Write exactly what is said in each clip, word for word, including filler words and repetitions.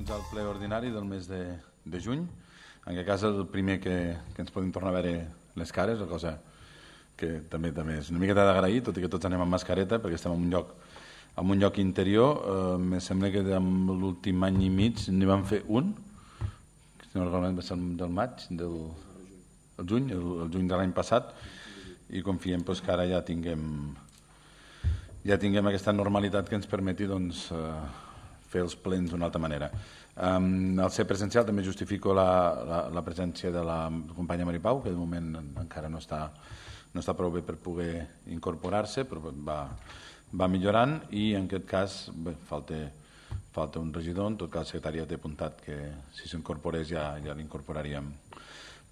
Benvinguts al ple ordinari del mes de, de juny. En aquest cas, el primer que, que ens podem tornar a veure les cares, la cosa que també també és una miqueta d'agrair, tot i que tots anem amb mascareta, perquè estem en un lloc, en un lloc interior. Eh, me sembla que l'últim any i mig n'hi vam fer un, si no recordo, va ser del maig, del el juny, el, el juny de l'any passat, i confiem pues, que ara ja tinguem, ja tinguem aquesta normalitat que ens permeti doncs, eh, fer els plens d'una altra manera. Um, al ser presencial també justifico la, la, la presència de la companya Mari Pau, que de moment encara no està, no està prou bé per poder incorporar-se, però va, va millorant, i en aquest cas bé, falta, falta un regidor. En tot cas, el secretari ja té apuntat que si s'incorporés ja, ja l'incorporaríem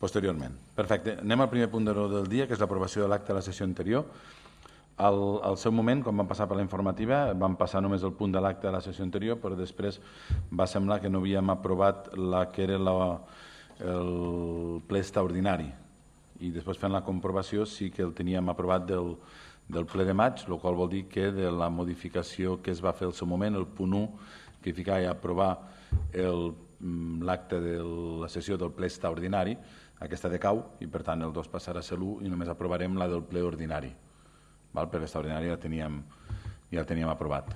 posteriorment. Perfecte. Anem al primer punt del dia, que és l'aprovació de l'acte de la sessió anterior. Al, al seu moment, quan vam passar per la informativa, vam passar només el punt de l'acte de la sessió anterior, però després va semblar que no havíem aprovat la que era la, el ple extraordinari. I després, fent la comprovació, sí que el teníem aprovat del, del ple de maig, el qual vol dir que de la modificació que es va fer al seu moment, el punt u, que ficava a aprovar l'acte de la sessió del ple extraordinari, aquesta decau, i per tant el dos passarà a ser l'u i només aprovarem la del ple ordinari. Val? Per l'extraordinari ja teníem, ja el teníem aprovat.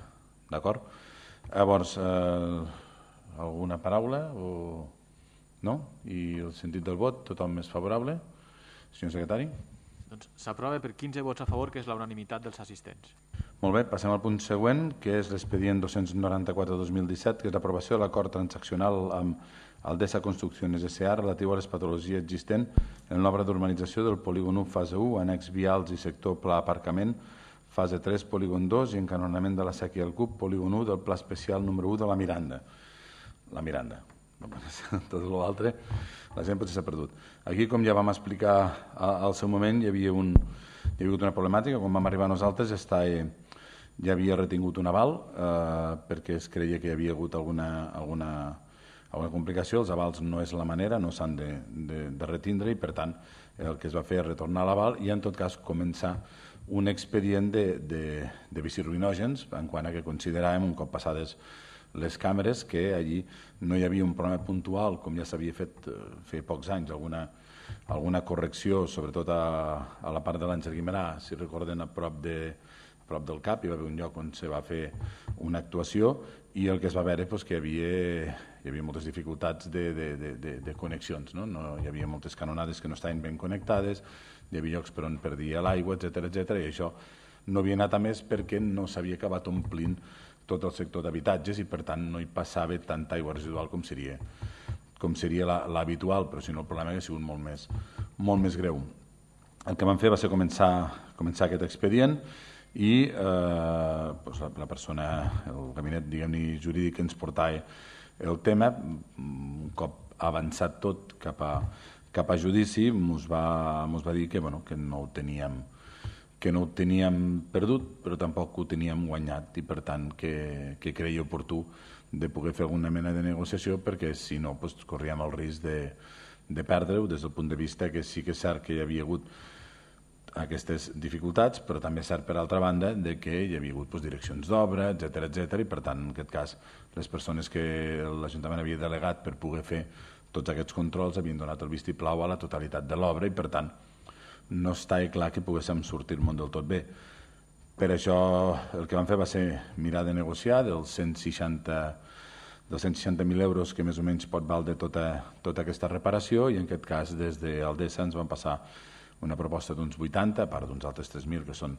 D'acord? Llavors, eh, alguna paraula? O... No? I el sentit del vot, tothom és favorable? Senyor secretari? Doncs s'aprova per quinze vots a favor, que és la unanimitat dels assistents. Molt bé, passem al punt següent, que és l'expedient dos-cents noranta-quatre dos mil disset, que és l'aprovació de l'acord transaccional amb Aldesa Construcciones S A relatiu a les patologies existents en l'obra d'urbanització del polígon u fase u, annex vials i sector pla aparcament, fase tres, polígon dos i encanonament de la sèquia del Cub, polígon u del pla especial número u de la Miranda. La Miranda. Tot l'altre, la gent potser s'ha perdut. Aquí, com ja vam explicar al seu moment, hi havia, un, hi havia una problemàtica. Quan vam arribar nosaltres està, eh, ja havia retingut un aval eh, perquè es creia que hi havia hagut alguna, alguna, alguna complicació. Els avals no és la manera, no s'han de, de, de retindre, i per tant el que es va fer és retornar l'aval i en tot cas començar un expedient de, de, de biciruinògens en quant a que consideràvem, un cop passades les càmeres, que allí no hi havia un problema puntual, com ja s'havia fet eh, fer pocs anys, alguna, alguna correcció, sobretot a, a la part de l'Àngel Guimerà, si recorden, a prop, de, a prop del cap, hi va haver un lloc on se va fer una actuació, i el que es va veure doncs, que hi havia, hi havia moltes dificultats de, de, de, de, de connexions, no? No, hi havia moltes canonades que no estaven ben connectades, hi havia llocs per on perdia l'aigua, etcètera, etcètera, i això no havia anat a més perquè no s'havia acabat omplint tot el sector d'habitatges i per tant no hi passava tanta aigua residual com seria, com seria l'habitual, però si no el problema hauria sigut molt més, molt més greu. El que vam fer va ser començar, començar aquest expedient i eh, doncs la, la persona, el gabinet diguem-ne jurídic que ens portava el tema, un cop avançat tot cap a, cap a judici, ens va, va dir que, bueno, que no ho teníem que no ho teníem perdut, però tampoc ho teníem guanyat, i per tant que, que creia oportú de poder fer alguna mena de negociació, perquè si no doncs, corríem el risc de, de perdre-ho des del punt de vista que sí que és cert que hi havia hagut aquestes dificultats, però també és cert per altra banda de que hi havia hagut doncs, direccions d'obra, etcètera, etcètera, i per tant en aquest cas les persones que l'Ajuntament havia delegat per poder fer tots aquests controls havien donat el vistiplau a la totalitat de l'obra i per tant no estava clar que poguéssim sortir el món del tot bé. Per això el que vam fer va ser mirar de negociar dels cent seixanta dels cent seixanta mil euros que més o menys pot valdre tota, tota aquesta reparació, i en aquest cas des d'Aldesa ens van passar una proposta d'uns vuitanta, a part d'uns altres tres mil que són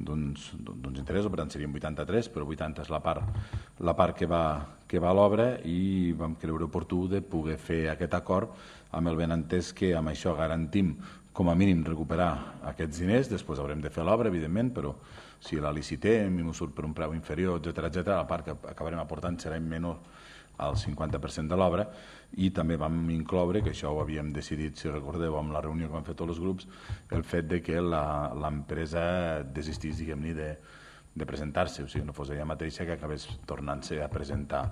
d'uns interessos, per tant serien vuitanta-tres, però vuitanta és la part, la part que va, que va a l'obra, i vam creure oportú de poder fer aquest acord amb el benentès que amb això garantim com a mínim recuperar aquests diners. Després haurem de fer l'obra, evidentment, però si la licitem i no surt per un preu inferior, etcètera, etcètera, la part que acabarem aportant serà menor al cinquanta per cent de l'obra, i també vam incloure, que això ho havíem decidit, si recordeu, amb la reunió que vam fer tots els grups, el fet de que l'empresa desistís, diguem-ne, de, de presentar-se, o sigui, no fos ella mateixa que acabés tornant-se a presentar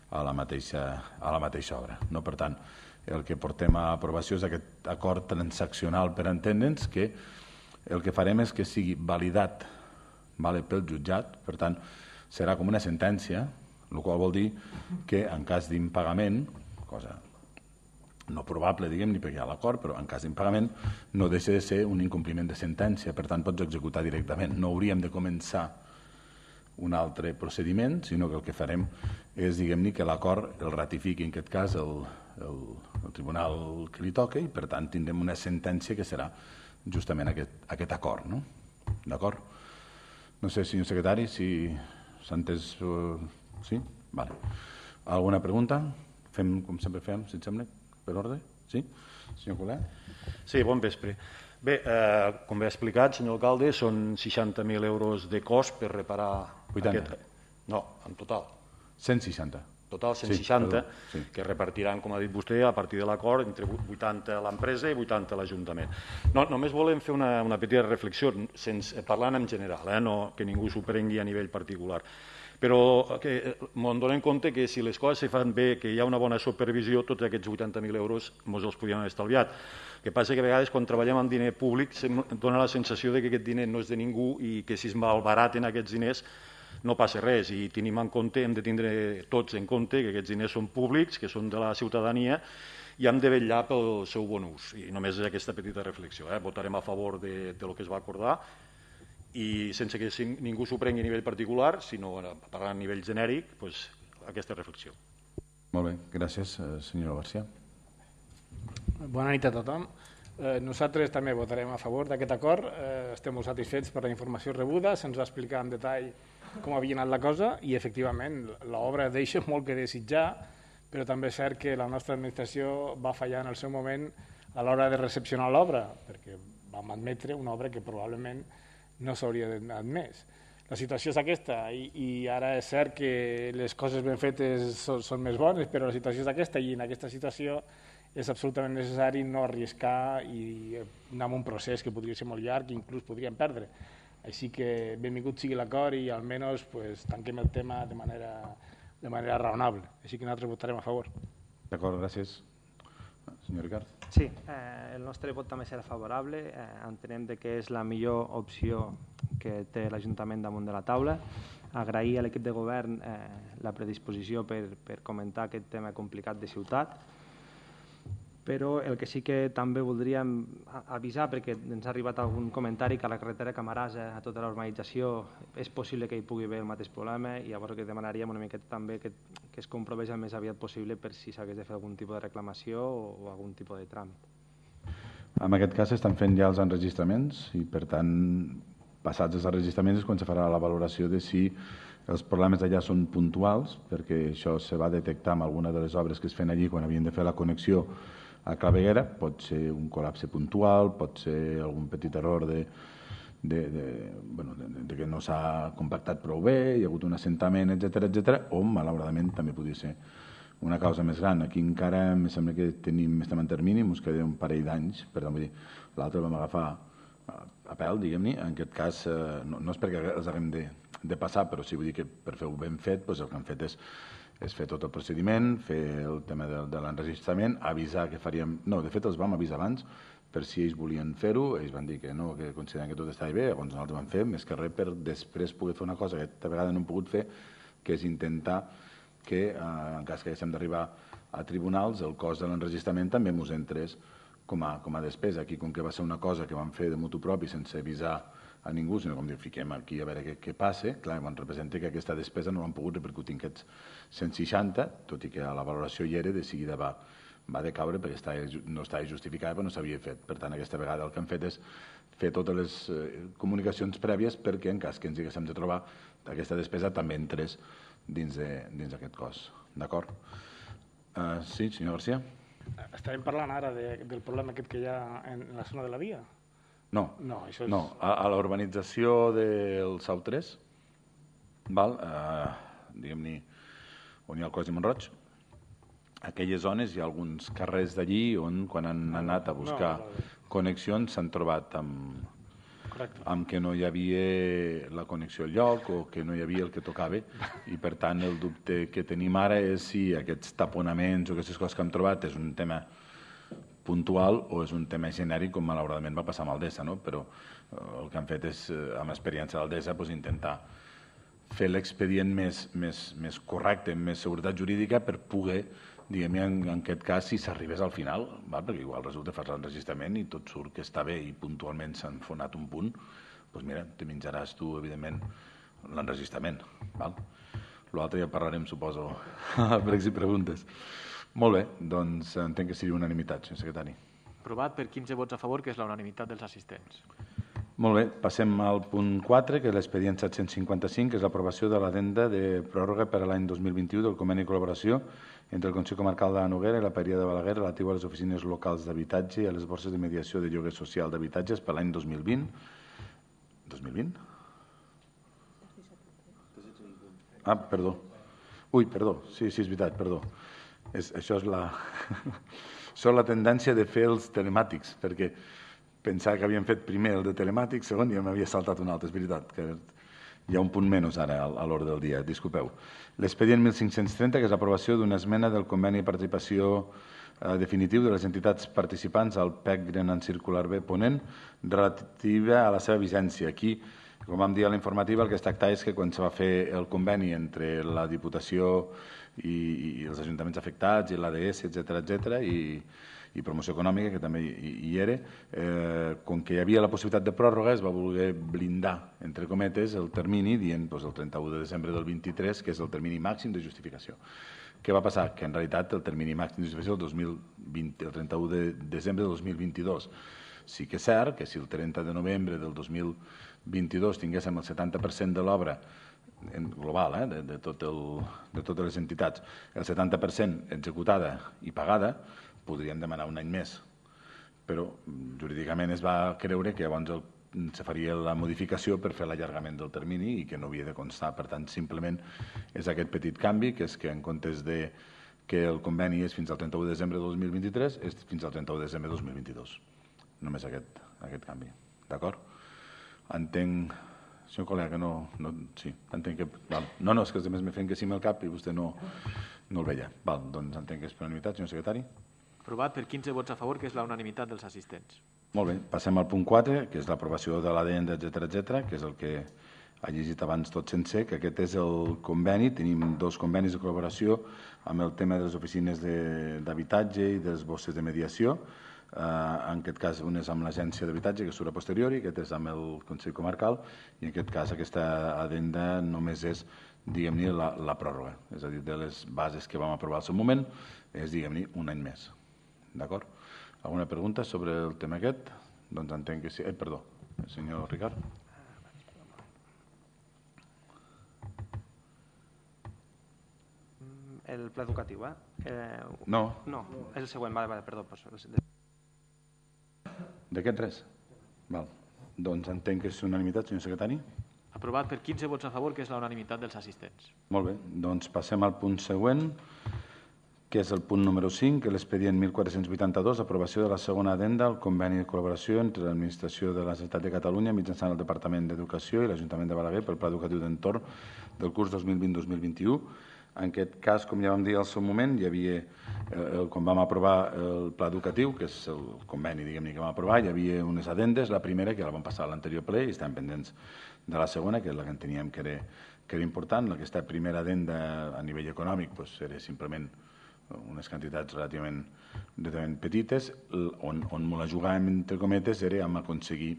a la mateixa, a la mateixa obra. No? Per tant, el que portem a aprovació és aquest acord transaccional per entendre'ns, que el que farem és que sigui validat, vale, pel jutjat, per tant, serà com una sentència, el qual vol dir que en cas d'impagament, cosa no probable, diguem, ni perquè hi ha l'acord, però en cas d'impagament no deixa de ser un incompliment de sentència, per tant pots executar directament. No hauríem de començar un altre procediment, sinó que el que farem és, diguem-ne, que l'acord el ratifiqui, en aquest cas, el, el, el tribunal que li toca, i per tant tindrem una sentència que serà justament aquest, aquest acord. No? D'acord? No sé, senyor secretari, si s'ha entès... Uh, sí? Vale. Alguna pregunta? Fem com sempre fem, si et sembla, per ordre? Sí? Senyor Coler? Sí, bon vespre. Bé, eh, com bé ha explicat, senyor alcalde, són seixanta mil euros de cost per reparar... vuitanta? Aquest... No, en total. cent seixanta. Total, cent seixanta, sí, sí. Que repartiran, com ha dit vostè, a partir de l'acord, entre vuitanta a l'empresa i vuitanta a l'Ajuntament. No, només volem fer una, una petita reflexió, sense, parlant en general, eh, no, que ningú s'ho prengui a nivell particular. Però que m'ho donem compte que si les coses se fan bé, que hi ha una bona supervisió, tots aquests vuitanta mil euros ens els podríem haver estalviat. El que passa que a vegades quan treballem amb diner públic dona la sensació de que aquest diner no és de ningú i que si es malbaraten aquests diners no passa res, i tenim en compte, hem de tindre tots en compte que aquests diners són públics, que són de la ciutadania, i hem de vetllar pel seu bon ús. I només és aquesta petita reflexió. Eh? Votarem a favor de, de lo que es va acordar, i sense que ningú s'ho prengui a nivell particular, sinó parlant a nivell genèric, doncs, aquesta reflexió. Molt bé, gràcies, senyor García. Bona nit a tothom. Eh, nosaltres també votarem a favor d'aquest acord. Eh, estem molt satisfets per la informació rebuda, se'ns va explicar en detall com havia anat la cosa i, efectivament, l'obra deixa molt que desitjar, però també és cert que la nostra administració va fallar en el seu moment a l'hora de recepcionar l'obra, perquè vam admetre una obra que probablement no s'hauria admès. La situació és aquesta, i, i ara és cert que les coses ben fetes són, són més bones, però la situació és aquesta, i en aquesta situació és absolutament necessari no arriscar i anar amb un procés que podria ser molt llarg i inclús podríem perdre. Així que benvingut sigui l'acord i almenys pues, tanquem el tema de manera, de manera raonable. Així que nosaltres votarem a favor. D'acord, gràcies. Senyor Ricard. Sí, eh, el nostre vot també serà favorable. Eh, entenem que és la millor opció que té l'Ajuntament damunt de la taula. Agrair a l'equip de govern eh, la predisposició per, per comentar aquest tema complicat de ciutat. Però el que sí que també voldríem avisar, perquè ens ha arribat algun comentari que a la carretera Camarasa, a tota la urbanització, és possible que hi pugui haver el mateix problema, i llavors que demanaríem una miqueta també que, que es comprovés el més aviat possible per si s'hagués de fer algun tipus de reclamació o, o algun tipus de tràmit. En aquest cas estan fent ja els enregistraments i, per tant, passats els enregistraments és quan se farà la valoració de si els problemes d'allà són puntuals, perquè això se va detectar amb alguna de les obres que es feien allí quan havien de fer la connexió a Claveguera. Pot ser un col·lapse puntual, pot ser algun petit error de, de, de, bueno, de, de que no s'ha compactat prou bé, hi ha hagut un assentament, etcètera, etcètera, o malauradament també podria ser una causa més gran. Aquí encara em sembla que tenim, estem en termini, ens queda un parell d'anys, per tant, vull dir, l'altre vam agafar a pèl, diguem-ne. En aquest cas, no, no és perquè els haguem de, de passar, però sí vull dir que per fer-ho ben fet, doncs el que han fet és és fer tot el procediment, fer el tema de, de l'enregistrament, avisar que faríem... No, de fet els vam avisar abans per si ells volien fer-ho, ells van dir que no, que consideren que tot estava bé, llavors nosaltres vam fer més que res per després poder fer una cosa que aquesta vegada no hem pogut fer, que és intentar que, eh, en cas que haguéssim d'arribar a tribunals, el cost de l'enregistrament també ens entrés com a, com a despesa. Aquí, com que va ser una cosa que vam fer de mutu propi sense avisar a ningú, sinó com dir, fiquem aquí a veure què, què passa, clar, quan representa que aquesta despesa no l'han pogut repercutir en aquests cent seixanta, tot i que a la valoració hi era, de seguida va, va decaure perquè estava, no estava justificada, però no s'havia fet. Per tant, aquesta vegada el que han fet és fer totes les eh, comunicacions prèvies perquè, en cas que ens haguéssim de trobar, aquesta despesa també entrés dins d'aquest cost. D'acord? Uh, sí, senyor García? Estàvem parlant ara de, del problema aquest que hi ha en la zona de la via? No, no, això és... no. A, a la urbanització del Sau tres, val, eh, diguem-ne, on hi ha el Cos i Montroig, aquelles zones hi ha alguns carrers d'allí on quan han anat a buscar no, no, no. connexions s'han trobat amb, amb que no hi havia la connexió al lloc o que no hi havia el que tocava, i per tant el dubte que tenim ara és si aquests taponaments o aquestes coses que hem trobat és un tema puntual o és un tema genèric, com malauradament va passar amb Aldesa, no? Però el que han fet és, amb experiència d'Aldesa, doncs, intentar fer l'expedient més, més, més correcte, amb més seguretat jurídica per poder, diguem, en, en aquest cas, si s'arribés al final, val? Perquè igual resulta fas l'enregistrament i tot surt que està bé i puntualment s'ha enfonat un punt, doncs mira, te menjaràs tu, evidentment, l'enregistrament. L'altre ja parlarem, suposo, a pregs i preguntes. Molt bé, doncs entenc que seria unanimitat, senyor secretari. Aprovat per quinze vots a favor, que és la unanimitat dels assistents. Molt bé, passem al punt quatre, que és l'expedient set-cents cinquanta-cinc, que és l'aprovació de l'addenda de pròrroga per a l'any dos mil vint-i-u del conveni de col·laboració entre el Consell Comarcal de la Noguera i la Paeria de Balaguer relatiu a les oficines locals d'habitatge i a les borses de mediació de lloguer social d'habitatges per l'any dos mil vint. dos mil vint? Ah, perdó. Ui, perdó, sí, sí, és veritat, perdó. És, això és la... això és la tendència de fer els telemàtics, perquè pensava que havíem fet primer el de telemàtic, segon, i m'havia saltat un altre, és veritat, que hi ha un punt menys ara a l'ordre del dia, disculpeu. L'expedient mil cinc-cents trenta, que és l'aprovació d'una esmena del conveni de participació eh, definitiu de les entitats participants al P E C Grenant Circular B Ponent, relativa a la seva vigència. Aquí, com vam dir a la informativa, el que es tracta és que quan se va fer el conveni entre la Diputació i, i els ajuntaments afectats i l'A D S, etcètera, etcètera, i i promoció econòmica, que també hi era, eh, com que hi havia la possibilitat de pròrroga, es va voler blindar, entre cometes, el termini, dient doncs, el trenta-u de desembre del vint-i-tres, que és el termini màxim de justificació. Què va passar? Que en realitat el termini màxim de justificació el, dos mil vint, el trenta-u de desembre del dos mil vint-i-dos. Sí que és cert que si el trenta de novembre del dos mil vint-i-dos tinguéssim el setanta per cent de l'obra global, eh, de, de, tot el, de totes les entitats, el setanta per cent executada i pagada, podríem demanar un any més, però jurídicament es va creure que llavors el, se faria la modificació per fer l'allargament del termini i que no havia de constar. Per tant, simplement és aquest petit canvi, que és que en comptes de que el conveni és fins al trenta-u de desembre de dos mil vint-i-tres, és fins al trenta-u de desembre de dos mil vint-i-dos. Només aquest, aquest canvi. D'acord? Entenc, senyor col·lega, que no... no sí, entenc que... Val. No, no, és que els altres me feien que sí amb el cap i vostè no, no el veia. Val, doncs entenc que és per unanimitat, senyor secretari. Aprovat per quinze vots a favor, que és la unanimitat dels assistents. Molt bé, passem al punt quatre, que és l'aprovació de l'addenda, etcètera, etcètera, que és el que ha llegit abans tot sencer, que aquest és el conveni. Tenim dos convenis de col·laboració amb el tema de les oficines d'habitatge i de les borses de mediació. Eh, en aquest cas, un és amb l'agència d'habitatge, que surt a posteriori, aquest és amb el Consell Comarcal, i en aquest cas aquesta addenda només és, diguem-ne, la, la pròrroga. És a dir, de les bases que vam aprovar al seu moment, és, diguem-ne, un any més. D'acord? Alguna pregunta sobre el tema aquest? Doncs entenc que sí. Eh, perdó, el senyor Ricard. El pla educatiu, eh? eh no. No, és el següent, vale, vale, perdó. D'aquest res? Val. Doncs entenc que és unanimitat, senyor secretari. Aprovat per quinze vots a favor, que és la unanimitat dels assistents. Molt bé, doncs passem al punt següent, que és el punt número cinc, que és l'expedient mil quatre-cents vuitanta-dos, aprovació de la segona addenda al conveni de col·laboració entre l'Administració de la Generalitat de Catalunya mitjançant el Departament d'Educació i l'Ajuntament de Balaguer pel Pla Educatiu d'Entorn del curs dos mil vint dos mil vint-i-u. En aquest cas, com ja vam dir al seu moment, hi havia, eh, quan vam aprovar el Pla Educatiu, que és el conveni, diguem-ne, que vam aprovar, hi havia unes addendes, la primera, que la vam passar a l'anterior ple, i estem pendents de la segona, que és la que enteníem que era, que era important. Aquesta primera addenda a nivell econòmic doncs, era simplement unes quantitats relativament, relativament petites, on, on me la jugàvem, entre cometes, era amb aconseguir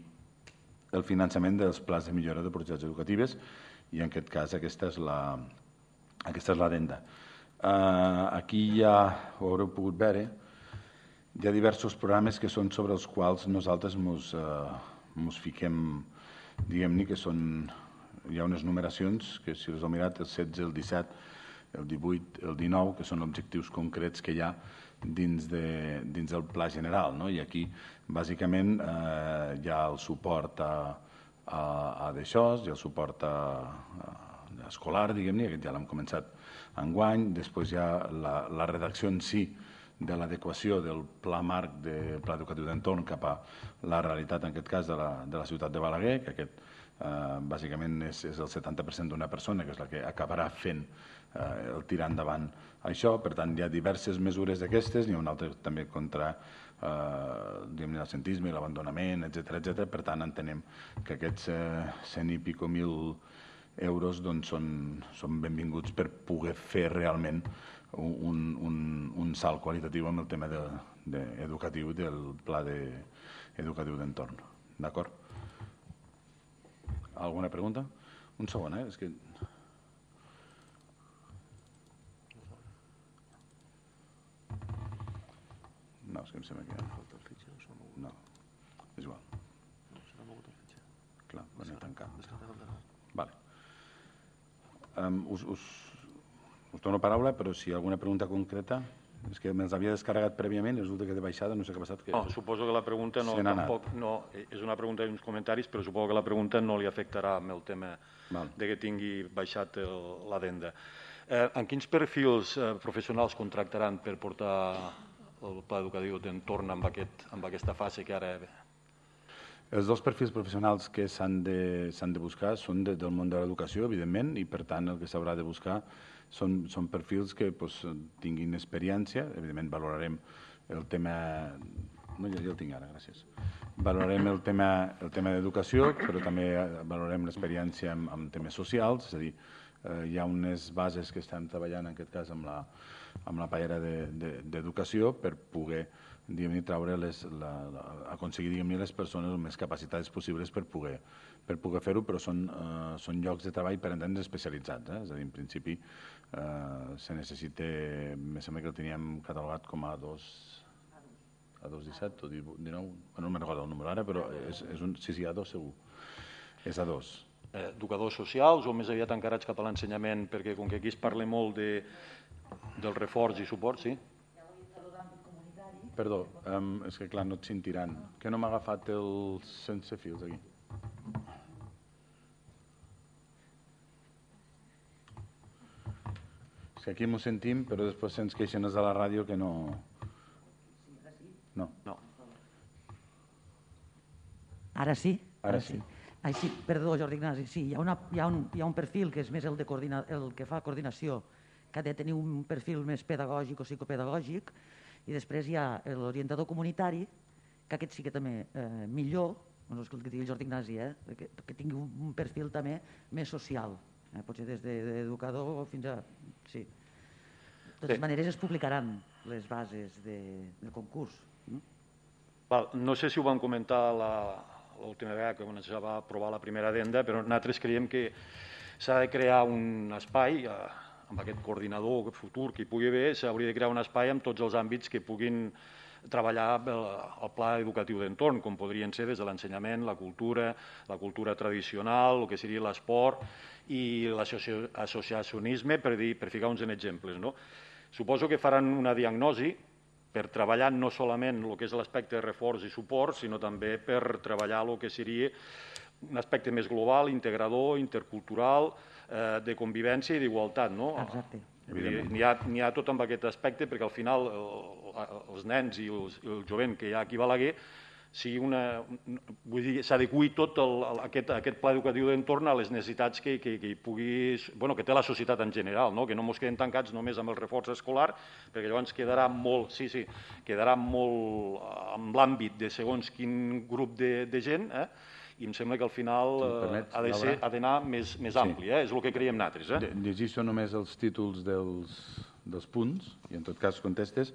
el finançament dels plans de millora de projectes educatives, i en aquest cas aquesta és la, aquesta és l'addenda. Uh, aquí ja ho haureu pogut veure, hi ha diversos programes que són sobre els quals nosaltres ens uh, fiquem, diguem-ne que són, hi ha unes numeracions que si us heu mirat, el setze, el disset, el divuit, el dinou, que són objectius concrets que hi ha dins, de, dins del pla general. No? I aquí, bàsicament, eh, hi ha el suport a, a, a d'això, hi ha el suport a, a escolar, diguem-ne, aquest ja l'hem començat enguany, després hi ha la, la redacció en si de l'adequació del pla marc de pla educatiu d'entorn cap a la realitat, en aquest cas, de la, de la ciutat de Balaguer, que aquest eh, bàsicament és, és el setanta per cent d'una persona, que és la que acabarà fent eh, el tirar endavant això. Per tant, hi ha diverses mesures d'aquestes, n'hi ha una altra també contra eh, l'absentisme i l'abandonament, etcètera, etcètera. Per tant, entenem que aquests eh, cent i pico mil euros doncs, són, són benvinguts per poder fer realment un, un, un salt qualitatiu amb el tema de, de educatiu del pla de, educatiu d'entorn. D'acord? Alguna pregunta? Un segon, eh? És que... No, és que em sembla que... No, és igual. Clar, van a tancar. Vale. Um, us, us, us dono paraula, però si hi ha alguna pregunta concreta... És que me'ls havia descarregat prèviament i resulta que de baixada no sé què ha passat. Que... No, suposo que la pregunta no, tampoc, no, és una pregunta i uns comentaris, però suposo que la pregunta no li afectarà amb el tema Val. de que tingui baixat l'adenda. Eh, en quins perfils eh, professionals contractaran per portar el pla educatiu d'entorn amb, aquest, amb aquesta fase que ara... Els dos perfils professionals que s'han de, s'han de buscar són de, del món de l'educació, evidentment, i per tant el que s'haurà de buscar són, són perfils que pues, tinguin experiència. Evidentment valorarem el tema... No, ja, ja el tinc ara, gràcies. Valorarem el tema, el tema d'educació, però també valorarem l'experiència en, en temes socials, és a dir, eh, hi ha unes bases que estem treballant en aquest cas amb la, amb la pallera d'educació de, de, per poder traure les, la, la, aconseguir les persones més capacitades possibles per poder, per poder fer-ho, però són, eh, són llocs de treball per entendre's especialitzats. Eh? És a dir, en principi eh, se necessita, em sembla que el teníem catalogat com a dos, a dos disset o dinou, no me'n recordo el número ara, però és, és un, sí, sí, a dos segur, és a dos. Eh, educadors socials o més aviat encarats cap a l'ensenyament, perquè com que aquí es parla molt de, del reforç i suport, sí? Perdó, um, és que clar, no et sentiran. Que no m'ha agafat el sense fils aquí? És que aquí m'ho sentim, però després se'ns queixen els de la ràdio que no... No. No. Ara sí? Ara sí. Ai, sí, perdó, Jordi Ignasi, sí, hi ha, una, hi, ha un, hi ha un perfil que és més el, de coordina, el que fa coordinació, que ha de tenir un perfil més pedagògic o psicopedagògic, i després hi ha l'orientador comunitari, que aquest sí que també eh, millor, no és el que digui el Jordi Ignasi, eh, que, que tingui un, un perfil també més social, eh, potser des d'educador fins a... Sí. De totes maneres es publicaran les bases de, del concurs. No? Val, no sé si ho vam comentar l'última vegada que es va aprovar la primera addenda, però nosaltres creiem que s'ha de crear un espai... Eh, amb aquest coordinador futur que hi pugui haver, s'hauria de crear un espai amb tots els àmbits que puguin treballar el, el pla educatiu d'entorn, com podrien ser des de l'ensenyament, la cultura, la cultura tradicional, el que seria l'esport i l'associacionisme, per, dir, per ficar uns exemples. No? Suposo que faran una diagnosi per treballar no solament el que és l'aspecte de reforç i suport, sinó també per treballar el que seria un aspecte més global, integrador, intercultural, eh, de convivència i d'igualtat. No? Exacte. N'hi ha, n'hi ha tot amb aquest aspecte, perquè al final el, els nens i, els, i el jovent que hi ha aquí a Balaguer sigui una, vull dir, s'adequi tot el, aquest, aquest pla educatiu d'entorn a les necessitats que, que, que, hi pugui, bueno, que té la societat en general, no? Que no ens quedem tancats només amb el reforç escolar, perquè llavors quedarà molt, sí, sí, quedarà molt amb l'àmbit de segons quin grup de, de gent, eh? I em sembla que al final si permets, ha de ser, ha d'anar més, més ampli, eh? És el que creiem nosaltres. Eh? Llegeixo només els títols dels, dels punts, i en tot cas contestes.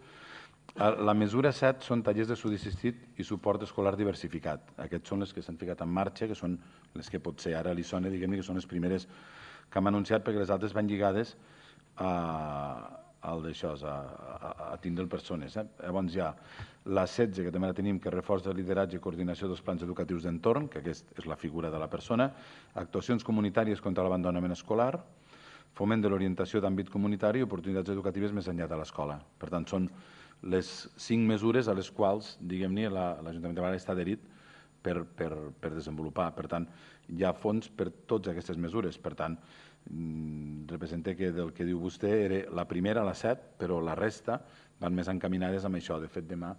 La mesura set són tallers de estudi assistit i suport escolar diversificat. Aquests són les que s'han ficat en marxa, que són les que potser ara li sona, diguem-ne, que són les primeres que hem anunciat, perquè les altres van lligades a, al d'això, a, a, a tindre persones. Eh? Llavors hi ha la setze, que també la tenim, que reforç de lideratge i coordinació dels plans educatius d'entorn, que aquesta és la figura de la persona, actuacions comunitàries contra l'abandonament escolar, foment de l'orientació d'àmbit comunitari i oportunitats educatives més enllà de l'escola. Per tant, són les cinc mesures a les quals, diguem-ne, l'Ajuntament de Balaguer està adherit per, per, per desenvolupar. Per tant, hi ha fons per totes aquestes mesures. Per tant, representa que del que diu vostè era la primera, la set, però la resta van més encaminades amb això. De fet, demà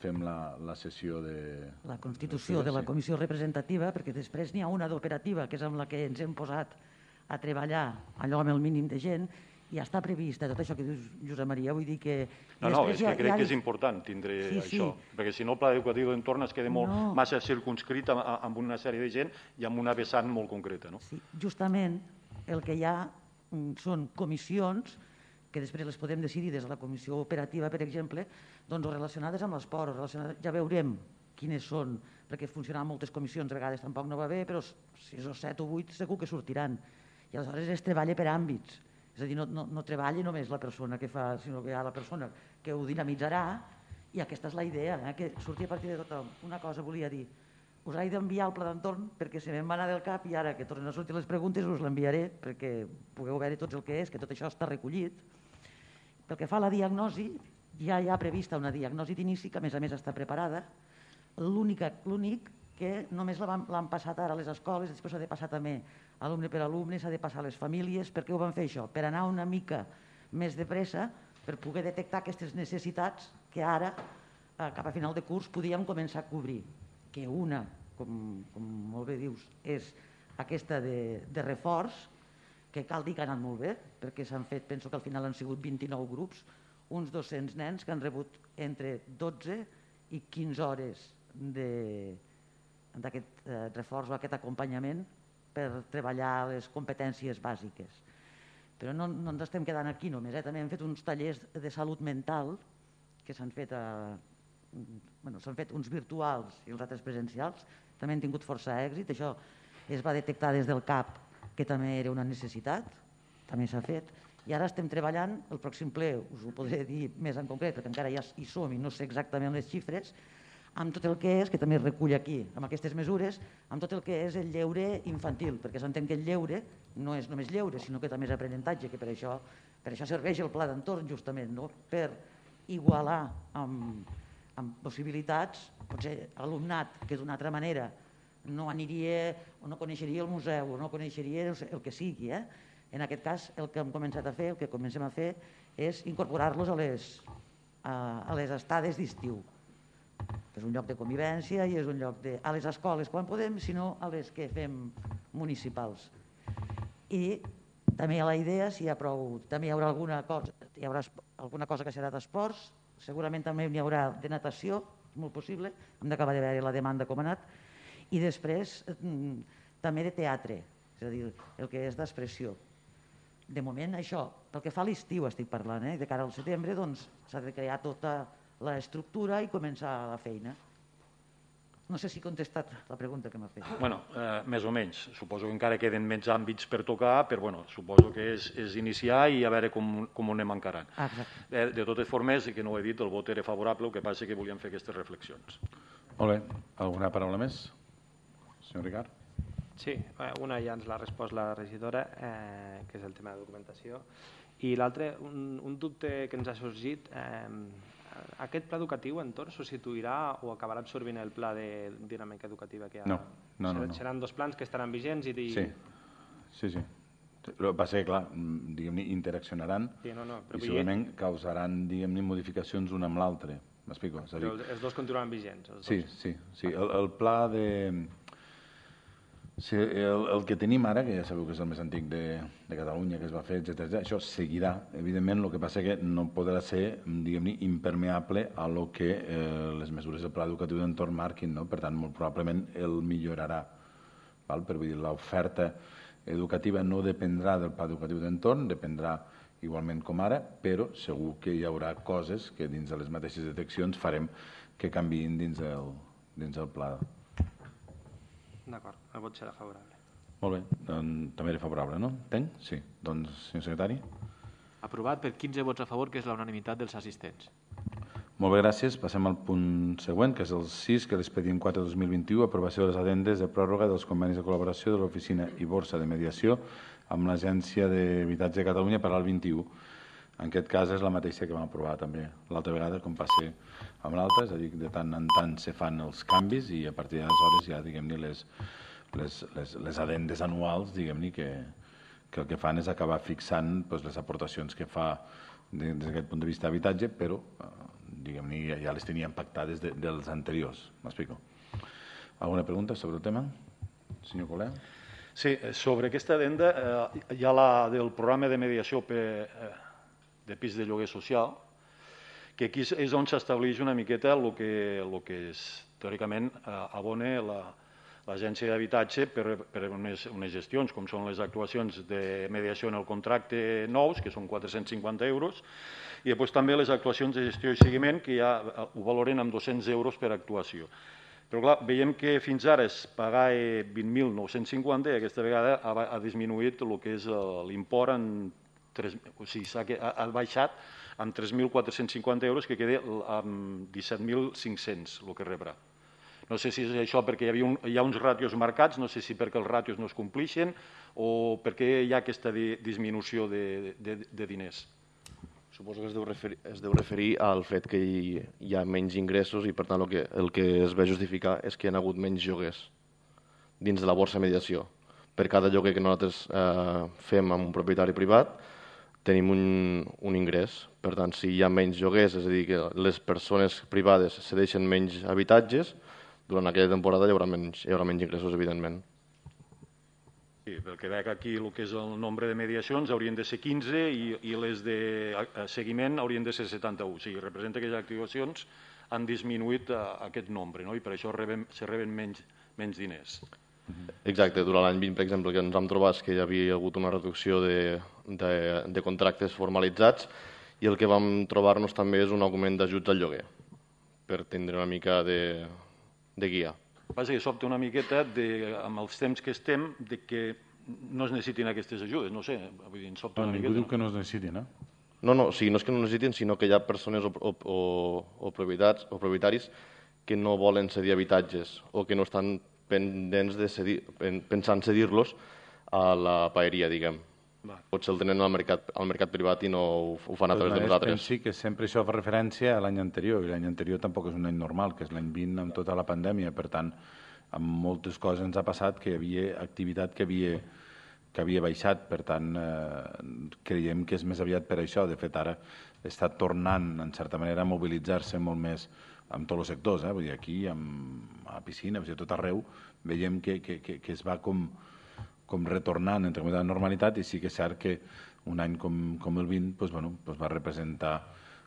fem la, la sessió de... La constitució de la comissió representativa, perquè després n'hi ha una d'operativa, que és amb la que ens hem posat a treballar allò amb el mínim de gent, i ja està previst, tot això que dius, Josep Maria, vull dir que... No, no, és que crec que és important tindre sí, això, sí. Perquè si no el pla educatiu d'entorn es queda molt no. massa circunscrit amb, amb una sèrie de gent i amb una vessant molt concreta. No? Sí, justament el que hi ha són comissions que després les podem decidir des de la comissió operativa, per exemple, doncs relacionades amb l'esport, ja veurem quines són, perquè funcionaran moltes comissions, a vegades tampoc no va bé, però sis o set o vuit segur que sortiran. I aleshores es treballa per àmbits, és a dir, no, no, no treballa només la persona que fa, sinó que hi ha la persona que ho dinamitzarà, i aquesta és la idea, eh, que surti a partir de tothom. Una cosa volia dir, us he d'enviar el pla d'entorn perquè se me'n va anar del cap i ara que tornen a sortir les preguntes us l'enviaré perquè pugueu veure tots el que és, que tot això està recollit. Pel que fa a la diagnosi, ja hi ha prevista una diagnosi d'inici que a més a més està preparada. L'únic que només l'han passat ara a les escoles, després s'ha de passar també alumne per alumne, s'ha de passar a les famílies. Per què ho van fer això? Per anar una mica més de pressa, per poder detectar aquestes necessitats que ara, cap a final de curs, podíem començar a cobrir. Que una, com molt bé dius, és aquesta de reforç, que cal dir que ha anat molt bé, perquè s'han fet, penso que al final han sigut vint-i-nou grups, uns dos-cents nens que han rebut entre dotze i quinze hores d'aquest reforç o aquest acompanyament per treballar les competències bàsiques. Però no ens estem quedant aquí només, també hem fet uns tallers de salut mental que s'han fet, s'han fet uns virtuals i els altres presencials, també han tingut força èxit, això es va detectar des del C A P que també era una necessitat, també s'ha fet, i ara estem treballant, el pròxim ple us ho podré dir més en concret, perquè encara ja hi som i no sé exactament les xifres, amb tot el que és, que també es recull aquí, amb aquestes mesures, amb tot el que és el lleure infantil, perquè s'entén que el lleure no és només lleure, sinó que també és aprenentatge, que per això serveix el pla d'entorn justament, per igualar amb possibilitats, potser alumnat que d'una altra manera no aniria o no coneixeria el museu o no coneixeria el que sigui. En aquest cas, el que hem començat a fer, el que comencem a fer, és incorporar-los a les estades d'estiu. És un lloc de convivència i és un lloc a les escoles quan podem, sinó a les que fem municipals. I també hi ha la idea, si hi ha prou, també hi haurà alguna cosa, hi haurà alguna cosa que serà d'esports, segurament també n'hi haurà de natació, molt possible, hem d'acabar de veure la demanda com ha anat, i després també de teatre, és a dir, el que és d'expressió. De moment això, pel que fa a l'estiu estic parlant, de cara al setembre s'ha de crear tota l'estructura i començar la feina. No sé si he contestat la pregunta que m'ha fet. Bueno, més o menys. Suposo que encara queden menys àmbits per tocar, però suposo que és iniciar i a veure com ho anem encarant. De totes formes, que no ho he dit, el vot era favorable, el que passa que volíem fer aquestes reflexions. Molt bé. Alguna paraula més? Senyor Ricard? Sí, una ja ens l'ha respost la regidora, que és el tema de documentació, i l'altre, un dubte que ens ha sorgit, aquest pla educatiu entorn substituirà o acabarà absorbint el pla de dinàmica educativa que hi ha? No, no, no. Seran dos plans que estaran vigents i... Sí, sí, sí. Va ser, clar, diguem-ne, interaccionaran i segurament causaran, diguem-ne, modificacions un amb l'altre. M'explico? Però els dos continuaran vigents? Sí, sí. El pla de... El que tenim ara, que ja sabeu que és el més antic de Catalunya, que es va fer, etcètera, això seguirà. Evidentment, el que passa que no podrà ser, diguem-ne, impermeable a lo que les mesures del pla educatiu d'entorn marquin. Per tant, molt probablement el millorarà. Per dir, l'oferta educativa no dependrà del pla educatiu d'entorn, dependrà igualment com ara, però segur que hi haurà coses que dins de les mateixes deteccions farem que canviïn dins del pla. D'acord, el vot serà favorable. Molt bé, també era favorable, no? Entenc? Sí. Doncs, senyor secretari. Aprovat per quinze vots a favor, que és la unanimitat dels assistents. Molt bé, gràcies. Passem al punt següent, que és el sis, que és l'expedient quatre dos mil vint-i-u, aprovació de les addendes de pròrroga dels convenis de col·laboració de l'Oficina i Borsa de Mediació amb l'Agència d'Habitatge de Catalunya per al vint-i-u. En aquest cas és la mateixa que vam aprovar també l'altra vegada, com passa amb l'altra, és a dir, de tant en tant se fan els canvis i a partir d'aleshores ja, diguem-ne, les addendes anuals, diguem-ne, que el que fan és acabar fixant les aportacions que fa des d'aquest punt de vista d'habitatge, però, diguem-ne, ja les teníem pactades dels anteriors. M'explico. Alguna pregunta sobre el tema? Senyor Colé? Sí, sobre aquesta addenda hi ha la del programa de mediació de pis de lloguer social, que aquí és on s'estableix una miqueta el que teòricament abona l'agència d'habitatge per, per unes, unes gestions, com són les actuacions de mediació en el contracte nous, que són quatre-cents cinquanta euros, i després també les actuacions de gestió i seguiment, que ja ho valoren amb dos-cents euros per actuació. Però clar, veiem que fins ara es pagava vint mil nou-cents cinquanta i aquesta vegada ha, ha disminuït el que és l'import en tres, o sigui, ha, ha baixat amb tres mil quatre-cents cinquanta euros, que queda amb disset mil cinc-cents el que rebrà. No sé si és això perquè hi, havia un, hi ha uns ràtios marcats, no sé si perquè els ràtios no es complixen o perquè hi ha aquesta di, disminució de, de, de diners. Suposo que es deu, referir, es deu referir al fet que hi, hi ha menys ingressos i, per tant, el que, el que es ve a justificar és que hi ha hagut menys lloguers dins de la borsa de mediació. Per cada lloguer que nosaltres eh, fem amb un propietari privat, tenim un, un ingrés. Per tant, si hi ha menys lloguers, és a dir, que les persones privades cedeixen menys habitatges, durant aquella temporada hi haurà menys, hi haurà menys ingressos, evidentment. Sí, pel que veig aquí el que és el nombre de mediacions haurien de ser quinze i, i les de seguiment haurien de ser setanta-u. O sigui, representa que les actuacions han disminuït a, a aquest nombre, no? I per això reben, se reben menys, menys diners. Exacte, durant l'any vint, per exemple, que ens vam trobar que hi havia hagut una reducció de, de, de contractes formalitzats i el que vam trobar-nos també és un augment d'ajuts al lloguer, per tindre una mica de, de guia. Passa que sobta una miqueta, de, amb els temps que estem, de que no es necessitin aquestes ajudes, no sé, vull dir, em sobta no, una ningú miqueta. Ningú diu que no es necessitin, eh? No, no, o sigui, no és que no necessitin, sinó que hi ha persones o, o, o, o, propietats, o propietaris que no volen cedir habitatges o que no estan pendents de cedir, pensant cedir-los a la paeria, diguem. Va. Potser el tenen al mercat, al mercat privat i no ho, ho fan a través de nosaltres. Sí, que sempre això fa referència a l'any anterior, i l'any anterior tampoc és un any normal, que és l'any vint amb tota la pandèmia, per tant, amb moltes coses ens ha passat que hi havia activitat que havia, que havia baixat, per tant, eh, creiem que és més aviat per això. De fet, ara està tornant, en certa manera, a mobilitzar-se molt més amb tots els sectors, eh? Vull dir, aquí, amb, a la piscina, a tot arreu, veiem que, que, que, que es va com... com retornant entre la normalitat, i sí que és cert que un any com, com el vint pues, bueno, pues va representar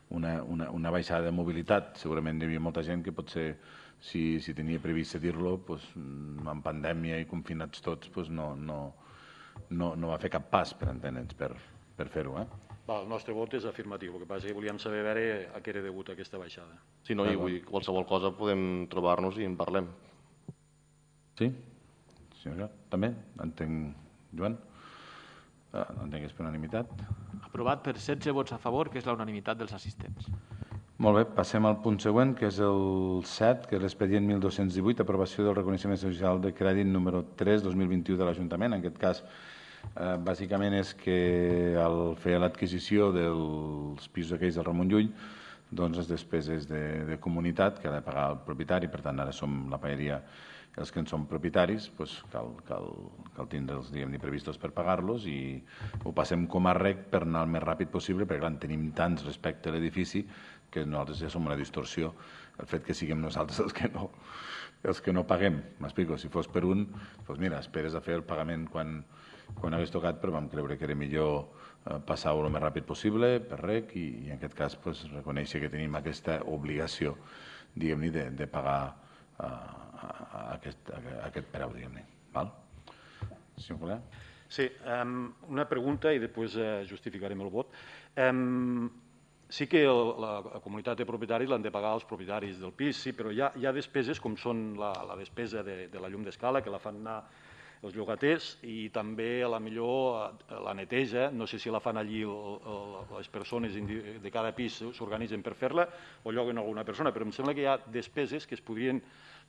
una, una, una baixada de mobilitat. Segurament hi havia molta gent que potser, si, si tenia previst cedir-lo, pues, en pandèmia i confinats tots, pues, no, no, no, no va fer cap pas, per entendre'ns, per, per fer-ho. Eh? El nostre vot és afirmatiu, el que passa és que volíem saber a veure a què era degut aquesta baixada. Sí, no, i vull dir, qualsevol cosa podem trobar-nos i en parlem. Sí? També? Entenc, Joan? Entenc que és per unanimitat. Aprovat per setze vots a favor, que és la unanimitat dels assistents. Molt bé, passem al punt següent, que és el set, que és l'expedient mil dos-cents divuit, aprovació del reconeixement social de crèdit número tres dos mil vint-i-u de l'Ajuntament. En aquest cas, eh, bàsicament és que al fer l'adquisició dels pisos aquells del Ramon Llull, doncs les despeses de, de comunitat que ha de pagar el propietari, per tant ara som la paeria els que en som propietaris, doncs cal, cal, cal tindre'ls diguem-ne previstos per pagar-los i ho passem com a rec per anar el més ràpid possible, perquè clar, en tenim tants respecte a l'edifici que nosaltres ja som una distorsió. El fet que siguem nosaltres els que no, els que no paguem, m'explico, si fos per un, doncs mira, esperes a fer el pagament quan, quan hagués tocat, però vam creure que era millor eh, passar-ho el més ràpid possible per rec i, i en aquest cas doncs, reconèixer que tenim aquesta obligació, diguem-ne, de, de pagar a, a, aquest, a aquest preu, diguem-ne. Val? Senyor Colau? Sí, um, una pregunta i després uh, justificarem el vot. Um, sí que el, la, la comunitat de propietaris l'han de pagar els propietaris del pis, sí, però hi ha, hi ha despeses com són la, la despesa de, de la llum d'escala, que la fan anar els llogaters, i també a la millor la neteja, no sé si la fan allí el, el, les persones de cada pis s'organitzen per fer-la o lloguen alguna persona, però em sembla que hi ha despeses que es podrien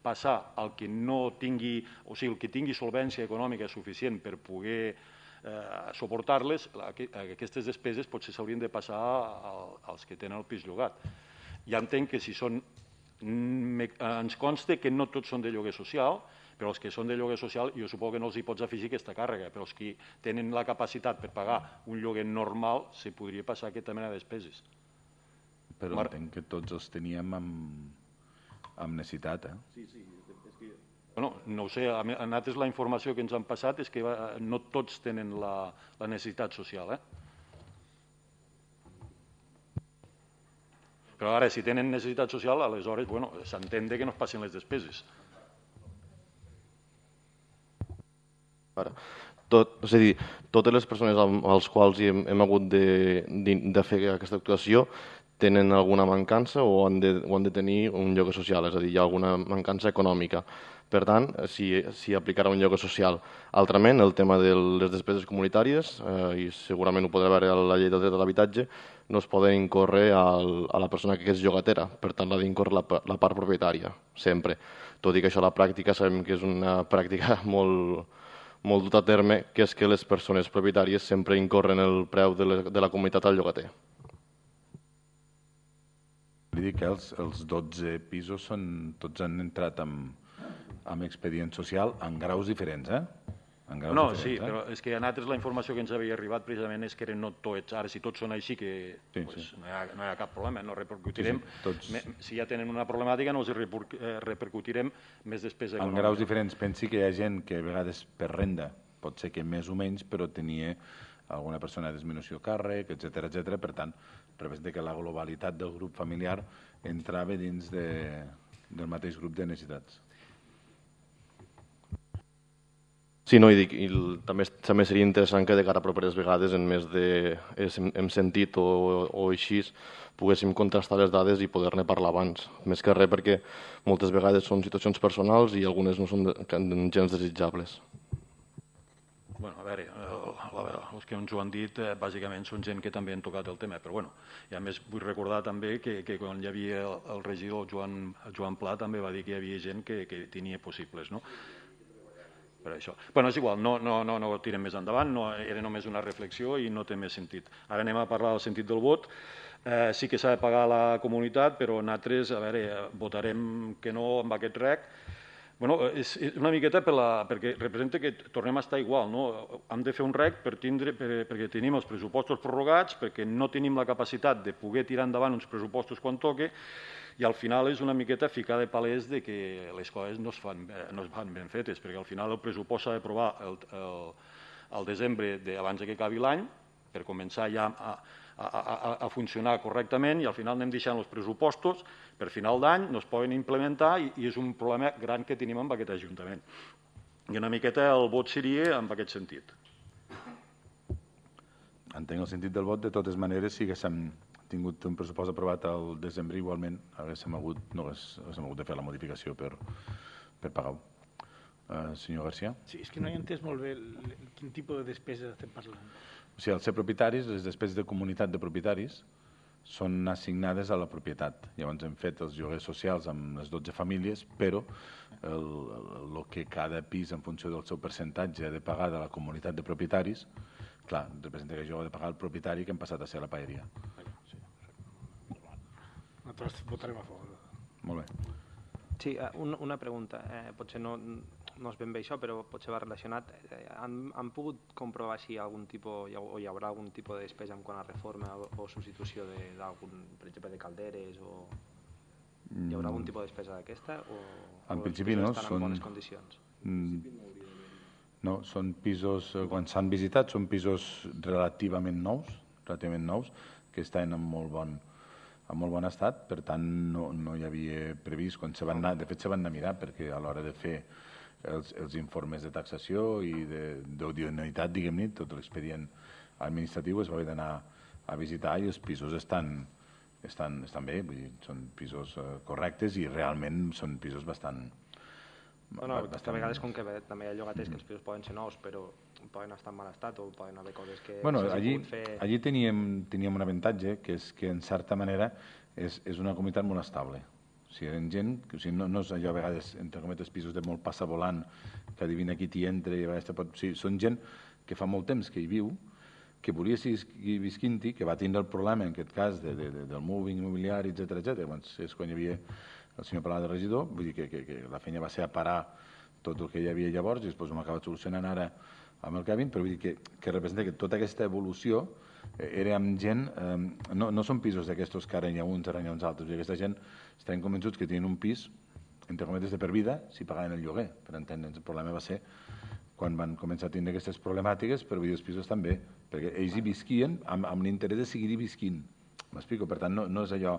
passar al que no tingui, o sigui, el que tingui solvència econòmica suficient per poder eh, suportar-les, aquestes despeses potser s'haurien de passar als que tenen el pis llogat. Ja entenc que si són, ens consta que no tots són de lloguer social, però els que són de lloguer social jo suposo que no els hi pots afegir aquesta càrrega, però els que tenen la capacitat per pagar un lloguer normal se podria passar aquesta mena de despeses. Però Mar... entenc que tots els teníem amb, amb necessitat, eh? Sí, sí. És que... Bueno, no ho sé, a nosaltres la informació que ens han passat és que no tots tenen la, la necessitat social, eh? Però ara, si tenen necessitat social, aleshores, bueno, s'entén que no es passin les despeses. Ara, tot, és a dir, totes les persones als quals hem, hem hagut de, de, de fer aquesta actuació tenen alguna mancança o han, de, o han de tenir un lloguer social, és a dir, hi ha alguna mancança econòmica. Per tant, si, si aplicarà un lloguer social. Altrament, el tema de les despeses comunitàries, eh, i segurament ho podrà veure a la llei del dret a l'habitatge, no es poden incórrer al, a la persona que és llogatera, per tant, l'ha d'incórrer la, la part propietària, sempre. Tot i que això a la pràctica sabem que és una pràctica molt, molt duta a terme, que és que les persones propietàries sempre incorren el preu de la, de la comunitat al llogater. Vull dir que els, els dotze pisos són, tots han entrat amb, amb expedient social en graus diferents, eh? En graus no, diferents, sí, eh? però és que a nosaltres la informació que ens havia arribat precisament és que eren no tots. Ara, si tots són així, que sí, pues, sí. No, hi ha, no hi ha cap problema, no repercutirem. Sí, sí, tots... Me, si ja tenen una problemàtica, no els repercutirem més despesa econòmica. En graus diferents, pensi que hi ha gent que a vegades per renda, pot ser que més o menys, però tenia alguna persona de disminució càrrec, etcètera, etcètera. Per tant, representa que la globalitat del grup familiar entrava dins de, del mateix grup de necessitats. Sí, no, i dic, i el, també, també seria interessant que de cara a properes vegades, en més de hem, hem sentit o, o així, poguéssim contrastar les dades i poder-ne parlar abans. Més que res perquè moltes vegades són situacions personals i algunes no són de, gens desitjables. Bueno, a veure, a veure, els que ens ho han dit eh, bàsicament són gent que també han tocat el tema, però bueno, i a més vull recordar també que, que quan hi havia el, el regidor Joan, Joan Pla també va dir que hi havia gent que, que tenia possibles, no? Per això. Bueno, és igual, no, no, no, no ho tirem més endavant, no, era només una reflexió i no té més sentit. Ara anem a parlar del sentit del vot. Eh, sí que s'ha de pagar la comunitat, però nosaltres, a veure, votarem que no amb aquest rec. Bueno, és una miqueta per la, perquè representa que tornem a estar igual, no? Hem de fer un rec per tindre, per, perquè tenim els pressupostos prorrogats, perquè no tenim la capacitat de poder tirar endavant uns pressupostos quan toque, i al final és una miqueta ficar de palès de que les coses no es fan, no es fan ben fetes, perquè al final el pressupost s'ha d'aprovar el, el, el desembre de, abans que acabi l'any, per començar ja a, a, a, a funcionar correctament, i al final anem deixant els pressupostos per final d'any, no es poden implementar i, i és un problema gran que tenim amb aquest Ajuntament. I una miqueta el vot seria en aquest sentit. Entenc el sentit del vot, de totes maneres, si haguéssim tingut un pressupost aprovat al desembre, igualment haguéssim hagut, no haguéssim hagut de fer la modificació per, per pagar-ho. Uh, senyor García? Sí, és que no he entès molt bé el, quin tipus de despesa estem parlant. O sigui, al ser propietaris, les despeses de comunitat de propietaris són assignades a la propietat. Llavors hem fet els lloguers socials amb les dotze famílies, però el, el, el que cada pis, en funció del seu percentatge, ha de pagar de la comunitat de propietaris, clar, representa que jo he de pagar el propietari que hem passat a ser la paeria. Nosaltres votarem a favor. Molt bé. Sí, una, una pregunta. Eh, potser no, no és ben bé això, però potser va relacionat. Eh, han, han pogut comprovar si algun tipus, o hi haurà algun tipus de despesa en quant a reforma o, o substitució d'algun, per exemple, de calderes, o hi haurà algun tipus de despesa d'aquesta? O, en o principi no. Estan són... en bones condicions? No, són pisos, quan s'han visitat, són pisos relativament nous, relativament nous, que estan en molt bon en molt bon estat, per tant no, no hi havia previst, quan se van anar, de fet se van anar a mirar, perquè a l'hora de fer els, els informes de taxació i d'odionitat, diguem-ne, tot l'expedient administratiu es va haver d'anar a visitar i els pisos estan, estan, estan bé, vull dir, són pisos uh, correctes i realment són pisos bastant... Bueno, bastant... a vegades com que també hi ha llogaters que els pisos poden ser nous, però poden estar en mal estat o poden haver coses que bueno, s'hagin allí, pogut fer... Allí teníem, teníem un avantatge, que és que en certa manera és, és una comunitat molt estable. O sigui, eren gent, que, o sigui, no, no és allò a vegades, entre cometes, pisos de molt passavolant, que adivina qui t'hi entra i a vegades te pot... O sigui, són gent que fa molt temps que hi viu, que volia seguir visquint-hi, que va tindre el problema, en aquest cas, de, de, de, del moving immobiliari, etcètera, etcètera. Doncs és quan hi havia el senyor Palau de regidor, vull dir que, que, que la feina va ser a parar tot el que hi havia llavors i després ho hem acabat solucionant ara amb el Kevin, però vull dir que, que representa que tota aquesta evolució eh, era amb gent, eh, no, no són pisos d'aquestos que ara hi ha uns, ara hi ha uns altres, i aquesta gent estaven convençuts que tenien un pis, entre cometes, de per vida, si pagaven el lloguer, per entendre'ns. El problema va ser quan van començar a tenir aquestes problemàtiques, però vull dir, els pisos també, perquè ells hi visquien amb, amb l'interès de seguir-hi visquint. M'explico? Per tant, no, no és allò,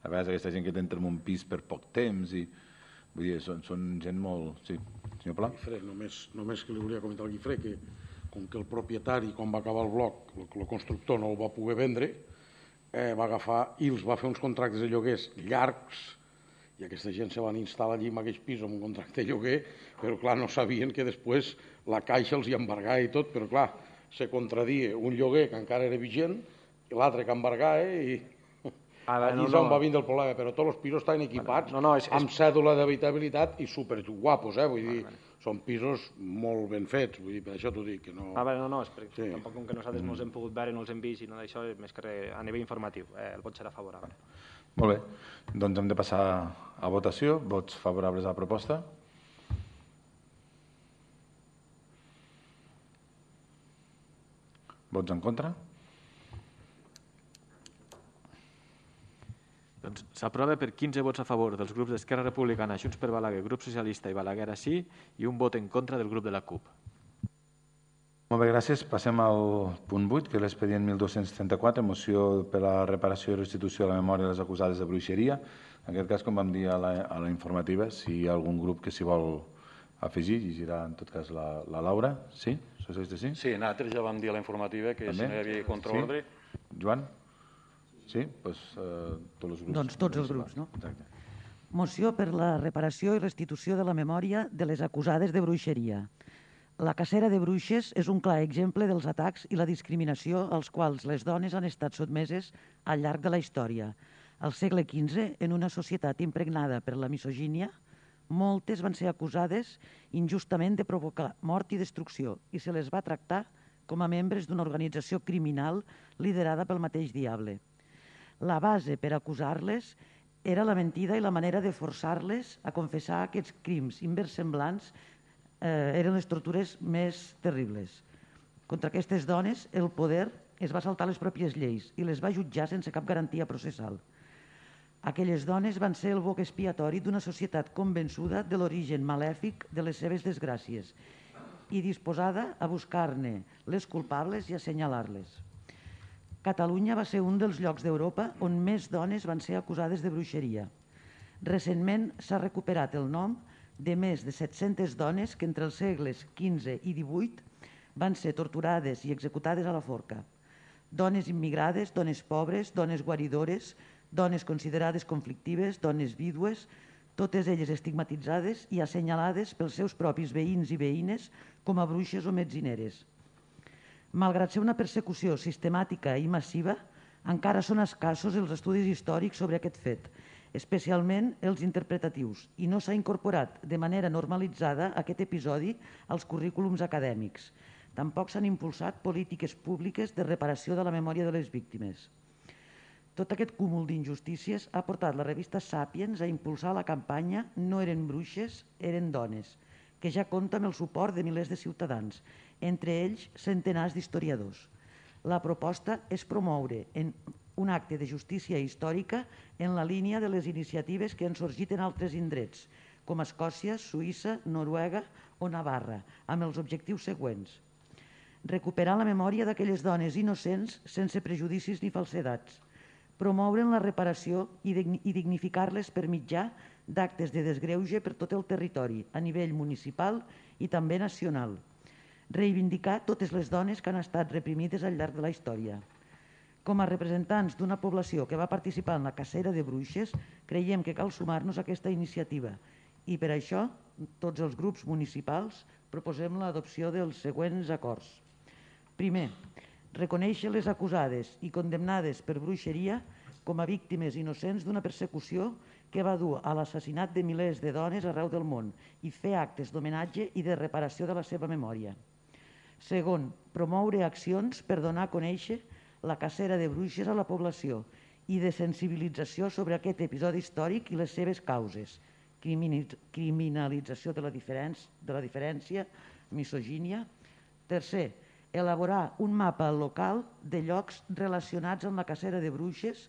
a vegades aquesta gent que t'entra en un pis per poc temps i Vull dir, són, són gent molt... Sí, senyor Pla? Guifré, només, només que li volia comentar al Guifré que com que el propietari, quan va acabar el bloc, el, el constructor no el va poder vendre, eh, va agafar i els va fer uns contractes de lloguers llargs i aquesta gent se van instal·lar allí en aquell pis amb un contracte de lloguer, però clar, no sabien que després la Caixa els hi embargava i tot, però clar, se contradia un lloguer que encara era vigent i l'altre que embargava i... Veure, allí no, és on no. va vindre el problema, però tots els pisos estan equipats no, no, és, amb és... cèdula d'habitabilitat i superguapos, eh? Vull dir, vale. Són pisos molt ben fets, vull dir, per això t'ho dic, que no... Ah, bé, no, no, és perquè sí. Tampoc com que nosaltres mm. no els hem pogut veure, no els hem vist i no d'això, més que res, a nivell informatiu, eh, el vot serà favorable. Molt bé, doncs hem de passar a votació. Vots favorables a la proposta? Vots en contra? Doncs s'aprova per quinze vots a favor dels grups d'Esquerra Republicana, Junts per Balaguer, Grup Socialista i Balaguer sí, i un vot en contra del grup de la C U P. Molt bé, gràcies. Passem al punt vuit, que és l'expedient mil dos-cents trenta-quatre, moció per a la reparació i restitució de la memòria de les acusades de bruixeria. En aquest cas, com vam dir a la, a la informativa, si hi ha algun grup que s'hi vol afegir, llegirà en tot cas la, la Laura. Sí? Socialista sí? Sí, nosaltres ja vam dir a la informativa que També? si no hi havia contraordre... Sí? Joan? Sí? Pues, uh, tots els grups. Doncs tots els grups, no? Exacte. Moció per la reparació i restitució de la memòria de les acusades de bruixeria. La cacera de bruixes és un clar exemple dels atacs i la discriminació als quals les dones han estat sotmeses al llarg de la història. Al segle quinze, en una societat impregnada per la misogínia, moltes van ser acusades injustament de provocar mort i destrucció i se les va tractar com a membres d'una organització criminal liderada pel mateix diable. La base per acusar-les era la mentida i la manera de forçar-les a confessar aquests crims inversemblants eh, eren les tortures més terribles. Contra aquestes dones, el poder es va saltar les pròpies lleis i les va jutjar sense cap garantia processal. Aquelles dones van ser el boc expiatori d'una societat convençuda de l'origen malèfic de les seves desgràcies i disposada a buscar-ne les culpables i assenyalar-les. Catalunya va ser un dels llocs d'Europa on més dones van ser acusades de bruixeria. Recentment s'ha recuperat el nom de més de set-centes dones que entre els segles quinze i divuit van ser torturades i executades a la forca. Dones immigrades, dones pobres, dones guaridores, dones considerades conflictives, dones vídues, totes elles estigmatitzades i assenyalades pels seus propis veïns i veïnes com a bruixes o metzineres. Malgrat ser una persecució sistemàtica i massiva, encara són escassos els estudis històrics sobre aquest fet, especialment els interpretatius, i no s'ha incorporat de manera normalitzada aquest episodi als currículums acadèmics. Tampoc s'han impulsat polítiques públiques de reparació de la memòria de les víctimes. Tot aquest cúmul d'injustícies ha portat la revista Sàpiens a impulsar la campanya No eren bruixes, eren dones, que ja compta amb el suport de milers de ciutadans, entre ells centenars d'historiadors. La proposta és promoure en un acte de justícia històrica en la línia de les iniciatives que han sorgit en altres indrets, com Escòcia, Suïssa, Noruega o Navarra, amb els objectius següents. Recuperar la memòria d'aquelles dones innocents sense prejudicis ni falsedats, promoure'n la reparació i dignificar-les per mitjà d'actes de desgreuge per tot el territori, a nivell municipal i també nacional. Reivindicar totes les dones que han estat reprimides al llarg de la història. Com a representants d'una població que va participar en la cacera de bruixes, creiem que cal sumar-nos a aquesta iniciativa i per això tots els grups municipals proposem l'adopció dels següents acords. Primer, reconèixer les acusades i condemnades per bruixeria com a víctimes innocents d'una persecució que va dur a l'assassinat de milers de dones arreu del món i fer actes d'homenatge i de reparació de la seva memòria. Segon, promoure accions per donar a conèixer la cacera de bruixes a la població i de sensibilització sobre aquest episodi històric i les seves causes, criminalització de la diferència, de la diferència, misogínia. Tercer, elaborar un mapa local de llocs relacionats amb la cacera de bruixes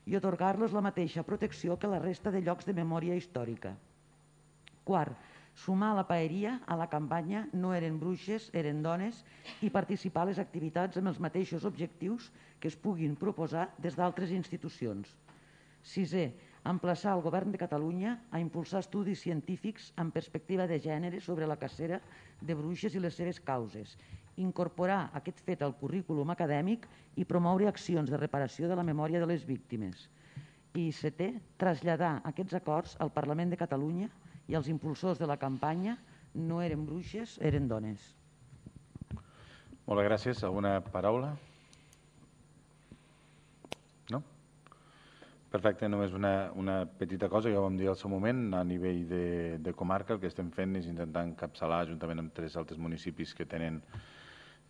i atorgar-los la mateixa protecció que la resta de llocs de memòria històrica. Quart, sumar la paeria a la campanya No eren bruixes, eren dones i participar a les activitats amb els mateixos objectius que es puguin proposar des d'altres institucions. Sisè, Emplaçar el Govern de Catalunya a impulsar estudis científics amb perspectiva de gènere sobre la cacera de bruixes i les seves causes, incorporar aquest fet al currículum acadèmic i promoure accions de reparació de la memòria de les víctimes. I setè, traslladar aquests acords al Parlament de Catalunya i als impulsors de la campanya No eren bruixes, eren dones. Moltes gràcies. Alguna paraula? No? Perfecte, només una, una petita cosa, ja ho vam dir al seu moment, a nivell de, de comarca el que estem fent és intentar encapçalar, juntament amb tres altres municipis que tenen,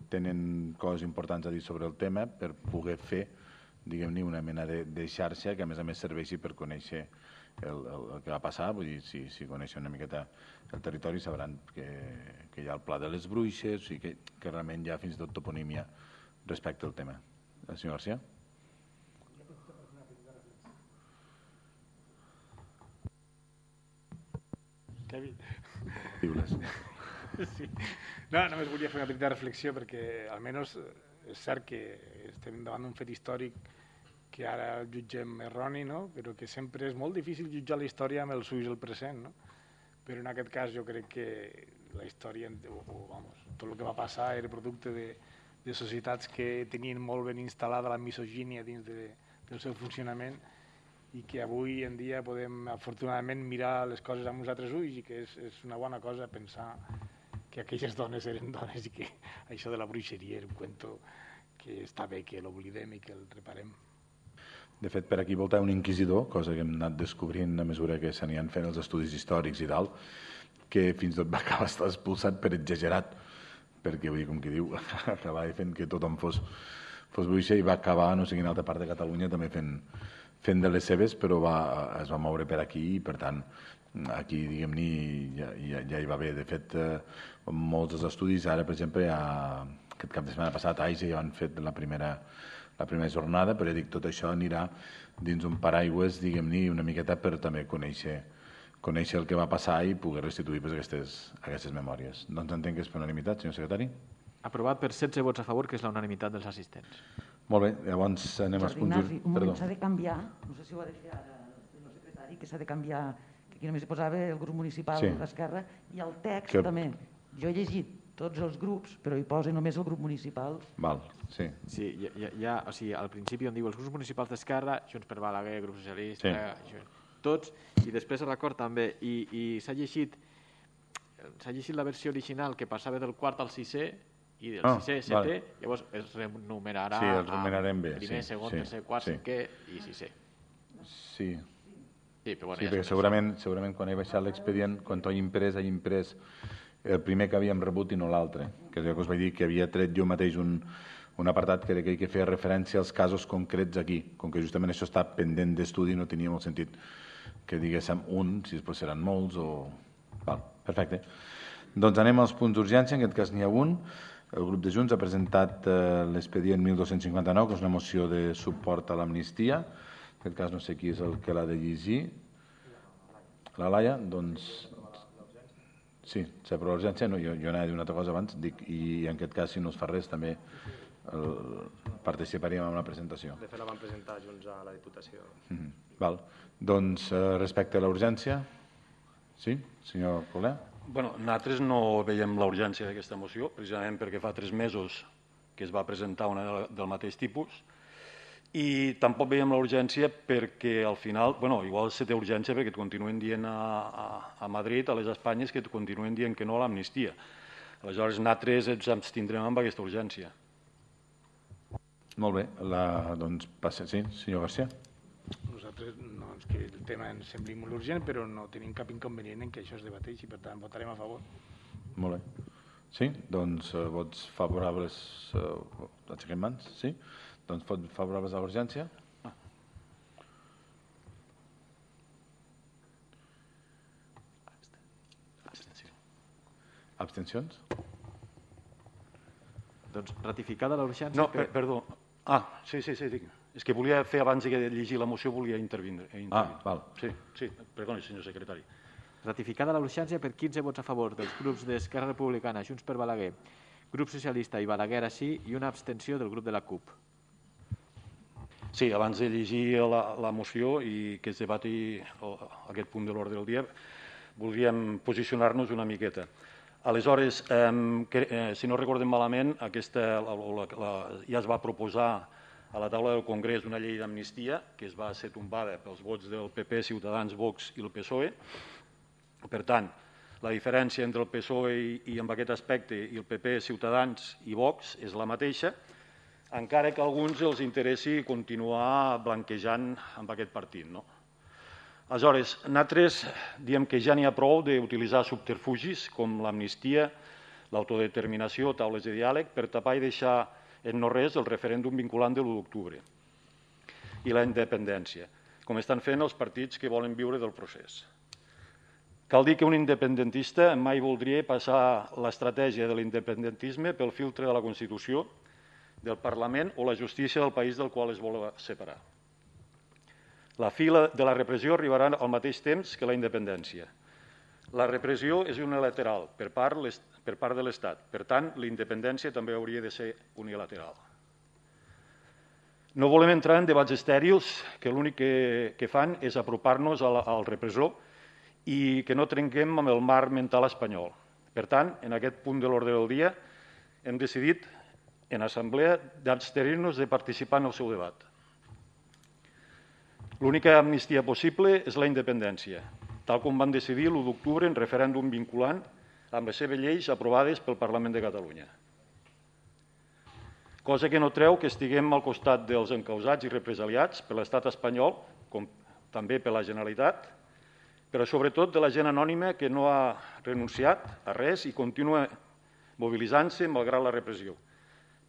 tenen coses importants a dir sobre el tema, per poder fer, diguem-ne, una mena de, de xarxa que a més a més serveixi per conèixer el, el, el que va passar. Vull dir, si, si coneixen una miqueta el territori sabran que, que hi ha el Pla de les Bruixes i que, que realment hi ha fins i tot toponímia respecte al tema. El senyor García? Kevin. Diu-les. Sí. No, només volia fer una petita reflexió perquè almenys és cert que estem davant d'un fet històric que ara el jutgem erroni, no? Però que sempre és molt difícil jutjar la història amb els ulls del present, no? Però en aquest cas jo crec que la història, o, o, vamos, tot el que va passar era producte de, de societats que tenien molt ben instal·lada la misogínia dins de, del seu funcionament i que avui en dia podem afortunadament mirar les coses amb uns altres ulls i que és, és una bona cosa pensar que aquelles dones eren dones i que això de la bruixeria era un cuento que està bé que l'oblidem i que el reparem. De fet, per aquí volta un inquisidor, cosa que hem anat descobrint a mesura que s'anien fent els estudis històrics i tal, que fins i tot va acabar estar expulsat per exagerat, perquè, vull dir, com que diu, acabava fent que tothom fos, fos bruixa i va acabar, no sé quina altra part de Catalunya, també fent, fent de les seves, però va, es va moure per aquí i, per tant, aquí, diguem-ne, ja, ja, ja hi va bé. De fet, eh, molts dels estudis, ara, per exemple, ja, aquest cap de setmana passat, a Aisa ja han fet la primera la primera jornada, però ja dic, tot això anirà dins un paraigües, diguem-ne, una miqueta per també conèixer, conèixer el que va passar i poder restituir pues, aquestes, aquestes memòries. Doncs entenc que és per unanimitat, senyor secretari. Aprovat per setze vots a favor, que és la unanimitat dels assistents. Molt bé, llavors anem als punts... Ignasi, un moment, s'ha de canviar, no sé si ho ha de fer ara el senyor secretari, que s'ha de canviar, que aquí només hi posava el grup municipal sí. d'Esquerra, i el text que... també. Jo he llegit tots els grups, però hi posa només el grup municipal. Val, sí. Sí, ja, ja, o sigui, al principi on diu els grups municipals d'Esquerra, Junts per Balaguer, Grup Socialista, sí. eh, tots, i després a l'acord també, i, i s'ha llegit s'ha llegit la versió original que passava del quart al sisè, i del ah, sisè, setè, vale. llavors es renumerarà sí, els renumerarem bé, primer, sí, segon, sí, tercer, quart, sí. cinquè i sisè. Sí. Sí, però bueno, sí, ja perquè segurament, segurament quan he baixat l'expedient, quan ho he imprès, he imprès el primer que havíem rebut i no l'altre, que és el que us vaig dir que havia tret jo mateix un, un apartat que era aquell que feia referència als casos concrets aquí, com que justament això està pendent d'estudi, no tenia molt sentit que diguéssim un, si després seran molts o... Val, perfecte. Doncs anem als punts d'urgència, en aquest cas n'hi ha un. El grup de Junts ha presentat eh, l'expedient mil dos-cents cinquanta-nou, que és una moció de suport a l'amnistia. En aquest cas no sé qui és el que l'ha de llegir. La Laia, doncs... Sí, per l'urgència, no, jo, jo anava a dir una altra cosa abans, dic, i en aquest cas, si no es fa res, també el, participaríem en la presentació. De fet, la vam presentar junts a la Diputació. Mm-hmm. Val. Doncs, eh, respecte a la urgència, sí, senyor Coler? Bueno, nosaltres no veiem la urgència d'aquesta moció, precisament perquè fa tres mesos que es va presentar una del mateix tipus, i tampoc veiem la urgència perquè al final, bueno, igual se té urgència perquè et continuen dient a, a, a Madrid, a les Espanyes, que et continuen dient que no a l'amnistia. Aleshores, nosaltres ens abstindrem amb aquesta urgència. Molt bé, la, doncs passa, sí, senyor García. Nosaltres, no, és que el tema ens sembli molt urgent, però no tenim cap inconvenient en que això es debateixi, per tant, votarem a favor. Molt bé. Sí, doncs eh, vots favorables, eh, aixequem mans, sí? Doncs vots favorables a l'urgència? Ah. Abstenció. Abstencions? Doncs ratificada la urgència... No, per, perdó. Ah, sí, sí, sí, dic. És que volia fer, abans de llegir la moció, volia intervindre. Ah, val. Sí, sí, perdoni, senyor secretari. Ratificada la urgència per quinze vots a favor dels grups d'Esquerra Republicana, Junts per Balaguer, Grup Socialista i Balaguer així, i una abstenció del grup de la C U P. Sí, abans de llegir la, la moció i que es debati aquest punt de l'ordre del dia, voldríem posicionar-nos una miqueta. Aleshores, eh, que, eh, si no recordem malament, aquesta, la, la, la, ja es va proposar a la taula del Congrés una llei d'amnistia que es va ser tombada pels vots del P P, Ciutadans, Vox i el P S O E. Per tant, la diferència entre el P S O E i, i en aquest aspecte i el P P, Ciutadans i Vox és la mateixa, encara que a alguns els interessi continuar blanquejant amb aquest partit. No? Aleshores, nosaltres diem que ja n'hi ha prou d'utilitzar subterfugis com l'amnistia, l'autodeterminació, taules de diàleg, per tapar i deixar en no res el referèndum vinculant de l'u d'octubre i la independència, com estan fent els partits que volen viure del procés. Cal dir que un independentista mai voldria passar l'estratègia de l'independentisme pel filtre de la Constitució, del Parlament o la justícia del país del qual es vol separar. La fi de la repressió arribarà al mateix temps que la independència. La repressió és unilateral per part, per part de l'Estat. Per tant, la independència també hauria de ser unilateral. No volem entrar en debats estèrils que l'únic que, que fan és apropar-nos al, al repressor i que no trenquem amb el marc mental espanyol. Per tant, en aquest punt de l'ordre del dia hem decidit en assemblea d'abstenir-nos de participar en el seu debat. L'única amnistia possible és la independència, tal com van decidir l'u d'octubre en referèndum vinculant amb les seves lleis aprovades pel Parlament de Catalunya. Cosa que no treu que estiguem al costat dels encausats i represaliats per l'estat espanyol, com també per la Generalitat, però sobretot de la gent anònima que no ha renunciat a res i continua mobilitzant-se malgrat la repressió,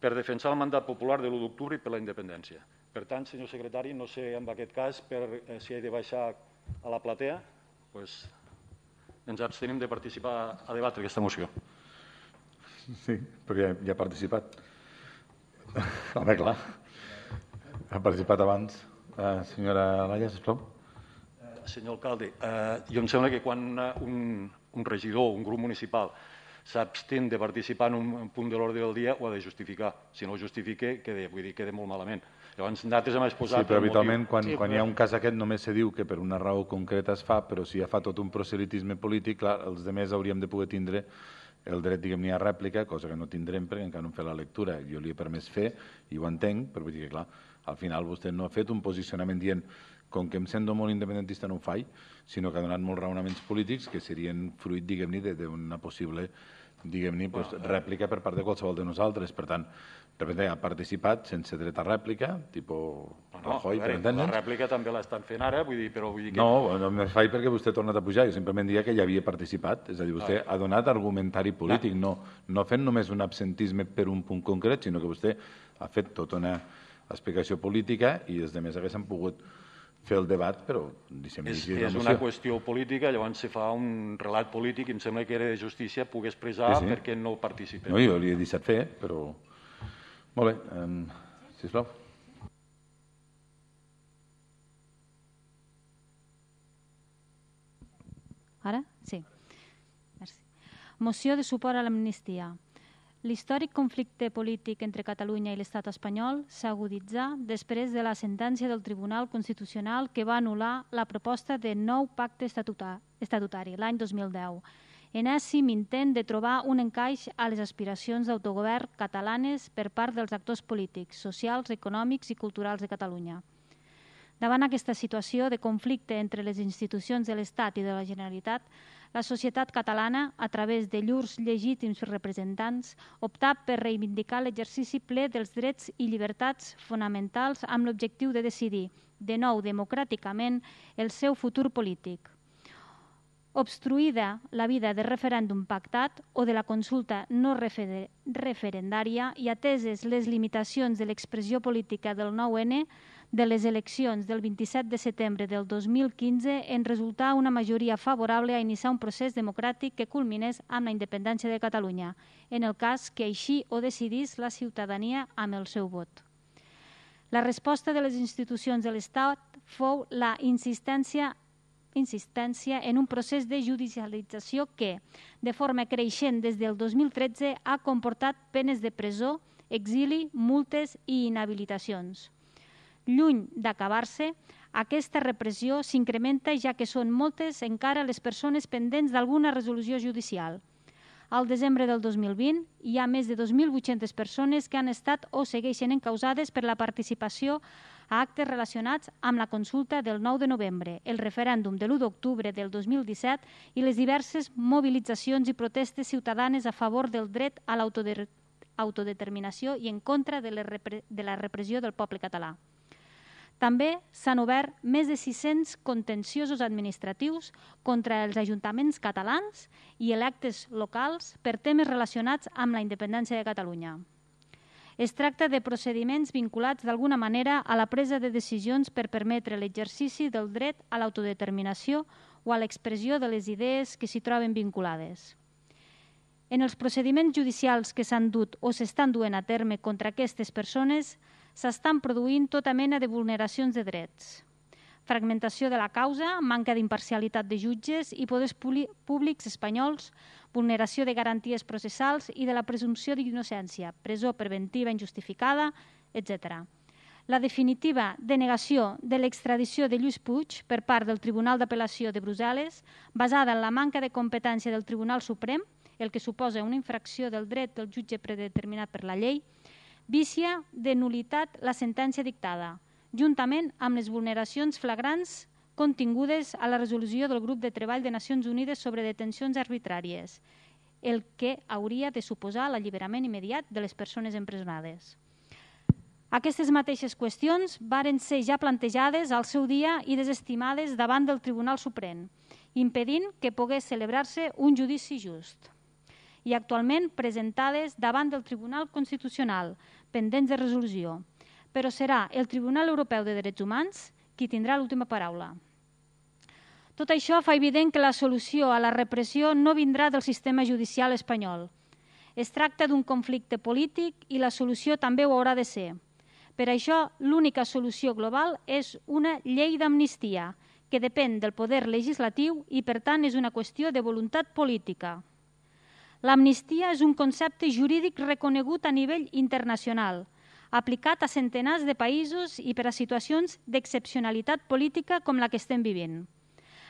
per defensar el mandat popular de l'u d'octubre i per la independència. Per tant, senyor secretari, no sé en aquest cas per, eh, si he de baixar a la platea, doncs ens abstenim de participar a debatre aquesta moció. Sí, perquè ja, ja ha participat. Home, clar. Ha participat abans. Uh, senyora Laia, sisplau. Uh, senyor alcalde, uh, jo em sembla que quan un, un regidor, un grup municipal, s'abstén de participar en un punt de l'ordre del dia, ho ha de justificar. Si no ho justifica, queda, vull dir, queda molt malament. Llavors, nosaltres hem exposat... Sí, però habitualment, quan, sí, quan però... hi ha un cas aquest, només se diu que per una raó concreta es fa, però si ja fa tot un proselitisme polític, clar, els demés hauríem de poder tindre el dret, diguem-ne, a rèplica, cosa que no tindrem perquè encara no hem fet la lectura. Jo li he permès fer, i ho entenc, però vull dir que, clar, al final vostè no ha fet un posicionament dient com que em sento molt independentista no ho faig, sinó que ha donat molts raonaments polítics que serien fruit, diguem-ne, d'una possible diguem-ne, pues, rèplica per part de qualsevol de nosaltres. Per tant, de repente ha participat sense dret a rèplica, tipus Rajoy, no, per entendre'ns. La rèplica també l'estan fent ara, vull dir, però vull dir que... No, no me faig perquè vostè ha tornat a pujar, jo simplement dia que ja havia participat, és a dir, vostè ah. ha donat argumentari polític, no, no fent només un absentisme per un punt concret, sinó que vostè ha fet tota una explicació política i els demés haguessin pogut fer el debat, però... Deixem és és una qüestió política, llavors se fa un relat polític i em sembla que era de justícia poder expressar sí, sí. perquè no participem. No, jo li he deixat fer, però... Molt bé, um, sisplau. Ara? Sí. Merci. Moció de suport a l'amnistia. L'històric conflicte polític entre Catalunya i l'estat espanyol s'aguditzà després de la sentència del Tribunal Constitucional que va anul·lar la proposta de nou pacte estatutari l'any dos mil deu, enèsim intent de trobar un encaix a les aspiracions d'autogovern catalanes per part dels actors polítics, socials, econòmics i culturals de Catalunya. Davant aquesta situació de conflicte entre les institucions de l'Estat i de la Generalitat, la societat catalana, a través de llurs legítims representants, optà per reivindicar l'exercici ple dels drets i llibertats fonamentals amb l'objectiu de decidir, de nou democràticament, el seu futur polític. Obstruïda la vida de referèndum pactat o de la consulta no referendària i ateses les limitacions de l'expressió política del nou ene, de les eleccions del vint-i-set de setembre del dos mil quinze en resultà una majoria favorable a iniciar un procés democràtic que culminés amb la independència de Catalunya, en el cas que així ho decidís la ciutadania amb el seu vot. La resposta de les institucions de l'Estat fou la insistència insistència en un procés de judicialització que, de forma creixent des del dos mil tretze, ha comportat penes de presó, exili, multes i inhabilitacions. Lluny d'acabar-se, aquesta repressió s'incrementa ja que són moltes encara les persones pendents d'alguna resolució judicial. Al desembre del dos mil vint hi ha més de dos mil vuit-centes persones que han estat o segueixen encausades per la participació a actes relacionats amb la consulta del nou de novembre, el referèndum de l'u d'octubre del dos mil disset i les diverses mobilitzacions i protestes ciutadanes a favor del dret a l'autodeterminació i en contra de la repressió del poble català. També s'han obert més de sis-cents contenciosos administratius contra els ajuntaments catalans i electes locals per temes relacionats amb la independència de Catalunya. Es tracta de procediments vinculats d'alguna manera a la presa de decisions per permetre l'exercici del dret a l'autodeterminació o a l'expressió de les idees que s'hi troben vinculades. En els procediments judicials que s'han dut o s'estan duent a terme contra aquestes persones s'estan produint tota mena de vulneracions de drets. Fragmentació de la causa, manca d'imparcialitat de jutges i poders públics espanyols, vulneració de garanties processals i de la presumpció d'innocència, presó preventiva injustificada, etcètera. La definitiva denegació de l'extradició de Lluís Puig per part del Tribunal d'Apel·lació de Brussel·les, basada en la manca de competència del Tribunal Suprem, el que suposa una infracció del dret del jutge predeterminat per la llei, vicia de nul·litat la sentència dictada, juntament amb les vulneracions flagrants contingudes a la resolució del Grup de Treball de Nacions Unides sobre detencions arbitràries, el que hauria de suposar l'alliberament immediat de les persones empresonades. Aquestes mateixes qüestions varen ser ja plantejades al seu dia i desestimades davant del Tribunal Suprem, impedint que pogués celebrar-se un judici just, i actualment presentades davant del Tribunal Constitucional, pendents de resolució, però serà el Tribunal Europeu de Drets Humans qui tindrà l'última paraula. Tot això fa evident que la solució a la repressió no vindrà del sistema judicial espanyol. Es tracta d'un conflicte polític i la solució també ho haurà de ser. Per això, l'única solució global és una llei d'amnistia, que depèn del poder legislatiu i, per tant, és una qüestió de voluntat política. L'amnistia és un concepte jurídic reconegut a nivell internacional, aplicat a centenars de països i per a situacions d'excepcionalitat política com la que estem vivint.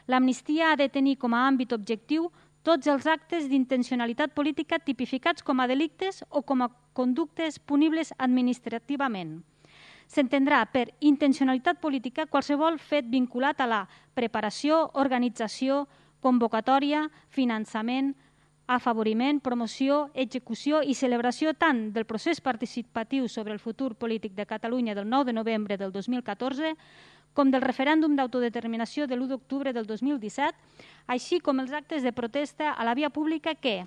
L'amnistia ha de tenir com a àmbit objectiu tots els actes d'intencionalitat política tipificats com a delictes o com a conductes punibles administrativament. S'entendrà per intencionalitat política qualsevol fet vinculat a la preparació, organització, convocatòria, finançament, afavoriment, promoció, execució i celebració tant del procés participatiu sobre el futur polític de Catalunya del nou de novembre del dos mil catorze com del referèndum d'autodeterminació de l'u d'octubre del dos mil disset, així com els actes de protesta a la via pública que,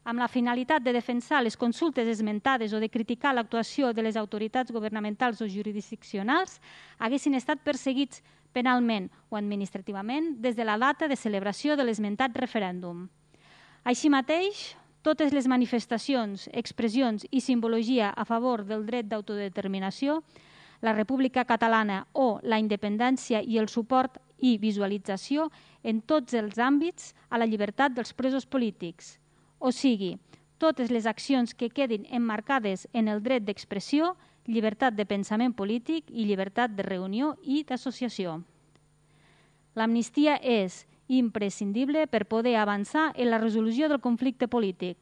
amb la finalitat de defensar les consultes esmentades o de criticar l'actuació de les autoritats governamentals o jurisdiccionals, haguessin estat perseguits penalment o administrativament des de la data de celebració de l'esmentat referèndum. Així mateix, totes les manifestacions, expressions i simbologia a favor del dret d'autodeterminació, la República Catalana o la independència i el suport i visualització en tots els àmbits a la llibertat dels presos polítics, o sigui, totes les accions que quedin emmarcades en el dret d'expressió, llibertat de pensament polític i llibertat de reunió i d'associació. L'amnistia és imprescindible per poder avançar en la resolució del conflicte polític,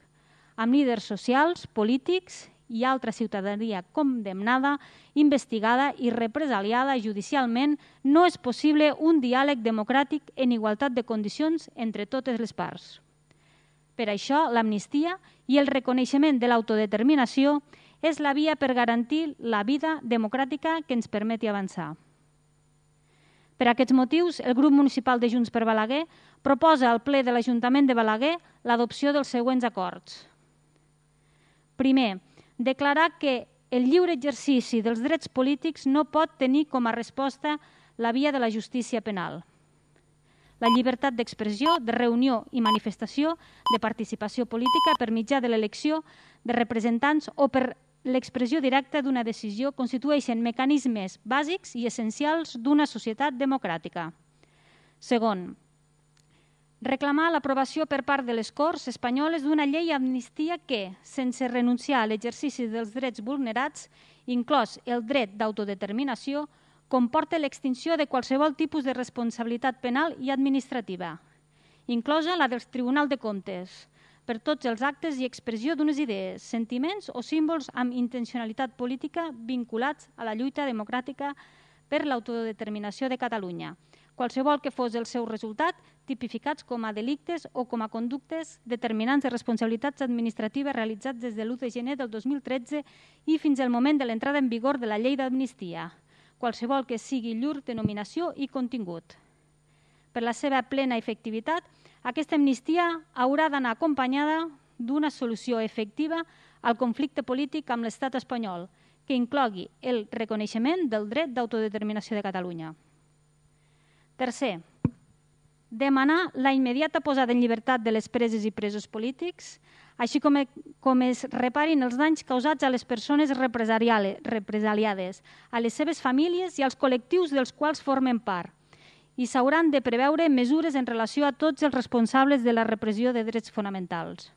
amb líders socials, polítics i altra ciutadania condemnada, investigada i represaliada judicialment, no és possible un diàleg democràtic en igualtat de condicions entre totes les parts. Per això, l'amnistia i el reconeixement de l'autodeterminació és la via per garantir la vida democràtica que ens permeti avançar. Per aquests motius, el grup municipal de Junts per Balaguer proposa al ple de l'Ajuntament de Balaguer l'adopció dels següents acords. Primer, declarar que el lliure exercici dels drets polítics no pot tenir com a resposta la via de la justícia penal. La llibertat d'expressió, de reunió i manifestació, de participació política per mitjà de l'elecció de representants o per l'expressió directa d'una decisió constitueixen mecanismes bàsics i essencials d'una societat democràtica. Segon, reclamar l'aprovació per part de les Corts espanyoles d'una llei d'amnistia que, sense renunciar a l'exercici dels drets vulnerats, inclòs el dret d'autodeterminació, comporta l'extinció de qualsevol tipus de responsabilitat penal i administrativa, inclosa la dels Tribunal de Comptes, per tots els actes i expressió d'unes idees, sentiments o símbols amb intencionalitat política vinculats a la lluita democràtica per l'autodeterminació de Catalunya, qualsevol que fos el seu resultat, tipificats com a delictes o com a conductes determinants de responsabilitats administratives realitzats des de l'u de gener del dos mil tretze i fins al moment de l'entrada en vigor de la llei d'amnistia, qualsevol que sigui llur denominació i contingut. Per la seva plena efectivitat, aquesta amnistia haurà d'anar acompanyada d'una solució efectiva al conflicte polític amb l'estat espanyol, que inclogui el reconeixement del dret d'autodeterminació de Catalunya. Tercer, demanar la immediata posada en llibertat de les preses i presos polítics, així com, com es reparin els danys causats a les persones represaliades, a les seves famílies i als col·lectius dels quals formen part, i s'hauran de preveure mesures en relació a tots els responsables de la repressió de drets fonamentals.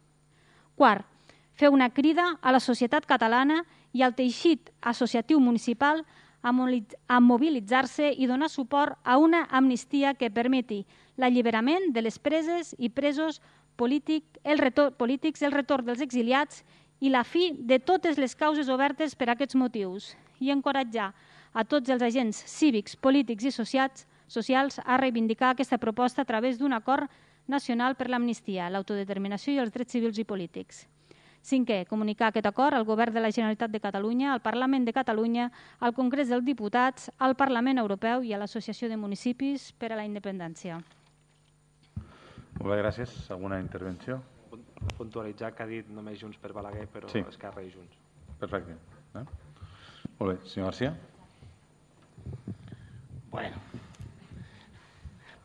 Quart, fer una crida a la societat catalana i al teixit associatiu municipal a mobilitzar-se i donar suport a una amnistia que permeti l'alliberament de les preses i presos polítics, el retorn, polítics, el retorn dels exiliats i la fi de totes les causes obertes per a aquests motius i encoratjar a tots els agents cívics, polítics i socials, socials a reivindicar aquesta proposta a través d'un acord nacional per l'amnistia, l'autodeterminació i els drets civils i polítics. Cinquè, comunicar aquest acord al Govern de la Generalitat de Catalunya, al Parlament de Catalunya, al Congrés dels Diputats, al Parlament Europeu i a l'Associació de Municipis per a la Independència. Molt bé, gràcies. Alguna intervenció? Puntualitzar que ha dit només Junts per Balaguer, però sí. Esquerra i Junts. Perfecte. Eh? Molt bé. Senyor García? Bueno,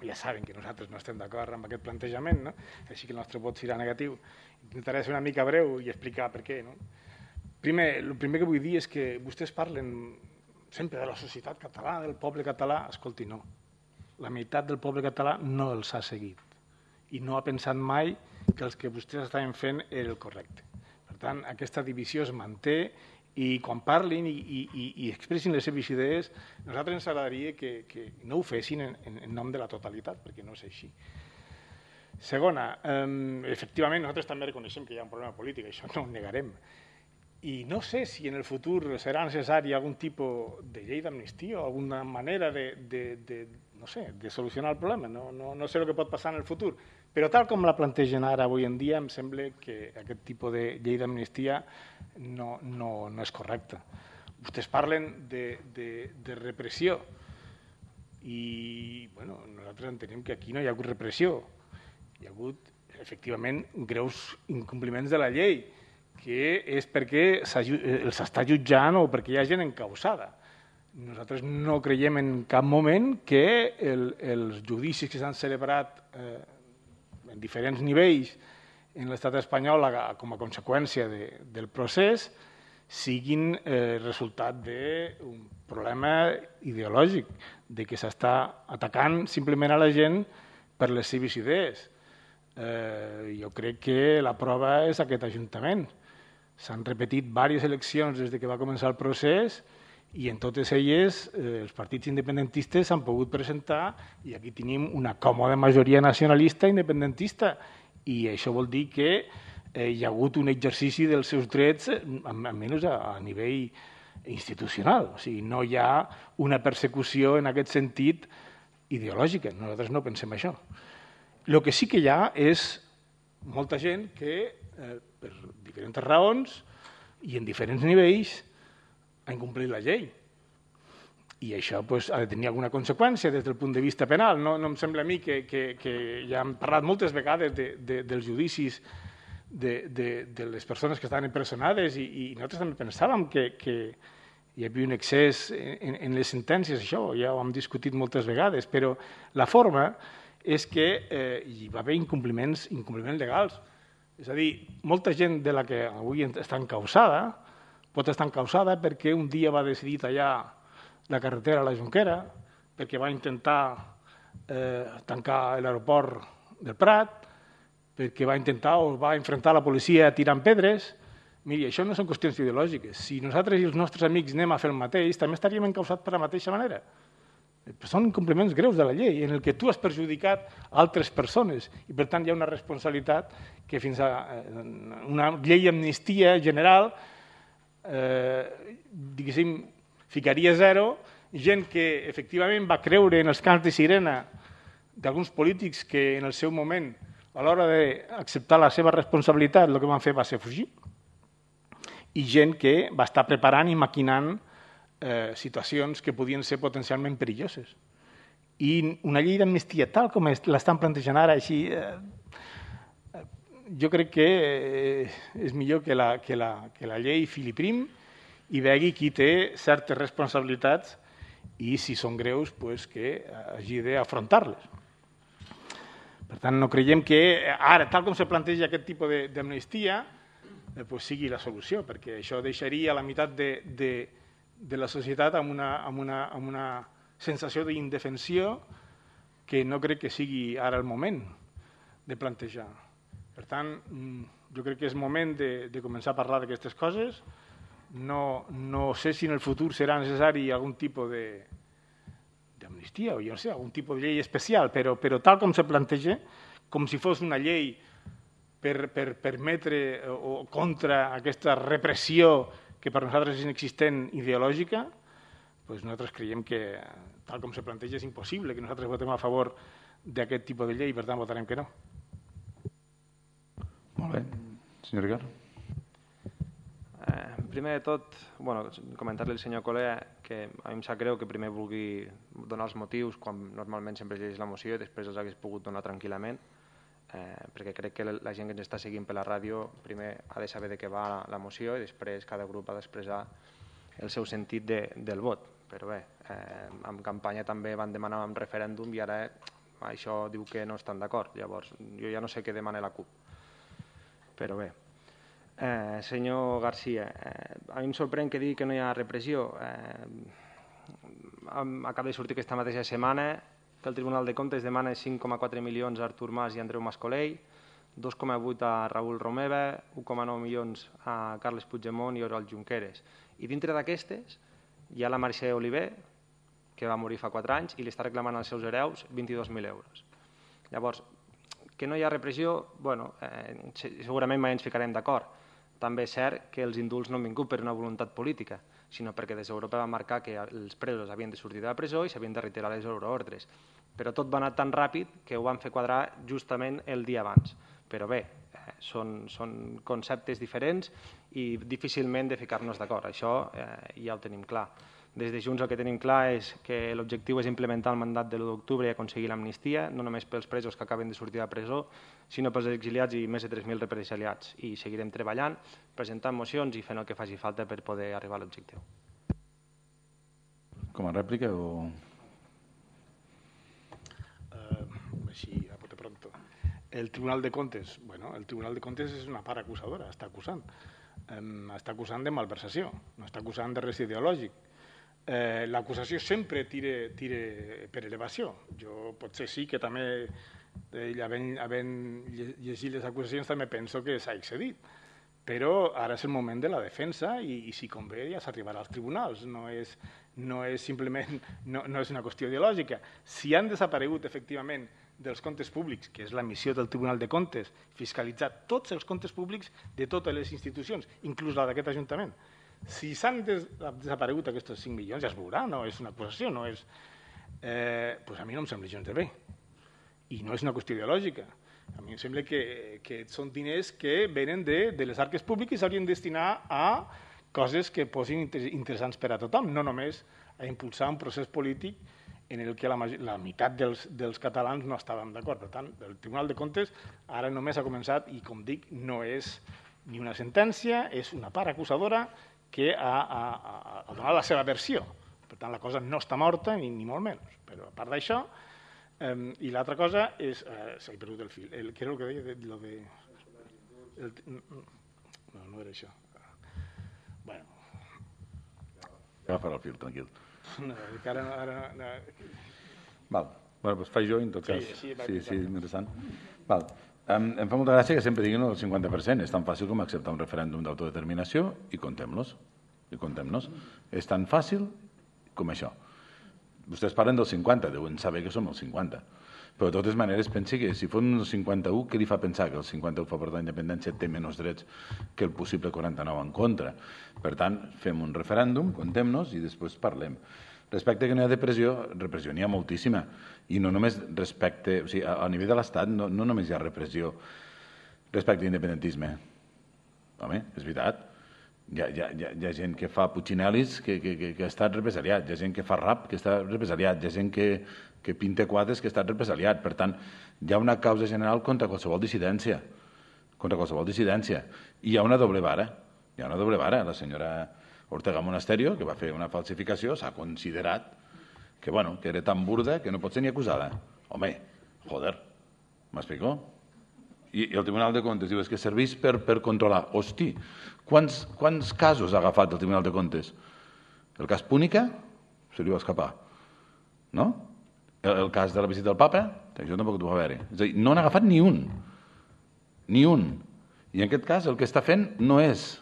ja saben que nosaltres no estem d'acord amb aquest plantejament, no? Així que el nostre vot serà negatiu. Intentaré ser una mica breu i explicar per què. No? Primer, el primer que vull dir és que vostès parlen sempre de la societat catalana, del poble català. Escolti, no. La meitat del poble català no els ha seguit i no ha pensat mai que els que vostès estaven fent era el correcte. Per tant, aquesta divisió es manté i quan parlin i, i, i expressin les seves idees, a nosaltres ens agradaria que, que no ho fessin en, en nom de la totalitat, perquè no és així. Segona, eh, efectivament, nosaltres també reconeixem que hi ha un problema polític, això no ho negarem. I no sé si en el futur serà necessari algun tipus de llei d'amnistia o alguna manera de, de, de, no sé, de solucionar el problema. No, no, no sé el que pot passar en el futur, però tal com la plantegen ara avui en dia, em sembla que aquest tipus de llei d'amnistia no, no, no és correcte. Vostès parlen de, de, de repressió i bueno, nosaltres entenem que aquí no hi ha hagut repressió. Hi ha hagut, efectivament, greus incompliments de la llei, que és perquè els està jutjant o perquè hi ha gent encausada. Nosaltres no creiem en cap moment que el, els judicis que s'han celebrat eh, en diferents nivells en l'estat espanyol com a conseqüència de, del procés siguin eh, resultat d'un problema ideològic, de que s'està atacant simplement a la gent per les seves idees. Eh, jo crec que la prova és aquest Ajuntament. S'han repetit diverses eleccions des que va començar el procés i en totes elles eh, els partits independentistes s'han pogut presentar i aquí tenim una còmoda majoria nacionalista independentista i això vol dir que eh, hi ha hagut un exercici dels seus drets almenys a, a nivell institucional. O sigui, no hi ha una persecució en aquest sentit ideològica. Nosaltres no pensem això. El que sí que hi ha és molta gent que eh, per diferents raons i en diferents nivells ha incomplert la llei. I això pues, ha de tenir alguna conseqüència des del punt de vista penal. No, no em sembla a mi que, que, que ja hem parlat moltes vegades de, de, dels judicis de, de, de les persones que estaven empresonades i, i nosaltres també pensàvem que, que hi havia un excés en, en les sentències, això ja ho hem discutit moltes vegades, però la forma és que eh, hi va haver incompliments, incompliments legals. És a dir, molta gent de la que avui està encausada pot estar encausada perquè un dia va decidir tallar la carretera a la Jonquera, perquè va intentar eh, tancar l'aeroport del Prat, perquè va intentar o va enfrontar la policia tirant pedres. Miri, això no són qüestions ideològiques. Si nosaltres i els nostres amics anem a fer el mateix, també estaríem encausats per la mateixa manera. Són incompliments greus de la llei, en el que tu has perjudicat altres persones, i per tant hi ha una responsabilitat que fins a una llei d'amnistia general, eh, diguéssim, ficaria zero, gent que efectivament va creure en els cants de sirena d'alguns polítics que en el seu moment, a l'hora d'acceptar la seva responsabilitat, el que van fer va ser fugir, i gent que va estar preparant i maquinant eh, situacions que podien ser potencialment perilloses. I una llei d'amnistia tal com l'estan plantejant ara, així, eh, jo crec que eh, és millor que la, que la, que la llei fili prim i vegi qui té certes responsabilitats i, si són greus, pues, que hagi d'afrontar-les. Per tant, no creiem que ara, tal com se planteja aquest tipus d'amnistia, pues, sigui la solució, perquè això deixaria la meitat de, de, de la societat amb una, amb una, amb una sensació d'indefensió que no crec que sigui ara el moment de plantejar. Per tant, jo crec que és moment de, de començar a parlar d'aquestes coses. No, no sé si en el futur serà necessari algun tipus d'amnistia o jo no sé, algun tipus de llei especial, però, però tal com se planteja, com si fos una llei per, per permetre o contra aquesta repressió que per nosaltres és inexistent ideològica, doncs nosaltres creiem que tal com se planteja és impossible que nosaltres votem a favor d'aquest tipus de llei i per tant votarem que no. Molt bé. Senyor Ricard. Eh, primer de tot, bueno, comentar-li al senyor Colea que a mi em sap greu que primer vulgui donar els motius quan normalment sempre llegeix la moció i després els hagués pogut donar tranquil·lament, eh, perquè crec que la gent que ens està seguint per la ràdio primer ha de saber de què va la, la moció i després cada grup ha d'expressar el seu sentit de, del vot. Però bé, eh, en campanya també van demanar un referèndum i ara això diu que no estan d'acord. Llavors, jo ja no sé què demana la CUP. Però bé. Eh, senyor García, eh, a mi em sorprèn que digui que no hi ha repressió. Eh, acaba de sortir aquesta mateixa setmana que el Tribunal de Comptes demana cinc coma quatre milions a Artur Mas i Andreu Mas-Colell, dos coma vuit a Raül Romeva, u coma nou milions a Carles Puigdemont i Oriol Junqueras. I dintre d'aquestes hi ha la Mercè Oliver, que va morir fa quatre anys, i li està reclamant als seus hereus vint-i-dos mil euros. Llavors, que no hi ha repressió, bueno, eh, segurament mai ens ficarem d'acord. També és cert que els indults no han vingut per una voluntat política, sinó perquè des d'Europa va marcar que els presos havien de sortir de la presó i s'havien de retirar les euroordres. Però tot va anar tan ràpid que ho van fer quadrar justament el dia abans. Però bé, eh, són, són conceptes diferents i difícilment de ficar-nos d'acord. Això eh, ja ho tenim clar. Des de Junts el que tenim clar és que l'objectiu és implementar el mandat de l'u d'octubre i aconseguir l'amnistia, no només pels presos que acaben de sortir de la presó, sinó pels exiliats i més de tres mil represaliats. I seguirem treballant, presentant mocions i fent el que faci falta per poder arribar a l'objectiu. Com a rèplica o...? Uh, així, a bote pronto. El Tribunal de Comptes, bueno, el Tribunal de Comptes és una part acusadora, està acusant. Um, està acusant de malversació, no està acusant de res ideològic. Eh, l'acusació sempre tira, tira per elevació. Jo potser sí que també, eh, havent, havent llegit les acusacions, també penso que s'ha excedit. Però ara és el moment de la defensa i, i si convé ja s'arribarà als tribunals. No és, no és simplement no, no és una qüestió ideològica. Si han desaparegut efectivament dels comptes públics, que és la missió del Tribunal de Comptes, fiscalitzar tots els comptes públics de totes les institucions, inclús la d'aquest Ajuntament. Si s'han des, desaparegut aquests cinc milions, ja es veurà, no és una acusació, no és... Eh, pues a mi no em sembla gens de bé. I no és una qüestió ideològica. A mi em sembla que, que són diners que venen de, de les arques públiques i s'haurien de destinar a coses que posin interessants per a tothom, no només a impulsar un procés polític en el que la, la meitat dels, dels catalans no estàvem d'acord. Per tant, el Tribunal de Comptes ara només ha començat i, com dic, no és ni una sentència, és una part acusadora que ha, ha, ha donat la seva versió. Per tant, la cosa no està morta, ni, ni molt menys. Però a part d'això, eh, i l'altra cosa és... Eh, S'ha perdut el fil. El, què era el que deia? De, lo de, el, no, no era això. Bueno. Agafarà el fil, tranquil. No, que ara... ara no. Val. Bueno, doncs faig jo, en tot cas. Sí, sí, sí, sí, interessant. Val. Em, em fa molta gràcia que sempre diguin el cinquanta per cent. És tan fàcil com acceptar un referèndum d'autodeterminació i comptem-los. I comptem-nos. És tan fàcil com això. Vostès parlen del cinquanta, deuen saber que som el cinquanta. Però de totes maneres pensi que si fos el cinquanta-u, què li fa pensar que el cinquanta-u a favor de la independència té menys drets que el possible quaranta-nou en contra? Per tant, fem un referèndum, comptem-nos i després parlem. Respecte que no hi ha depressió, repressió n'hi ha moltíssima. I no només respecte... O sigui, a nivell de l'Estat no, no només hi ha repressió respecte a l'independentisme. Home, és veritat. Hi ha, hi ha, hi ha gent que fa putxinelis que, que, que, que ha estat represaliat, hi ha gent que fa rap que està represaliat, hi ha gent que, que pinta quadres que ha estat represaliat. Per tant, hi ha una causa general contra qualsevol dissidència. Contra qualsevol dissidència. I hi ha una doble vara. Hi ha una doble vara. La senyora Ortega Monasterio, que va fer una falsificació, s'ha considerat que, bueno, que era tan burda que no pot ser ni acusada. Home, joder, m'explico? I, I el Tribunal de Comptes diu és que serveix per, per controlar. Hosti, quants, quants casos ha agafat el Tribunal de Comptes? El cas Púnica se li va escapar, no? El, el cas de la visita del papa, això tampoc ho va haver-hi. És a dir, no n'ha agafat ni un. Ni un. I en aquest cas el que està fent no és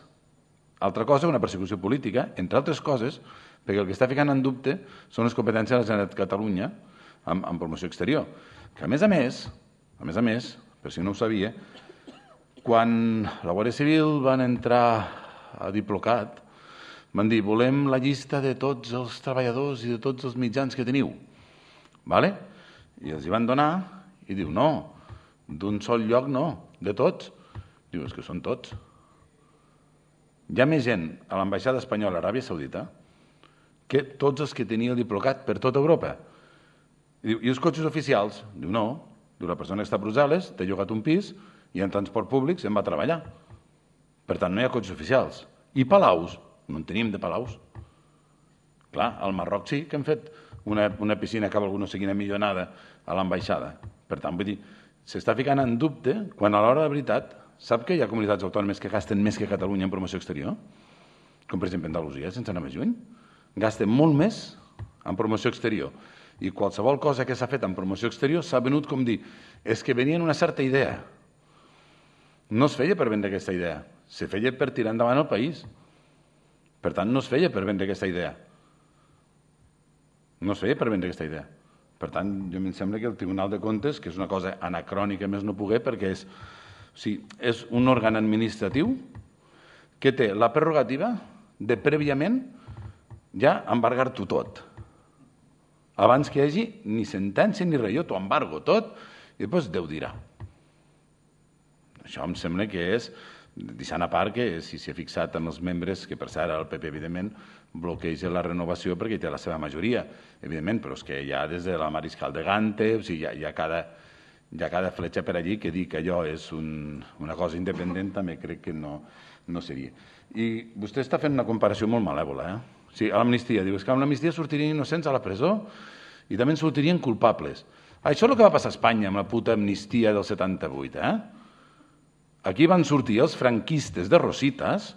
altra cosa que una persecució política, entre altres coses, perquè el que està ficant en dubte són les competències de la Generalitat de Catalunya en, en promoció exterior. Que a més a més, a més a més, per si no ho sabia, quan la Guàrdia Civil van entrar a Diplocat, van dir, volem la llista de tots els treballadors i de tots els mitjans que teniu. Vale? I els hi van donar i diu, no, d'un sol lloc no, de tots. Diu, és que són tots. Hi ha més gent a l'ambaixada espanyola a Aràbia Saudita que tots els que tenia el Diplocat per tota Europa. I diu, i els cotxes oficials? Diu, no. Diu, la persona que està a Brussel·les té llogat un pis i en transport públic se'n va a treballar. Per tant, no hi ha cotxes oficials. I palaus? No en tenim de palaus. Clar, al Marroc sí que hem fet una, una piscina que algú no sé quina millonada a l'ambaixada. Per tant, vull dir, s'està ficant en dubte quan a l'hora de veritat sap que hi ha comunitats autònomes que gasten més que Catalunya en promoció exterior? Com per exemple Andalusia, sense anar més lluny. Gasten molt més en promoció exterior. I qualsevol cosa que s'ha fet en promoció exterior s'ha venut com dir, és que venien una certa idea. No es feia per vendre aquesta idea, se feia per tirar endavant el país. Per tant, no es feia per vendre aquesta idea. No es feia per vendre aquesta idea. Per tant, jo em sembla que el Tribunal de Comptes, que és una cosa anacrònica més no poder, perquè és, o sigui, és un òrgan administratiu que té la prerrogativa de prèviament ja embargar-t'ho tot. Abans que hi hagi ni sentència ni res, jo t'ho embargo tot i després Déu dirà. Això em sembla que és, deixant a part que si s'hi ha fixat en els membres, que per cert el P P evidentment bloqueja la renovació perquè hi té la seva majoria, evidentment, però és que hi ha des de la Mariscal de Gante, o sigui, hi ha, hi ha, cada, hi ha cada fletxa per allí que dir que allò és un, una cosa independent també crec que no, no seria. I vostè està fent una comparació molt malèvola, eh? Sí, a l'amnistia. Diu, és que amb l'amnistia sortirien innocents a la presó i també en sortirien culpables. Això és el que va passar a Espanya amb la puta amnistia del setanta-vuit, eh? Aquí van sortir els franquistes de Rositas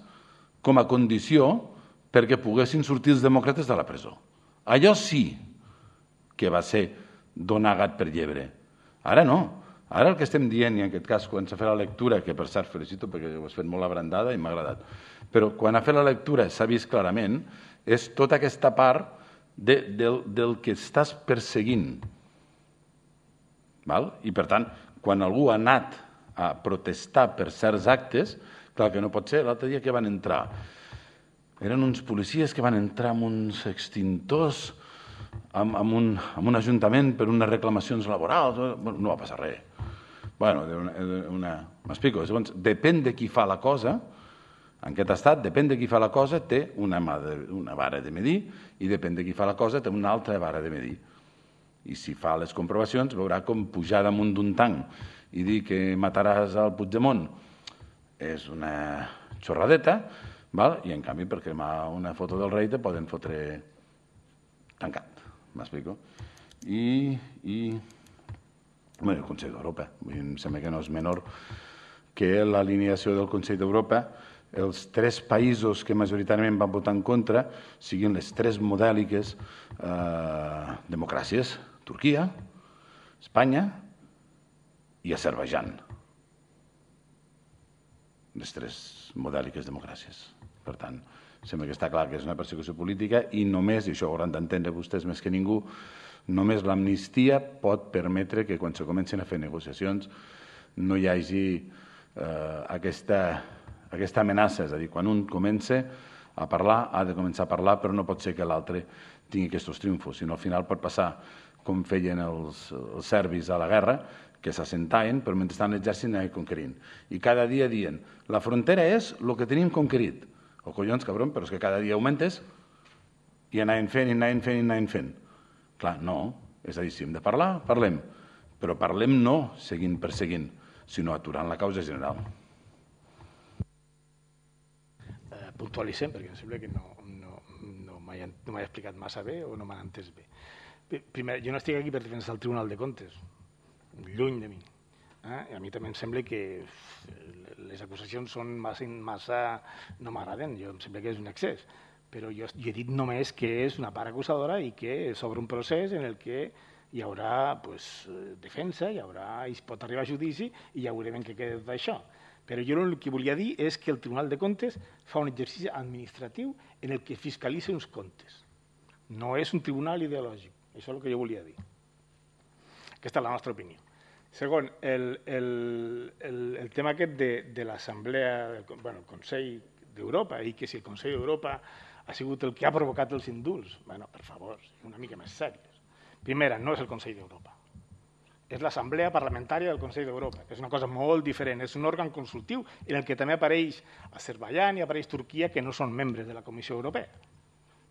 com a condició perquè poguessin sortir els demòcrates de la presó. Allò sí que va ser donar gat per llebre. Ara no. Ara el que estem dient, i en aquest cas quan s'ha fet la lectura, que per cert felicito perquè ho has fet molt abrandada i m'ha agradat, però quan ha fet la lectura s'ha vist clarament, és tota aquesta part de, del, del que estàs perseguint. Val? I per tant, quan algú ha anat a protestar per certs actes, clar que no pot ser, l'altre dia que van entrar, eren uns policies que van entrar amb uns extintors amb, amb, un, amb un ajuntament per unes reclamacions laborals, bueno, no va passar res. Bueno, una, una, m'explico, segons, depèn de qui fa la cosa, en aquest estat, depèn de qui fa la cosa, té una, de, una vara de medir i depèn de qui fa la cosa, té una altra vara de medir. I si fa les comprovacions, veurà com pujar damunt d'un tanc i dir que mataràs al Puigdemont és una xorradeta, val? I en canvi per cremar una foto del rei te poden fotre tancat, m'explico? I, i bueno, el Consell d'Europa, em sembla que no és menor que l'alineació del Consell d'Europa, els tres països que majoritàriament van votar en contra siguin les tres modèliques eh, democràcies, Turquia, Espanya i Azerbaidjan. les tres modèliques democràcies. Per tant, sembla que està clar que és una persecució política i només, i això ho hauran d'entendre vostès més que ningú, només l'amnistia pot permetre que quan se comencin a fer negociacions no hi hagi eh, aquesta, aquesta amenaça. És a dir, quan un comença a parlar, ha de començar a parlar, però no pot ser que l'altre tingui aquests triomfos, sinó al final pot passar com feien els, els serbis a la guerra, que s'assentaven, però mentrestant l'exèrcit anava conquerint. I cada dia dient, la frontera és el que tenim conquerit. O collons, cabron, però és que cada dia augmentes i anaven fent, i anaven fent, i anaven fent. Clar, no. És a dir, si hem de parlar, parlem. Però parlem no seguint perseguint, sinó aturant la causa general. Eh, puntualitzem, perquè em sembla que no, no, no m'he no explicat massa bé o no m'han entès bé. Primer, jo no estic aquí per defensar el Tribunal de Comptes, lluny de mi. Eh? A mi també em sembla que les acusacions són massa, massa no m'agraden, jo em sembla que és un excés, però jo, jo he dit només que és una part acusadora i que s'obre un procés en el que hi haurà pues, defensa, hi haurà, es pot arribar a judici i ja veurem en què queda tot això. Però jo el que volia dir és que el Tribunal de Comptes fa un exercici administratiu en el que fiscalitza uns comptes. No és un tribunal ideològic. Això és el que jo volia dir. Aquesta és la nostra opinió. Segon, el, el, el, el tema aquest de, de l'Assemblea, bueno, el Consell d'Europa, i que si el Consell d'Europa ha sigut el que ha provocat els indults, bueno, per favor, una mica més serios. Primera, no és el Consell d'Europa. És l'Assemblea Parlamentària del Consell d'Europa, que és una cosa molt diferent. És un òrgan consultiu en el que també apareix Azerbaiyán i apareix Turquia, que no són membres de la Comissió Europea.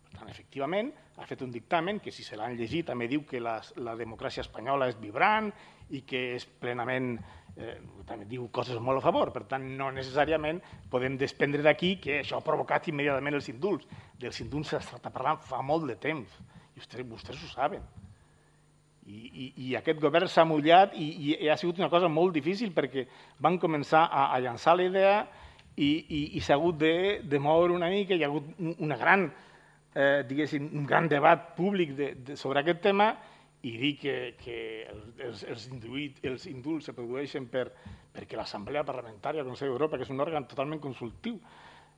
Per tant, efectivament, ha fet un dictamen que, si se l'han llegit, també diu que la, la democràcia espanyola és vibrant i que és plenament, eh, també diu coses molt a favor. Per tant, no necessàriament podem desprendre d'aquí que això ha provocat immediatament els indults. Dels indults s'està parlant fa molt de temps, i vostès, vostès ho saben. I, i, i aquest govern s'ha mullat i, i ha sigut una cosa molt difícil perquè van començar a, a llançar la idea i, i, i s'ha hagut de, de moure una mica, hi ha hagut una gran... Eh, diguéssim, un gran debat públic de, de, sobre aquest tema i dir que, que els, els, induït, els indults se produeixen per, perquè l'Assemblea Parlamentària del Consell d'Europa, que és un òrgan totalment consultiu,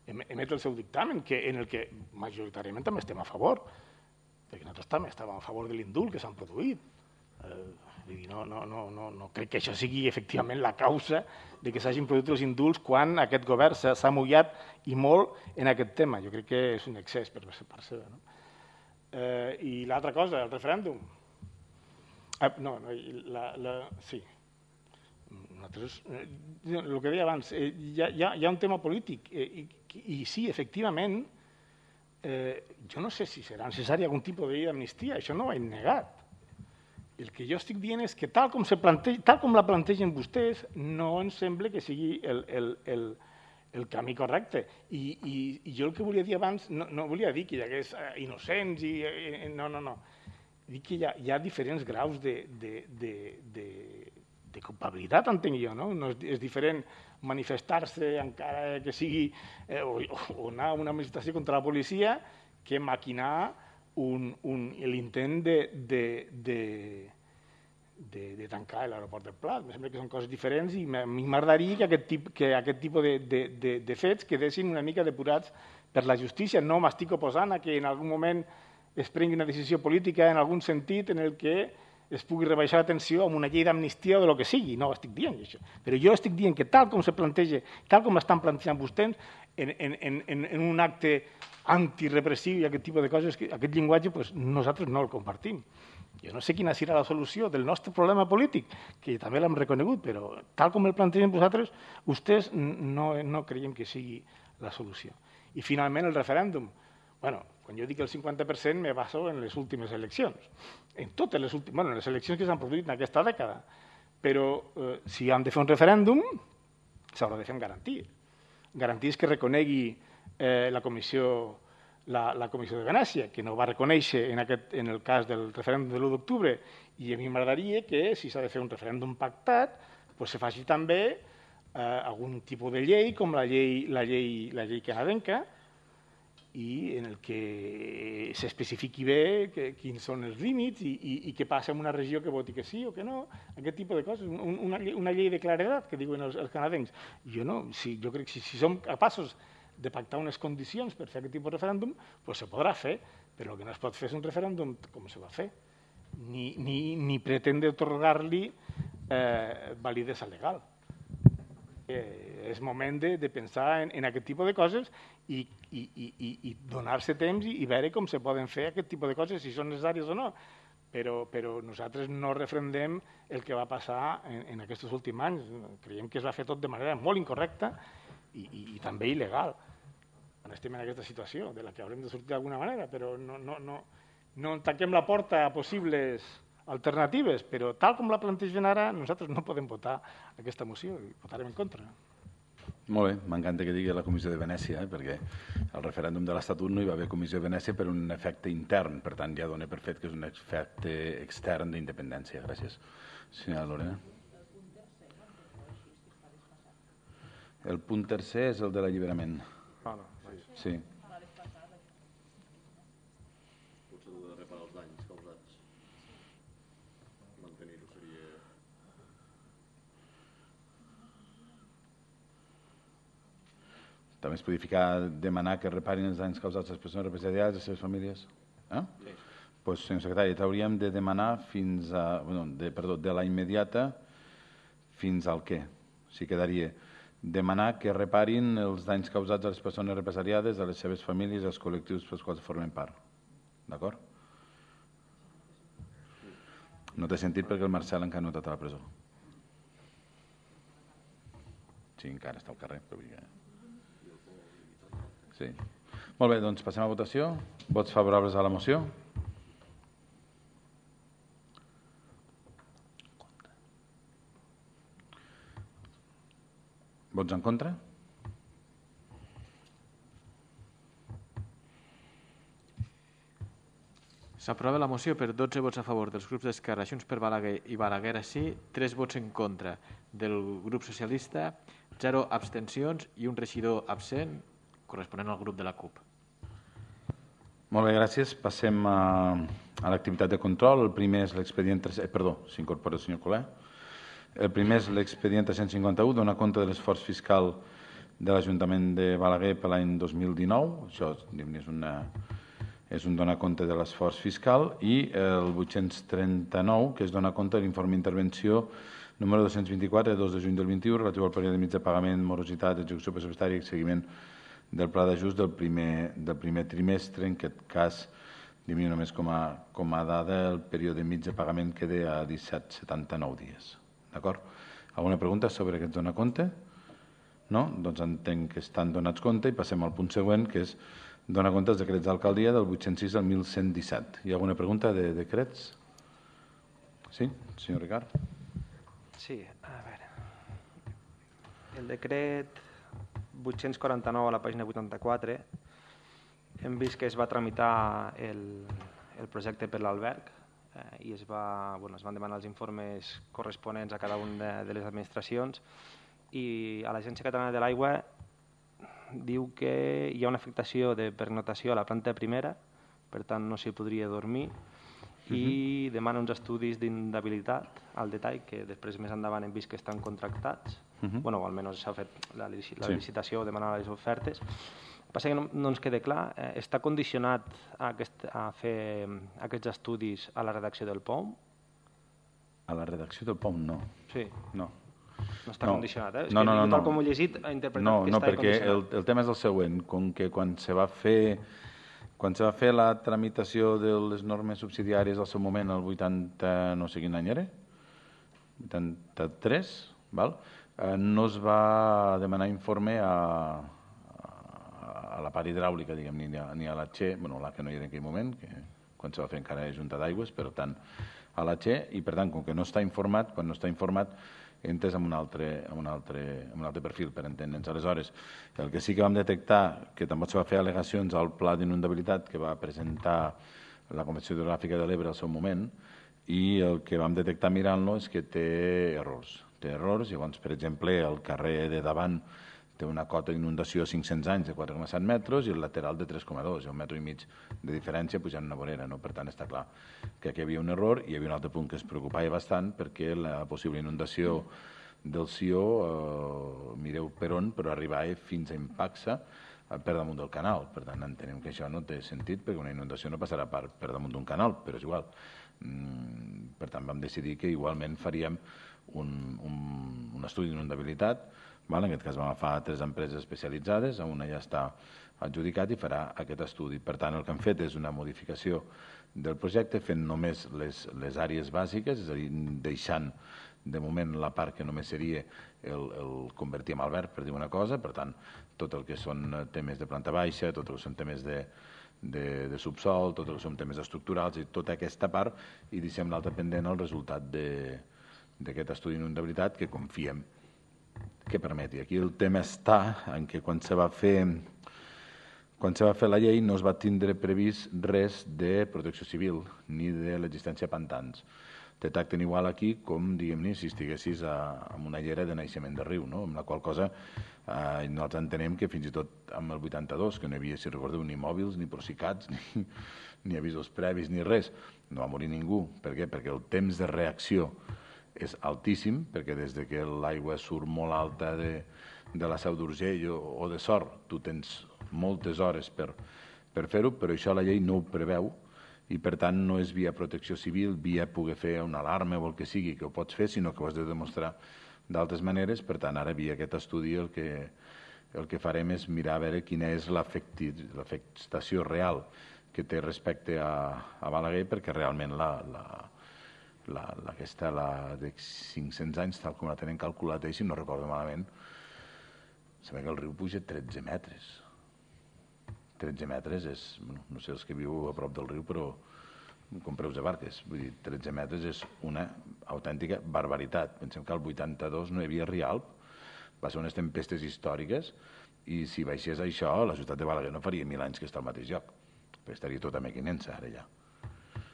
emet el seu dictamen, que, en el que majoritàriament també estem a favor, perquè nosaltres també estàvem a favor de l'indult que s'han produït. Eh, no, no, no, no, no crec que això sigui efectivament la causa de que s'hagin produït els indults quan aquest govern s'ha mullat i molt en aquest tema. Jo crec que és un excés per part seva. No? Eh, I l'altra cosa, el referèndum. Ah, no, no la, la, sí. Nosaltres, eh, el que deia abans, eh, hi, ha, hi ha un tema polític eh, i, i sí, efectivament, eh, jo no sé si serà necessari algun tipus de llei d'amnistia, això no ho he negat. El que jo estic dient és que tal com, se planteja, tal com la plantegen vostès, no em sembla que sigui el, el, el, el camí correcte. I, i, I jo el que volia dir abans, no, no volia dir que hi hagués innocents, i, i, no, no, no. Dic que hi ha, hi ha diferents graus de, de, de, de, de culpabilitat, entenc jo, no? No és, és diferent manifestar-se encara que sigui, eh, o, o anar a una manifestació contra la policia, que maquinar Un, un, l'intent de, de, de, de, de tancar l'aeroport del Prat. Em sembla que són coses diferents i a mi m'agradaria que aquest, tip, que aquest tipus de, de, de, de fets quedessin una mica depurats per la justícia. No m'estic oposant a que en algun moment es prengui una decisió política en algun sentit en el que es pugui rebaixar la tensió amb una llei d'amnistia o de lo que sigui. No estic dient això. Però jo estic dient que tal com se planteja, tal com estan plantejant vostès, en, en, en, en un acte antirepressiu i aquest tipus de coses, aquest llenguatge pues, nosaltres no el compartim. Jo no sé quina serà la solució del nostre problema polític, que també l'hem reconegut, però tal com el plantegen vosaltres, vostès no, no creiem que sigui la solució. I finalment el referèndum. Bueno, quan jo dic el cinquanta per cent me baso en les últimes eleccions, en totes les últimes, bueno, en les eleccions que s'han produït en aquesta dècada, però eh, si han de fer un referèndum s'haurà de fer amb garanties. Garanties que reconegui eh, la, comissió, la, la Comissió de Venècia, que no va reconèixer en, aquest, en el cas del referèndum de l'u d'octubre, i a mi m'agradaria que, si s'ha de fer un referèndum pactat, pues se faci també eh, algun tipus de llei, com la llei, la llei, la llei canadenca, i en el que s'especifiqui bé que, quins són els límits i, i, i què passa en una regió que voti que sí o que no, aquest tipus de coses, un, una, una llei de claredat que diuen els, els canadencs. Jo no, si, jo crec que si, si som capaços de pactar unes condicions per fer aquest tipus de referèndum, pues se podrà fer, però el que no es pot fer és un referèndum com se va fer, ni, ni, ni pretendre otorgar-li eh, validesa legal. Eh, és moment de, de pensar en, en aquest tipus de coses i, i, i, i donar-se temps i, i veure com se poden fer aquest tipus de coses, si són necessàries o no. Però, però nosaltres no refrendem el que va passar en, en aquests últims anys. Creiem que es va fer tot de manera molt incorrecta i, i, i també il·legal. Estem en aquesta situació, de la que haurem de sortir d'alguna manera, però no, no, no, no tanquem la porta a possibles alternatives, però tal com la plantegen ara, nosaltres no podem votar aquesta moció i votarem en contra. Molt bé, m'encanta que digui la Comissió de Venècia, eh, perquè al referèndum de l'Estatut no hi va haver Comissió de Venècia per un efecte intern, per tant ja dona per fet que és un efecte extern d'independència. Gràcies. Senyora Lorena. El punt tercer és el de l'alliberament. Ah, no. Sí. Potser de reparar els danys causats. Mantenir-ho seria... També es podria ficar, demanar que reparin els danys causats a les persones represaliades i a les seves famílies. Eh? Sí. Doncs, senyor secretari, hauríem de demanar fins a... Bueno, de, perdó, de la immediata fins al què? O sigui, quedaria... demanar que reparin els danys causats a les persones represaliades, a les seves famílies i als col·lectius pels quals formen part. D'acord? No té sentit perquè el Marcel encara no ha estat a la presó. Sí, encara està al carrer. Però... Sí. Molt bé, doncs passem a votació. Vots favorables a la moció? Vots en contra? S'aprova la moció per dotze vots a favor dels grups d'Esquerra, Junts per Balaguer i Balaguer sí, tres vots en contra del grup socialista, zero abstencions i un regidor absent corresponent al grup de la CUP. Molt bé, gràcies. Passem a, a l'activitat de control. El primer és l'expedient... Eh, perdó, s'incorpora el senyor Coler. El primer és l'expedient tres-cents cinquanta-u, dona compte de l'esforç fiscal de l'Ajuntament de Balaguer per l'any dos mil dinou. Això és, una, és un donar compte de l'esforç fiscal. I el vuit-cents trenta-nou, que és donar compte de l'informe d'intervenció número dos-cents vint-i-quatre, de dos de juny del vint-i-u, relatiu al període mig de pagament, morositat, execució pressupostària i seguiment del pla d'ajust del primer, del primer trimestre. En aquest cas, diria només com a, com a dada, el període mig de pagament queda a disset coma setanta-nou dies. D'acord? Alguna pregunta sobre aquest donar compte? No? Doncs entenc que estan donats compte i passem al punt següent, que és donar compte dels decrets d'alcaldia del vuit-cents sis al mil cent disset. Hi ha alguna pregunta de decrets? Sí, senyor Ricard? Sí, a veure. El decret vuit-cents quaranta-nou a la pàgina vuitanta-quatre hem vist que es va tramitar el, el projecte per l'alberg i es, va, bueno, es van demanar els informes corresponents a cada una de, de les administracions i a l'Agència Catalana de l'Aigua diu que hi ha una afectació de pernotació a la planta primera, per tant no s'hi podria dormir, i uh-huh. demana uns estudis d'inhabilitat al detall que després més endavant hem vist que estan contractats, uh-huh. bueno, o almenys s'ha fet la, la sí. licitació o demanar les ofertes. Passa que no, no ens queda clar, eh, està condicionat a, aquest, a fer aquests estudis a la redacció del P O M? A la redacció del P O M, no. Sí. No. No està no. condicionat, eh? És no, que no, no, tal no. com ho he llegit, ha interpretat no, que no, està perquè el, condicionat. el tema és el següent. Com que quan se va fer, quan se va fer la tramitació de les normes subsidiàries al seu moment, el vuitanta, no sé quin any era, vuitanta-tres, val? Eh, no es va demanar informe a... a la part hidràulica, diguem, ni a, ni a la Che, bueno, la que no hi era en aquell moment, que quan se va fer encara Junta d'Aigües, però tant a la Che, i per tant, com que no està informat, quan no està informat, entres en un altre, en un altre, en un altre perfil, per entendre'ns. Aleshores, el que sí que vam detectar, que també se va fer al·legacions al pla d'inundabilitat que va presentar la Convenció Hidrogràfica de l'Ebre al seu moment, i el que vam detectar mirant-lo és que té errors. Té errors, llavors, per exemple, el carrer de davant té una cota d'inundació a cinc-cents anys de quatre coma set metres i el lateral de tres coma dos, un metre i mig de diferència pujant una vorera. Per tant, està clar que aquí hi havia un error i hi havia un altre punt que es preocupava bastant perquè la possible inundació del Sió, mireu per on, però arribava fins a Impaxa per damunt del canal. Per tant, entenem que això no té sentit perquè una inundació no passarà per damunt d'un canal, però és igual. Per tant, vam decidir que igualment faríem un estudi d'inundabilitat. En aquest cas vam agafar tres empreses especialitzades, una ja està adjudicat i farà aquest estudi. Per tant, el que hem fet és una modificació del projecte fent només les àrees bàsiques, és a dir, deixant de moment la part que només seria el convertir en alberg, per dir una cosa. Per tant, tot el que són temes de planta baixa, tot el que són temes de subsol, tot el que són temes estructurals i tota aquesta part, i deixem l'altre pendent el resultat d'aquest estudi d'inundabilitat que confiem que permeti. Aquí el tema està en que quan se va fer quan se va fer la llei no es va tindre previst res de protecció civil ni de l'existència de pantans. Te tracten igual aquí com, diguem-ne, si estiguessis en una llera de naixement de riu, amb la qual cosa nosaltres entenem que fins i tot amb el vuitanta-dos, que no hi havia, si recordeu, ni mòbils, ni prosicats, ni avisos previs, ni res, no va morir ningú. Per què? Perquè el temps de reacció és altíssim, perquè des que l'aigua surt molt alta de la Seu d'Urgell o de Sort, tu tens moltes hores per fer-ho, però això la llei no ho preveu i per tant no és via protecció civil, via poder fer una alarma o el que sigui que ho pots fer, sinó que ho has de demostrar d'altres maneres. Per tant, ara via aquest estudi el que farem és mirar a veure quina és l'afectació real que té respecte a Balaguer, perquè realment aquesta de cinc-cents anys, tal com la tenen calculat ells, si no recordo malament, sabem que el riu puja tretze metres. tretze metres és, no sé els que viu a prop del riu, però compreu de barques. Vull dir, tretze metres és una autèntica barbaritat. Pensem que al vuitanta-dos no hi havia Rialp, va ser unes tempestes històriques, i si baixés això, la ciutat de Balaguer no faria mil anys que està al mateix lloc, perquè estaria tota mequinensa ara ja.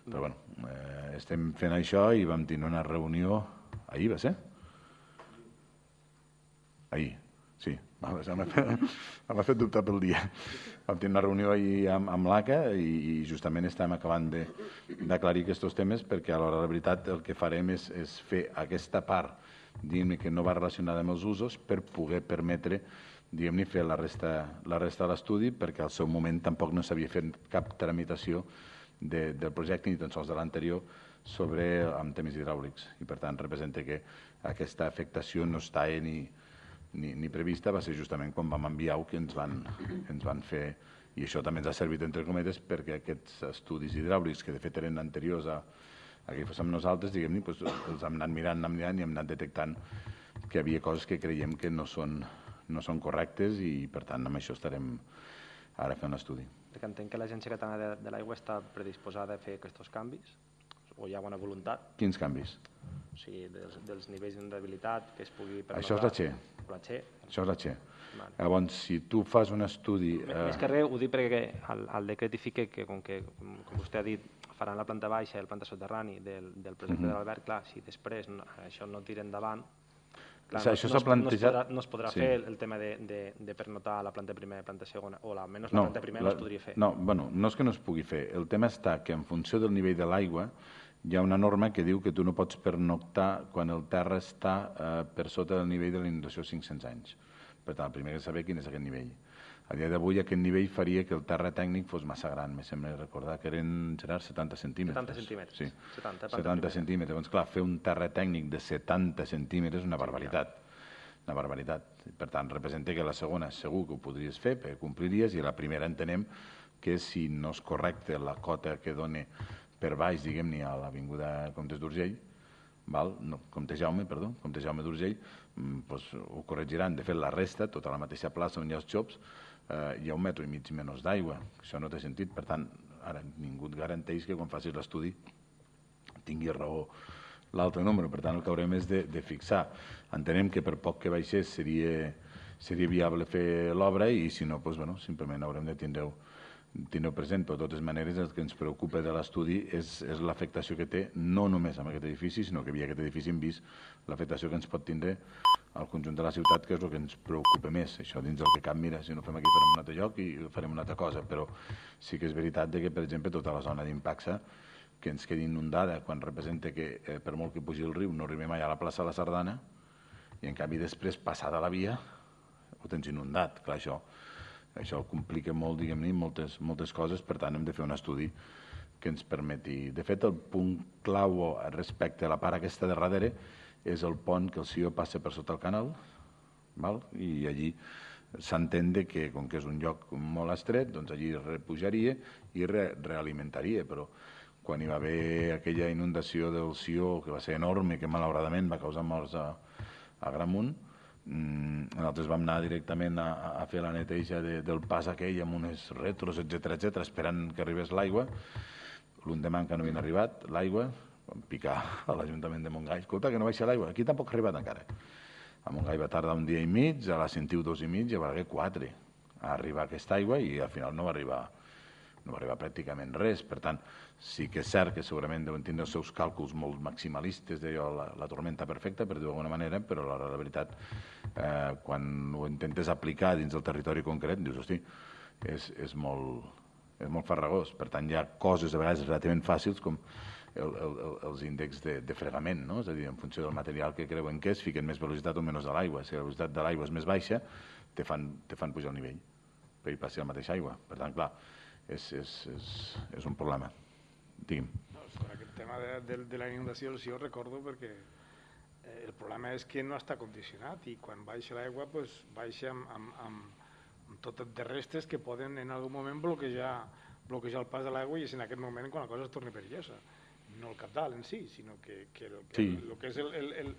Però bé, estem fent això i vam tenir una reunió, ahir va ser? Ahir, sí, m'ha fet dubtar pel dia. Vam tenir una reunió ahir amb l'A C A i justament estem acabant d'aclarir aquests temes perquè a l'hora de la veritat el que farem és fer aquesta part, diguem-ne, que no va relacionada amb els usos per poder permetre, diguem-ne, fer la resta de l'estudi perquè al seu moment tampoc no s'havia fet cap tramitació del projecte ni tan sols de l'anterior sobre amb temes hidràulics i per tant representa que aquesta afectació no està ni ni prevista, va ser justament quan vam enviar que ens van fer, i això també ens ha servit entre cometes perquè aquests estudis hidràulics que de fet eren anteriors a que fóssim nosaltres, diguem-ne, els hem anat mirant, anat mirant i hem anat detectant que hi havia coses que creiem que no són correctes i per tant amb això estarem ara fent l'estudi. Perquè entenc que l'Agència Catalana de l'Aigua està predisposada a fer aquests canvis o hi ha bona voluntat? Quins canvis? O sigui, dels nivells d'inundabilitat que es pugui pernotar... Això és la Che. Això és la Che. Llavors, si tu fas un estudi... Més que res, ho dic perquè el decret hi fica que, com vostè ha dit, faran la planta baixa i el planta soterrani del projecte de l'alberg, clar, si després això no tira endavant, no es podrà fer el tema de pernotar la planta primera i la planta segona, o almenys la planta primera no es podria fer. No, bueno, no és que no es pugui fer. El tema està que en funció del nivell de l'aigua hi ha una norma que diu que tu no pots pernoctar quan el terra està per sota del nivell de la inundació de cinc-cents anys. Per tant, el primer que saber quin és aquest nivell. A dia d'avui aquest nivell faria que el terra tècnic fos massa gran. Me sembla recordar que eren, Gerard, setanta centímetres. setanta centímetres. Sí, setanta centímetres. Llavors, clar, fer un terra tècnic de setanta centímetres és una barbaritat. Una barbaritat. Per tant, representa que la segona segur que ho podries fer, perquè compliries, i la primera entenem que si no és correcte la cota que dona per baix, diguem-ne, a l'Avinguda Comtes d'Urgell, no, Comte Jaume, perdó, Comte Jaume d'Urgell, ho corregiran. De fet, la resta, tota la mateixa plaça on hi ha els xops, hi ha un metre i mig menys d'aigua. Això no té sentit. Per tant, ara ningú et garanteix que quan facis l'estudi tingui raó l'altre número. Per tant, el que haurem és de fixar. Entenem que per poc que baixés seria viable fer l'obra i si no, simplement haurem de tindre tindreu present, però de totes maneres el que ens preocupa de l'estudi és, és l'afectació que té, no només amb aquest edifici, sinó que via aquest edifici hem vist l'afectació que ens pot tindre al conjunt de la ciutat, que és el que ens preocupa més. Això dins del que cap, mira, si no fem aquí farem un altre lloc i farem una altra cosa, però sí que és veritat que, per exemple, tota la zona d'Impacsa, que ens quedi inundada quan representa que eh, per molt que pugi el riu no arribem mai a la plaça de la Sardana, i en canvi després, passada la via, ho tens inundat. Clar, això Això complica molt, diguem-ne, moltes, moltes coses, per tant hem de fer un estudi que ens permeti. De fet, el punt clau respecte a la part aquesta de darrere és el pont que el Sió passa per sota el canal, val? I allí s'entén que, com que és un lloc molt estret, doncs allí repujaria i re realimentaria, però quan hi va haver aquella inundació del Sió, que va ser enorme, que malauradament va causar morts a, a Gramunt, nosaltres vam anar directament a, a fer la neteja de, del pas aquell amb unes retros, etcètera, etcètera, esperant que arribés l'aigua. L'endemà que no havien arribat l'aigua, vam picar a l'Ajuntament de Montgai. Escolta, que no baixa l'aigua. Aquí tampoc ha arribat encara. A Montgai va tardar un dia i mig, a la Sentiu dos i mig, i a Balaguer quatre a arribar aquesta aigua i al final no va arribar no va arribar pràcticament res. Per tant, sí que és cert que segurament deuen tindre els seus càlculs molt maximalistes d'allò, la, la tormenta perfecta, per dir-ho d'alguna manera, però la, la veritat, eh, quan ho intentes aplicar dins del territori concret, dius, hosti, és, és, molt, és molt farragós. Per tant, hi ha coses a vegades relativament fàcils com el, el, els índexs de, de fregament, no? És a dir, en funció del material que creuen que és, fiquen més velocitat o menys de l'aigua. Si la velocitat de l'aigua és més baixa, te fan, te fan pujar el nivell, perquè passi la mateixa aigua. Per tant, clar, És, és, és, és un problema. Digui'm. No, sobre aquest tema de, de, de la inundació sí ho recordo perquè eh, el problema és que no està condicionat i quan baixa l'aigua pues, baixa amb, amb, amb, amb totes de restes que poden en algun moment bloquejar, bloquejar el pas de l'aigua i és en aquest moment quan la cosa es torna perillosa. No el cabdal en si, sinó que, que, el, que sí. el, el que és el, el, el,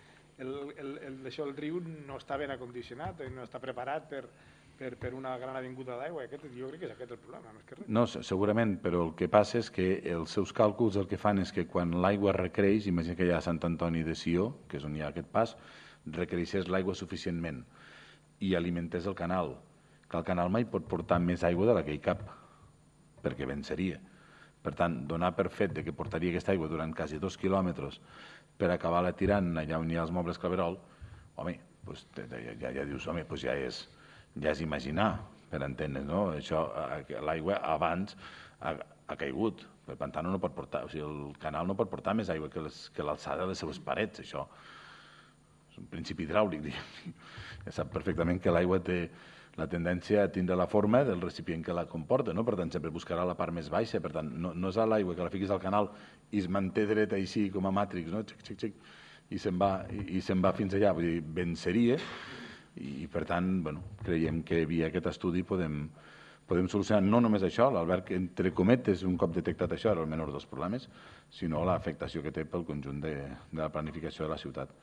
el, el, el, això, el riu no està ben acondicionat, no està preparat per Per, per una gran avinguda d'aigua. Jo crec que és aquest el problema, més que res. No, segurament, però el que passa és que els seus càlculs el que fan és que quan l'aigua recreix, imagina que hi ha Sant Antoni de Sió, que és on hi ha aquest pas, recreixés l'aigua suficientment i alimentés el canal, que el canal mai pot portar més aigua de la que hi cap, perquè venceria. Per tant, donar per fet de que portaria aquesta aigua durant quasi dos quilòmetres per acabar-la tirant allà on hi ha els mobles Claverol, home, doncs ja, ja, ja dius, home, doncs ja és... ja és imaginar, per entendre, no? Això, l'aigua abans ha, ha caigut, el pantà no pot portar, o sigui, el canal no pot portar més aigua que l'alçada de les seves parets, això és un principi hidràulic, diguem. Ja sap perfectament que l'aigua té la tendència a tindre la forma del recipient que la comporta, no? Per tant, sempre buscarà la part més baixa, per tant, no, no és a l'aigua que la fiquis al canal i es manté dreta així com a Matrix, no? Xic, xic, xic, i se'n va, i, i se'n va fins allà, vull dir, venceria. I, per tant, bueno, creiem que via aquest estudi podem, podem solucionar no només això, l'Albert, entre cometes, un cop detectat això, era el menor dels problemes, sinó l'afectació que té pel conjunt de, de la planificació de la ciutat.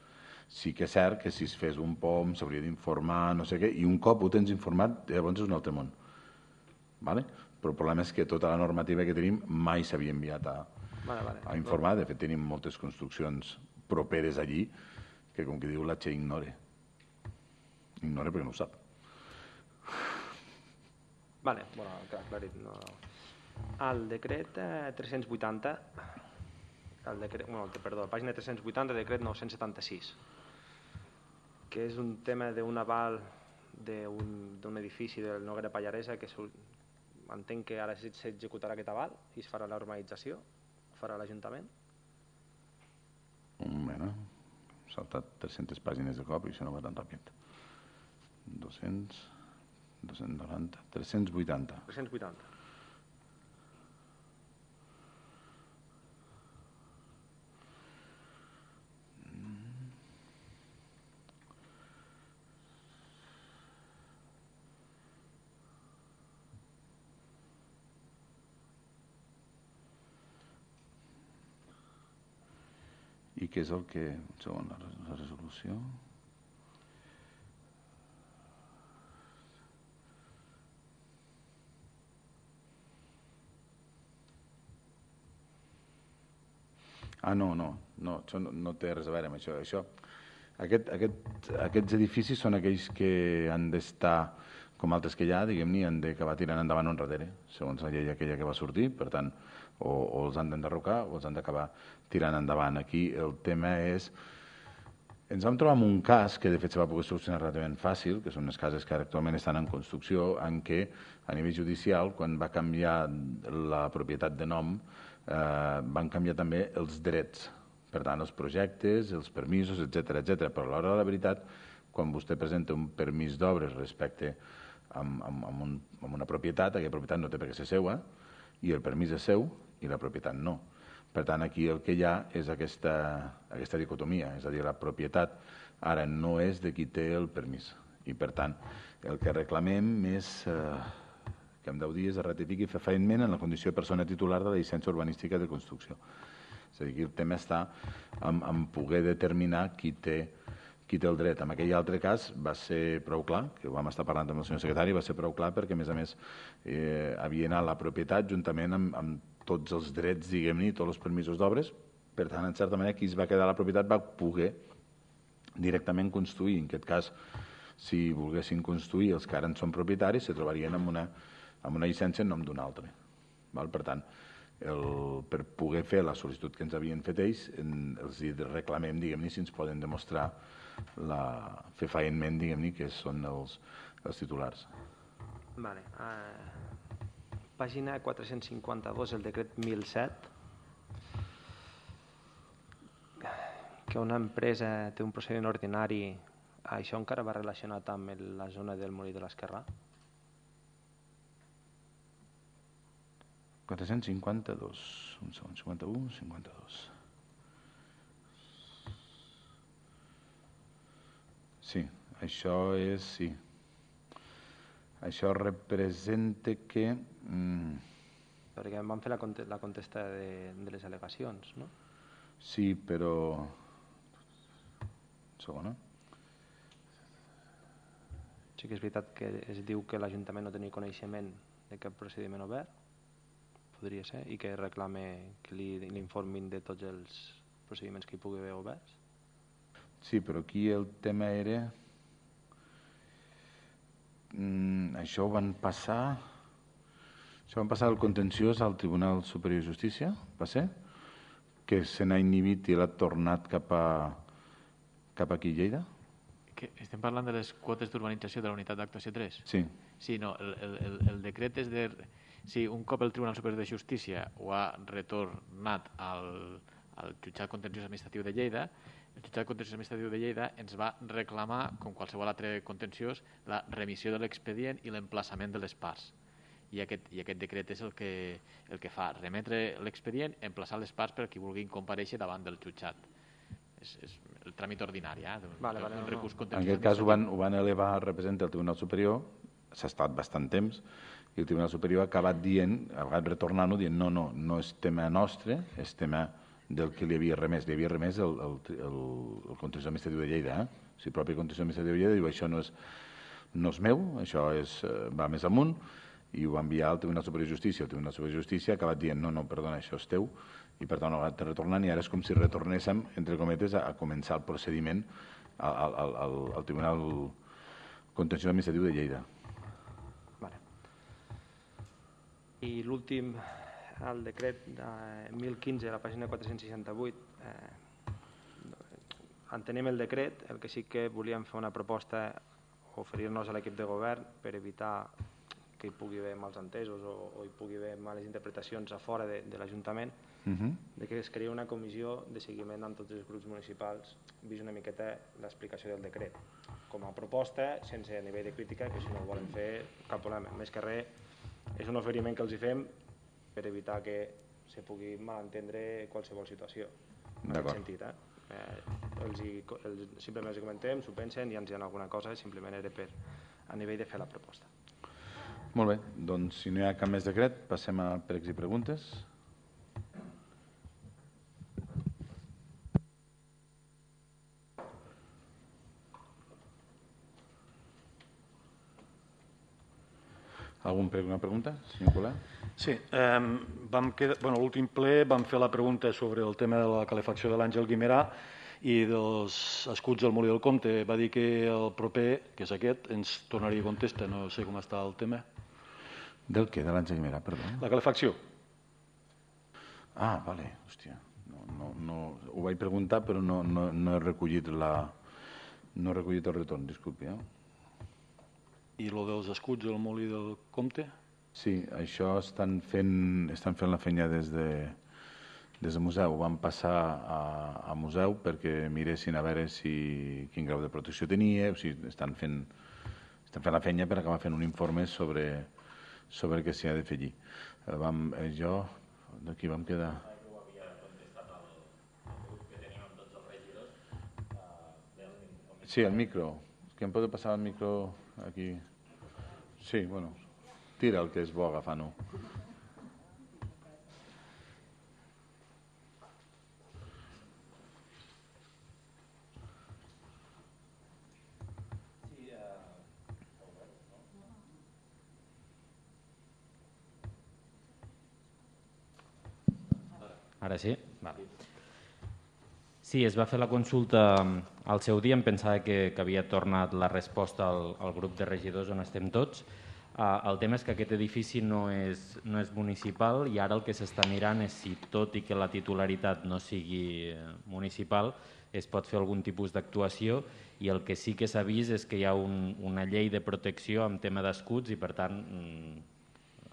Sí que és cert que si es fes un P O M s'hauria d'informar, no sé què, i un cop ho tens informat, llavors és un altre món. Vale? Però el problema és que tota la normativa que tenim mai s'havia enviat a, vale, vale. a informar. De fet, tenim moltes construccions properes allí que, com que diu, la Che ignore. Ignora perquè no ho sap. Vale, bueno, aclarit. No. El decret eh, tres-cents vuitanta, el decret, bueno, perdó, pàgina tres-cents vuitanta, decret nou-cents setanta-sis, que és un tema d'un aval d'un edifici del Noguera Pallaresa que entenc que ara s'executarà aquest aval i es farà la urbanització, ho farà l'Ajuntament. Un moment, he saltat tres-centes pàgines de cop i això no va tan ràpid. dos-cents, dos-cents noranta, tres-cents vuitanta. tres-cents vuitanta. I què és el que... Un segon, la resolució... Ah, no, no, no, això no, no té res a veure amb això. això aquest, aquest, aquests edificis són aquells que han d'estar com altres que hi ha, diguem-ne, han d'acabar tirant endavant o enrere, segons la llei aquella que va sortir, per tant, o, o els han d'enderrocar o els han d'acabar tirant endavant. Aquí el tema és... Ens vam trobar amb un cas que de fet se va poder solucionar relativament fàcil, que són les cases que actualment estan en construcció, en què a nivell judicial, quan va canviar la propietat de nom, eh, van canviar també els drets. Per tant, els projectes, els permisos, etcètera, etcètera. Però a l'hora de la veritat, quan vostè presenta un permís d'obres respecte amb, amb, amb, un, amb una propietat, aquella propietat no té per què ser seua, i el permís és seu i la propietat no. Per tant, aquí el que hi ha és aquesta, aquesta dicotomia, és a dir, la propietat ara no és de qui té el permís. I, per tant, el que reclamem és eh, que en deu dies es ratifiqui fefaentment en la condició de persona titular de la llicència urbanística de construcció. És a dir, que el tema està en, en poder determinar qui té, qui té el dret. En aquell altre cas va ser prou clar, que ho vam estar parlant amb el senyor secretari, va ser prou clar perquè, a més a més, eh, havia anat la propietat juntament amb, amb tots els drets, diguem-ne, tots els permisos d'obres. Per tant, en certa manera, qui es va quedar a la propietat va poder directament construir. En aquest cas, si volguessin construir els que ara en són propietaris, se trobarien amb una, amb una llicència en nom d'un altre. Val? Per tant, el, per poder fer la sol·licitud que ens havien fet ells, en, els reclamem, diguem-ne, si ens poden demostrar la, fefaentment, diguem-ne, que són els, els titulars. Vale. Uh... Pàgina quatre-cents cinquanta-dos, el decret mil set, que una empresa té un procediment ordinari, això encara va relacionat amb la zona del Molí de l'Esquerrà? quatre-cents cinquanta-dos, un segon, cinquanta-u, cinquanta-dos. Sí, això és, sí. Això representa que... Mm, perquè em van fer la, conte la contesta de, de les al·legacions, no? Sí, però... Segona. Sí que és veritat que es diu que l'Ajuntament no tenia coneixement de cap procediment obert, podria ser, i que reclame que li, li informin de tots els procediments que hi pugui haver oberts. Sí, però aquí el tema era... Mm, això ho van passar això van passar el contenciós al Tribunal Superior de Justícia, va ser? Que se n'ha inhibit i l'ha tornat cap a cap aquí a Lleida? Que estem parlant de les quotes d'urbanització de la unitat d'actuació tres? Sí. Sí, no, el, el, el decret és de... Sí, un cop el Tribunal Superior de Justícia ho ha retornat al, al jutjat contenciós administratiu de Lleida, el jutjat contenciós administratiu de Lleida ens va reclamar, com qualsevol altre contenciós, la remissió de l'expedient i l'emplaçament de les parts. I aquest, i aquest decret és el que, el que fa, remetre l'expedient, emplaçar les parts per a qui vulguin comparèixer davant del jutjat. És, és el tràmit ordinari, eh? Un, vale, vale, un no, recurs no. En contenciós. aquest cas ho van, ho van elevar al representant del Tribunal Superior, s'ha estat bastant temps, i el Tribunal Superior ha acabat dient, ha acabat retornant-ho, dient no, no, no és tema nostre, és tema del que li havia remès. Li havia remès el, el, el, el contenciós administratiu de Lleida. Eh? O sigui, el propi contenciós administratiu de Lleida diu això no és, no és meu, això és, va més amunt, i ho va enviar al Tribunal Superior de Justícia. El Tribunal Superior de Justícia ha acabat dient no, no, perdona, això és teu, i per tant ho ha acabat retornant, i ara és com si retornéssim, entre cometes, a, a començar el procediment al, al, al, al Tribunal Contenciós Administratiu de Lleida. Vale. I l'últim, el decret de mil quinze, a la pàgina quatre-cents seixanta-vuit, eh, entenem el decret, el que sí que volíem fer una proposta, oferir-nos a l'equip de govern per evitar que hi pugui haver mals entesos o, o hi pugui haver males interpretacions a fora de, de l'Ajuntament, uh-huh. de que es creï una comissió de seguiment amb tots els grups municipals, vist una miqueta l'explicació del decret. Com a proposta, sense a nivell de crítica, que si no ho volen fer, cap problema. Més que res, és un oferiment que els hi fem per evitar que se pugui malentendre qualsevol situació. En aquest sentit, eh? Eh, els hi, els, simplement els hi comentem, s'ho pensen i ens hi ha alguna cosa, simplement era per a nivell de fer la proposta. Molt bé, doncs si no hi ha cap més decret, passem a pregs i preguntes. Algun prec, una pregunta, senyor Colau? Sí, eh, vam quedar, bueno, l'últim ple vam fer la pregunta sobre el tema de la calefacció de l'Àngel Guimerà I dels escuts del Molí del Comte va dir que el proper, que és aquest, ens tornaria a contestar. No sé com està el tema. Del què? De l'ensenyament, perdó? La calefacció. Ah, vale, hòstia. No, no, no, ho vaig preguntar, però no, no, no he recollit la... No he recollit el retorn, disculpi. Eh? I lo dels escuts del Molí del Comte? Sí, això estan fent, estan fent la feina des de, des del museu. Van passar a, a museu perquè miressin a veure si, quin grau de protecció tenia, o sigui, estan fent, estan fent la feina per acabar fent un informe sobre, sobre què s'hi ha de fer allí. Vam, eh, jo, d'aquí vam quedar... Sí, el micro. Que em pot passar el micro aquí? Sí, bueno, tira el que és bo agafant-ho. Ara sí? Vale. Sí, es va fer la consulta al seu dia, em pensava que, que havia tornat la resposta al, al grup de regidors on estem tots. Uh, el tema és que aquest edifici no és, no és municipal i ara el que s'està mirant és si, tot i que la titularitat no sigui municipal, es pot fer algun tipus d'actuació, i el que sí que s'ha vist és que hi ha un, una llei de protecció en tema d'escuts i, per tant,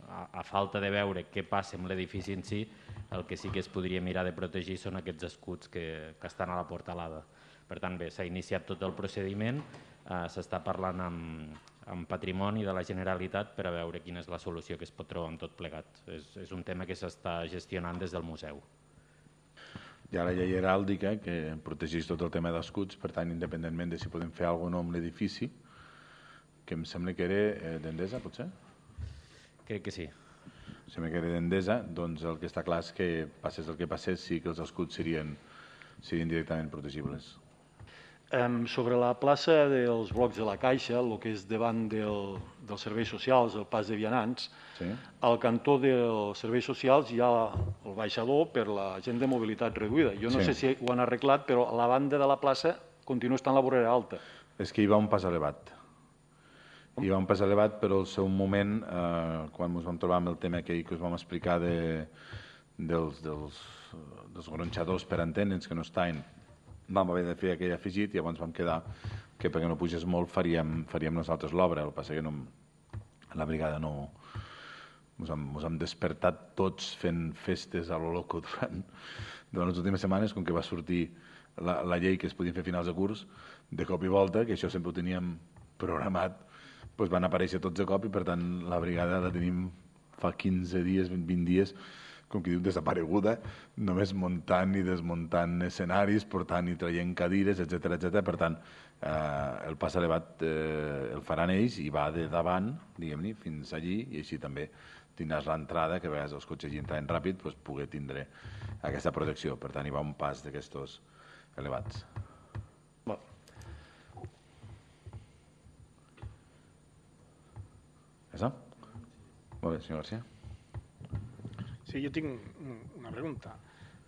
a, a falta de veure què passa amb l'edifici en si, el que sí que es podria mirar de protegir són aquests escuts que, que estan a la portalada. Per tant, bé, s'ha iniciat tot el procediment, eh, s'està parlant amb, amb Patrimoni de la Generalitat per a veure quina és la solució que es pot trobar amb tot plegat. És, és un tema que s'està gestionant des del museu. Hi ha la llei heràldica que protegeix tot el tema d'escuts, per tant, independentment de si podem fer alguna cosa no amb l'edifici, que em sembla que era eh, d'Endesa, potser? Crec que sí. Sembla que era d'Endesa, doncs el que està clar és que passés el que passés, sí que els escuts serien, serien directament protegibles. Um, sobre la plaça dels blocs de la Caixa, el que és davant del, dels serveis socials, el pas de vianants, sí. Al cantó dels serveis socials hi ha el baixador per la gent de mobilitat reduïda. Jo no sí. sé si ho han arreglat, però a la banda de la plaça continua estant la vorera alta. És que hi va un pas elevat. Hi va un pas elevat, però al seu moment, eh, quan ens vam trobar amb el tema aquell que us vam explicar de, dels, dels, dels gronxadors per antenes que no estaven, vam haver de fer aquell afegit i llavors vam quedar que perquè no pugés molt faríem, faríem nosaltres l'obra. El que passa que no, la brigada no... Ens hem, ens hem despertat tots fent festes a lo loco durant, durant les últimes setmanes, com que va sortir la, la llei que es podien fer finals de curs, de cop i volta, que això sempre ho teníem programat, doncs van aparèixer tots de cop i per tant la brigada la tenim fa quinze dies, vint dies, com que diu, desapareguda, només muntant i desmuntant escenaris, portant i traient cadires, etcètera, etcètera. Per tant, eh, el pas elevat eh, el faran ells i va de davant, diguem-ne, fins allí, i així també tindràs l'entrada, que a vegades els cotxes hi entraven ràpid, doncs poder tindre aquesta protecció. Per tant, hi va un pas d'aquestos elevats. ¿Eso? Molt bé, senyor García. Sí, jo tinc una pregunta.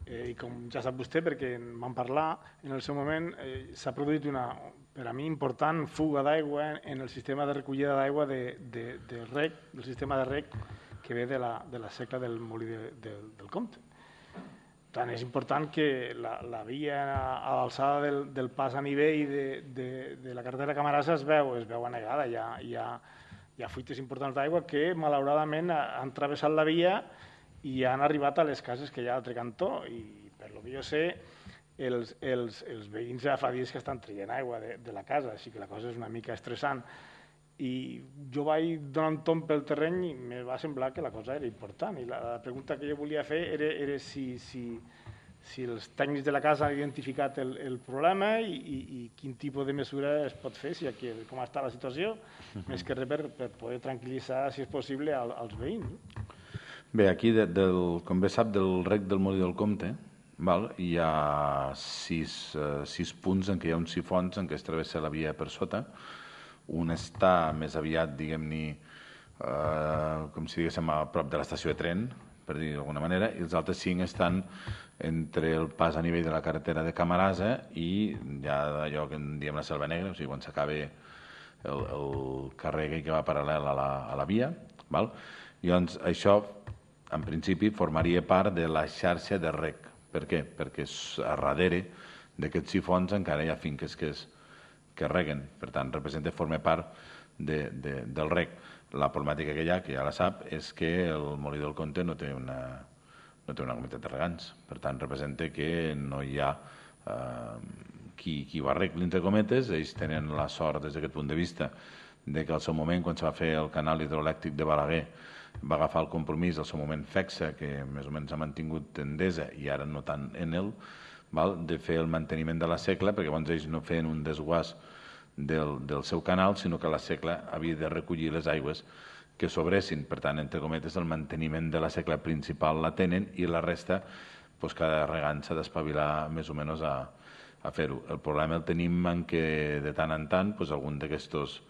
Eh, I com ja sap vostè, perquè en vam parlar, en el seu moment eh, s'ha produït una, per a mi, important fuga d'aigua en el sistema de recollida d'aigua de, de, de rec, del sistema de rec que ve de la, de la seca del Molí de, de, del Comte. Per tant, és important que la, la via a l'alçada del, del pas a nivell de, de, de la carretera Camarasa es veu, es veu anegada, hi ha, hi ha Hi ha fuites importants d'aigua que, malauradament, han travessat la via i han arribat a les cases que hi ha a l'altre cantó. I, per lo que jo sé, els, els, els veïns ja fa dies que estan traient aigua de, de la casa, així que la cosa és una mica estressant. I jo vaig donar un tomb pel terreny i em va semblar que la cosa era important. I la, la pregunta que jo volia fer era, era si, si, si els tècnics de la casa han identificat el, el problema i, i, i quin tipus de mesura es pot fer, si aquí, com està la situació, uh-huh. més que res per, per poder tranquil·litzar, si és possible, al, als veïns. Bé, aquí, de, del, com bé sap, del rec del Molí del Comte, val, hi ha sis, uh, sis punts en què hi ha uns sifons en què es travessa la via per sota. Un està més aviat, diguem-ne, uh, com si diguéssim, a prop de l'estació de tren, per dir d'alguna manera, i els altres cinc estan entre el pas a nivell de la carretera de Camarasa i ja d'allò que en diem la Selva Negra, o sigui, quan s'acaba el, el carrer que va paral·lel a la, a la via. Val? I doncs això, en principi, formaria part de la xarxa de rec. Per què? Perquè a darrere d'aquests sifons encara hi ha finques que, es, que reguen. Per tant, representa, forma part de, de, del rec. La problemàtica que hi ha, que ja la sap, és que el Molí del Comte no té una, no té una comunitat de regants. Per tant, representa que no hi ha eh, qui, qui ho arregli, entre cometes. Ells tenen la sort, des d'aquest punt de vista, de que al seu moment, quan se va fer el canal hidroelèctric de Balaguer, va agafar el compromís al seu moment FECSA, que més o menys ha mantingut Endesa i ara no tant Enel, val? De fer el manteniment de la secla, perquè abans ells no feien un desguàs del, del seu canal, sinó que la secla havia de recollir les aigües que sobressin. Per tant, entre cometes, el manteniment de la secla principal la tenen i la resta, doncs, cada regant s'ha d'espavilar més o menys a, a fer-ho. El problema el tenim en que de tant en tant doncs, algun d'aquests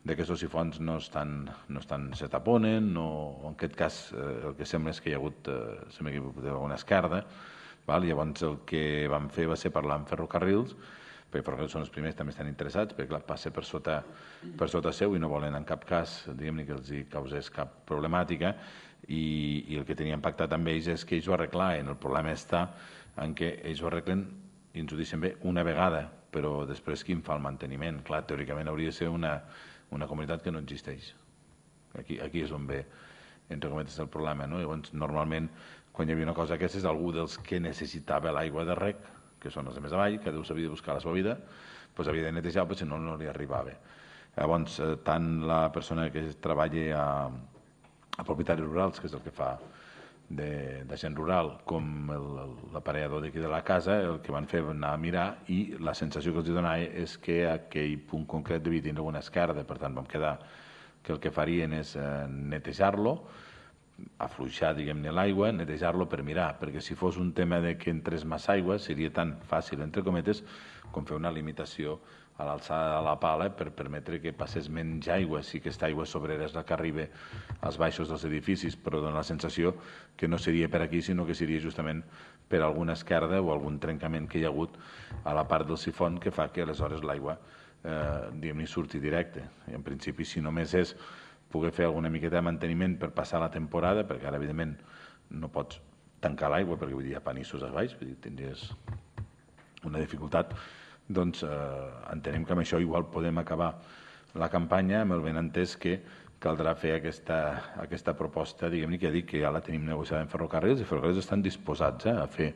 d'aquests sifons no estan, no estan, se taponen, no, en aquest cas eh, el que sembla és que hi ha hagut eh, sembla que hi ha hagut alguna esquerda, val? Llavors el que vam fer va ser parlar amb ferrocarrils, perquè ferrocarrils són els primers, també estan interessats, perquè clar, passa per sota, per sota seu i no volen en cap cas, diguem-ne, que els hi causés cap problemàtica, i, i el que teníem pactat amb ells és que ells ho arreglaven. El problema està en què ells ho arreglen, i ens ho deixen bé, una vegada, però després qui en fa el manteniment? Clar, teòricament hauria de ser una una comunitat que no existeix. Aquí, aquí és on ve, entre cometes, el problema. No? Llavors, normalment, quan hi havia una cosa d'aquestes, algú dels que necessitava l'aigua de rec, que són els de més avall, que Déu s'havia de buscar la seva vida, doncs havia de netejar, però si no, no li arribava. Llavors, tant la persona que treballa a, a propietaris rurals, que és el que fa de, de gent rural, com l'aparellador d'aquí de la casa, el que van fer va anar a mirar i la sensació que els donava és que aquell punt concret devia tenir alguna esquerda. Per tant, vam quedar que el que farien és eh, netejar-lo, afluixar, diguem-ne, l'aigua, netejar-lo per mirar, perquè si fos un tema de que entrés massa aigua seria tan fàcil, entre cometes, com fer una limitació a l'alçada de la pala per permetre que passés menys aigua. Sí que aquesta aigua sobrera és la que arriba als baixos dels edificis, però dona la sensació que no seria per aquí, sinó que seria justament per alguna esquerda o algun trencament que hi ha hagut a la part del sifon que fa que aleshores l'aigua eh, diguem-ne surti directe. I en principi, si només és poder fer alguna miqueta de manteniment per passar la temporada, perquè ara, evidentment, no pots tancar l'aigua perquè vull dir, hi ha panissos a baix, vull dir, tindries una dificultat, doncs eh, entenem que amb això igual podem acabar la campanya amb el benentès que caldrà fer aquesta, aquesta proposta, diguem-ne, que ja dic que ja la tenim negociada en ferrocarrils, i ferrocarrils estan disposats eh, a fer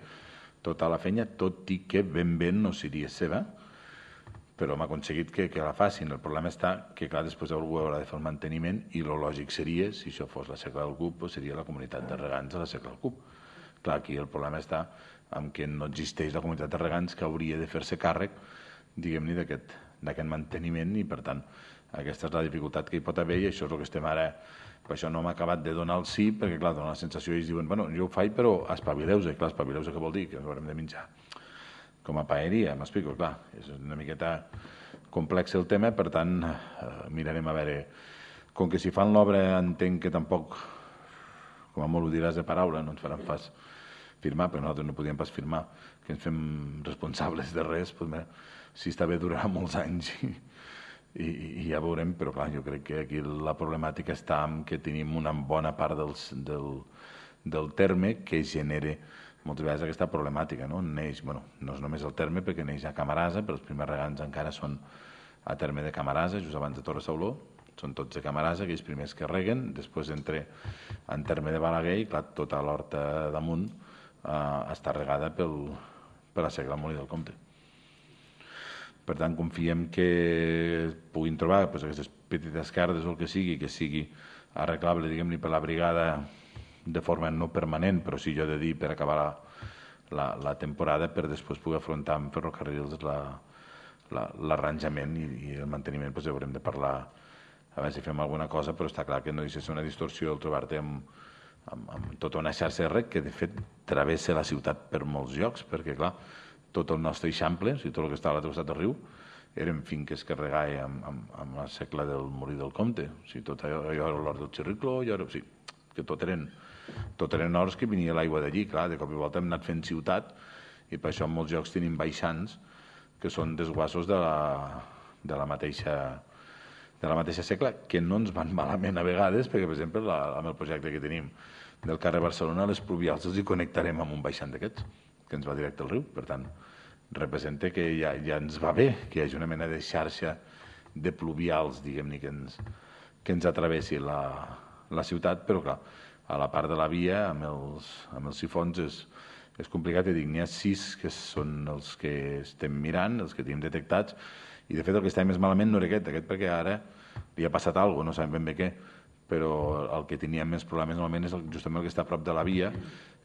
tota la feina, tot i que ben ben no seria seva, però hem aconseguit que, que la facin. El problema està que, clar, després algú haurà de fer el manteniment i el lògic seria, si això fos la secla del Cup, doncs seria la comunitat de regants de la secla del Cup. Clar, aquí el problema està en què no existeix la comunitat de regants que hauria de fer-se càrrec, diguem-ne, d'aquest manteniment, i per tant aquesta és la dificultat que hi pot haver, i això és el que estem ara. Per això no hem acabat de donar el sí, perquè clar, dona la sensació, i ells diuen, bueno, jo ho faig, però espavileu-se. Clar, espavileu-se què vol dir? Que haurem de menjar com a paeria, m'explico, clar, és una miqueta complex el tema, per tant eh, mirarem a veure, com que si fan l'obra entenc que tampoc, com a molt ho diràs de paraula, no ens faran pas firmar, perquè nosaltres no podíem pas firmar que ens fem responsables de res, doncs, mira, si està bé durarà molts anys i, i, i ja veurem, però clar, jo crec que aquí la problemàtica està en que tenim una bona part dels, del, del terme que genera moltes vegades aquesta problemàtica, no? Neix, bueno, no és només el terme, perquè neix a Camarasa, però els primers regants encara són a terme de Camarasa, just abans de Torre Sauló, són tots de Camarasa, aquells primers que reguen, després entre en terme de Balaguer, i clar, tota l'horta damunt eh, està regada pel, per la secla del Molí del Comte. Per tant, confiem que puguin trobar pues, aquestes petites esquerdes o el que sigui, que sigui arreglable, diguem-ne, per la brigada de forma no permanent, però sí jo he de dir per acabar la, la, la temporada, per després poder afrontar amb ferrocarrils l'arranjament i, i el manteniment. Doncs haurem de parlar a veure si fem alguna cosa, però està clar que no deixa ser una distorsió el trobar-te amb, amb, amb tota una xarxa de rec que de fet travessa la ciutat per molts llocs, perquè clar, tot el nostre eixample, o sigui, tot el que està a l'altre costat del riu, eren finques que regaia amb, amb, amb la secla del Molí del Comte. O sigui, tot allò, allò era l'hort del Xirricló, allò era... O sigui, que tot eren, tot eren horts que venia l'aigua d'allí, clar, de cop i volta hem anat fent ciutat i per això en molts llocs tenim baixants que són desguassos de la, de la mateixa de la mateixa segle, que no ens van malament a vegades, perquè, per exemple, la, amb el projecte que tenim del carrer Barcelona, les pluvials els hi connectarem amb un baixant d'aquests, que ens va directe al riu. Per tant, representa que ja, ja ens va bé que hi hagi una mena de xarxa de pluvials, diguem-ne, que ens, que ens atravessi la, la ciutat, però, clar, a la part de la via, amb els, amb els sifons, és, és complicat. I dic, n'hi ha sis que són els que estem mirant, els que tenim detectats, i de fet el que està més malament no era aquest, aquest perquè ara li ha passat alguna cosa, no sabem ben bé què, però el que tenia més problemes normalment és el, justament el que està a prop de la via,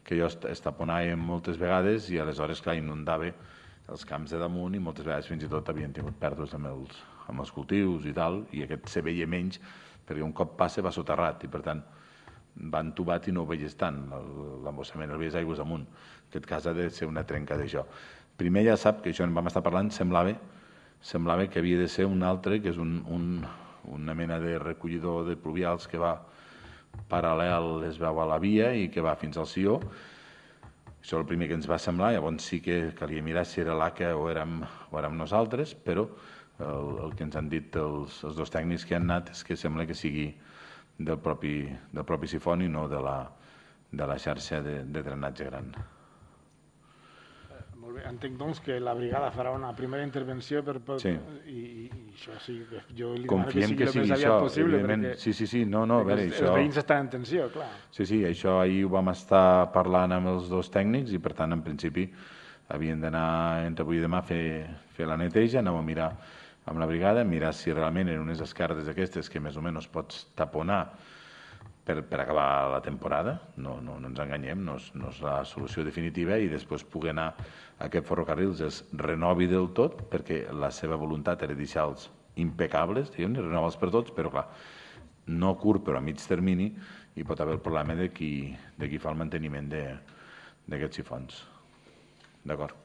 que jo es taponava moltes vegades i aleshores, clar, inundava els camps de damunt i moltes vegades fins i tot havien tingut pèrdues amb els, amb els cultius i tal, i aquest se veia menys perquè un cop passa va soterrat i per tant va entubat i no ho veies tant, l'embossament el veies aigües amunt. En aquest cas ha de ser una trenca d'això. Primer ja sap que això en vam estar parlant, semblava semblava que havia de ser un altre, que és un, un, una mena de recollidor de pluvials que va paral·lel, es veu a la via i que va fins al Sió. Això és el primer que ens va semblar, llavors sí que calia mirar si era l'A C A o érem, o érem nosaltres, però el, el que ens han dit els, els dos tècnics que han anat és que sembla que sigui del propi, del propi sifon i no de la, de la xarxa de, de drenatge gran. Molt bé. Entenc, doncs, que la brigada farà una primera intervenció per... per sí. I, i això sí, jo li demano que sigui, que sigui el més aviat això, possible, perquè... Sí, sí, sí, no, no, a veure, els, això... els veïns estan en tensió, clar. Sí, sí, això ahir ho vam estar parlant amb els dos tècnics i, per tant, en principi, havien d'anar entre avui i demà a fer, fer la neteja, anàvem a mirar amb la brigada, mirar si realment eren unes escardes aquestes que més o menys pots taponar per, per acabar la temporada, no, no, no ens enganyem, no és, no és la solució definitiva, i després poder anar a aquest ferrocarrils es renovi del tot, perquè la seva voluntat era deixar-los impecables, diguem-ne, renovals per tots, però clar, no curt però a mig termini, i pot haver el problema de qui, de qui fa el manteniment d'aquests sifons. D'acord.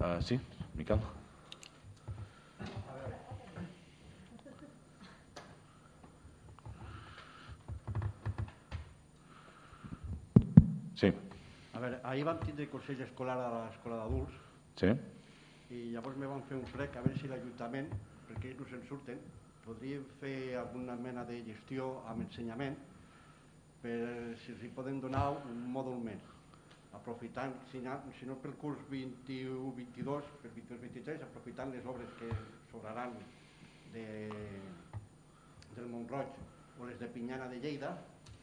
Uh, sí, Miquel? Sí. A veure, ahir vam tindre consell escolar a l'escola d'adults. Sí. I llavors me van fer un prec a veure si l'Ajuntament, perquè ells no se'n surten, podríem fer alguna mena de gestió amb ensenyament per si els hi poden donar un mòdul més, aprofitant, si no, si no pel curs vint-i-u vint-i-dos, per vint-i-dos vint-i-tres, aprofitant les obres que sobraran de, del Montroig o les de Pinyana de Lleida,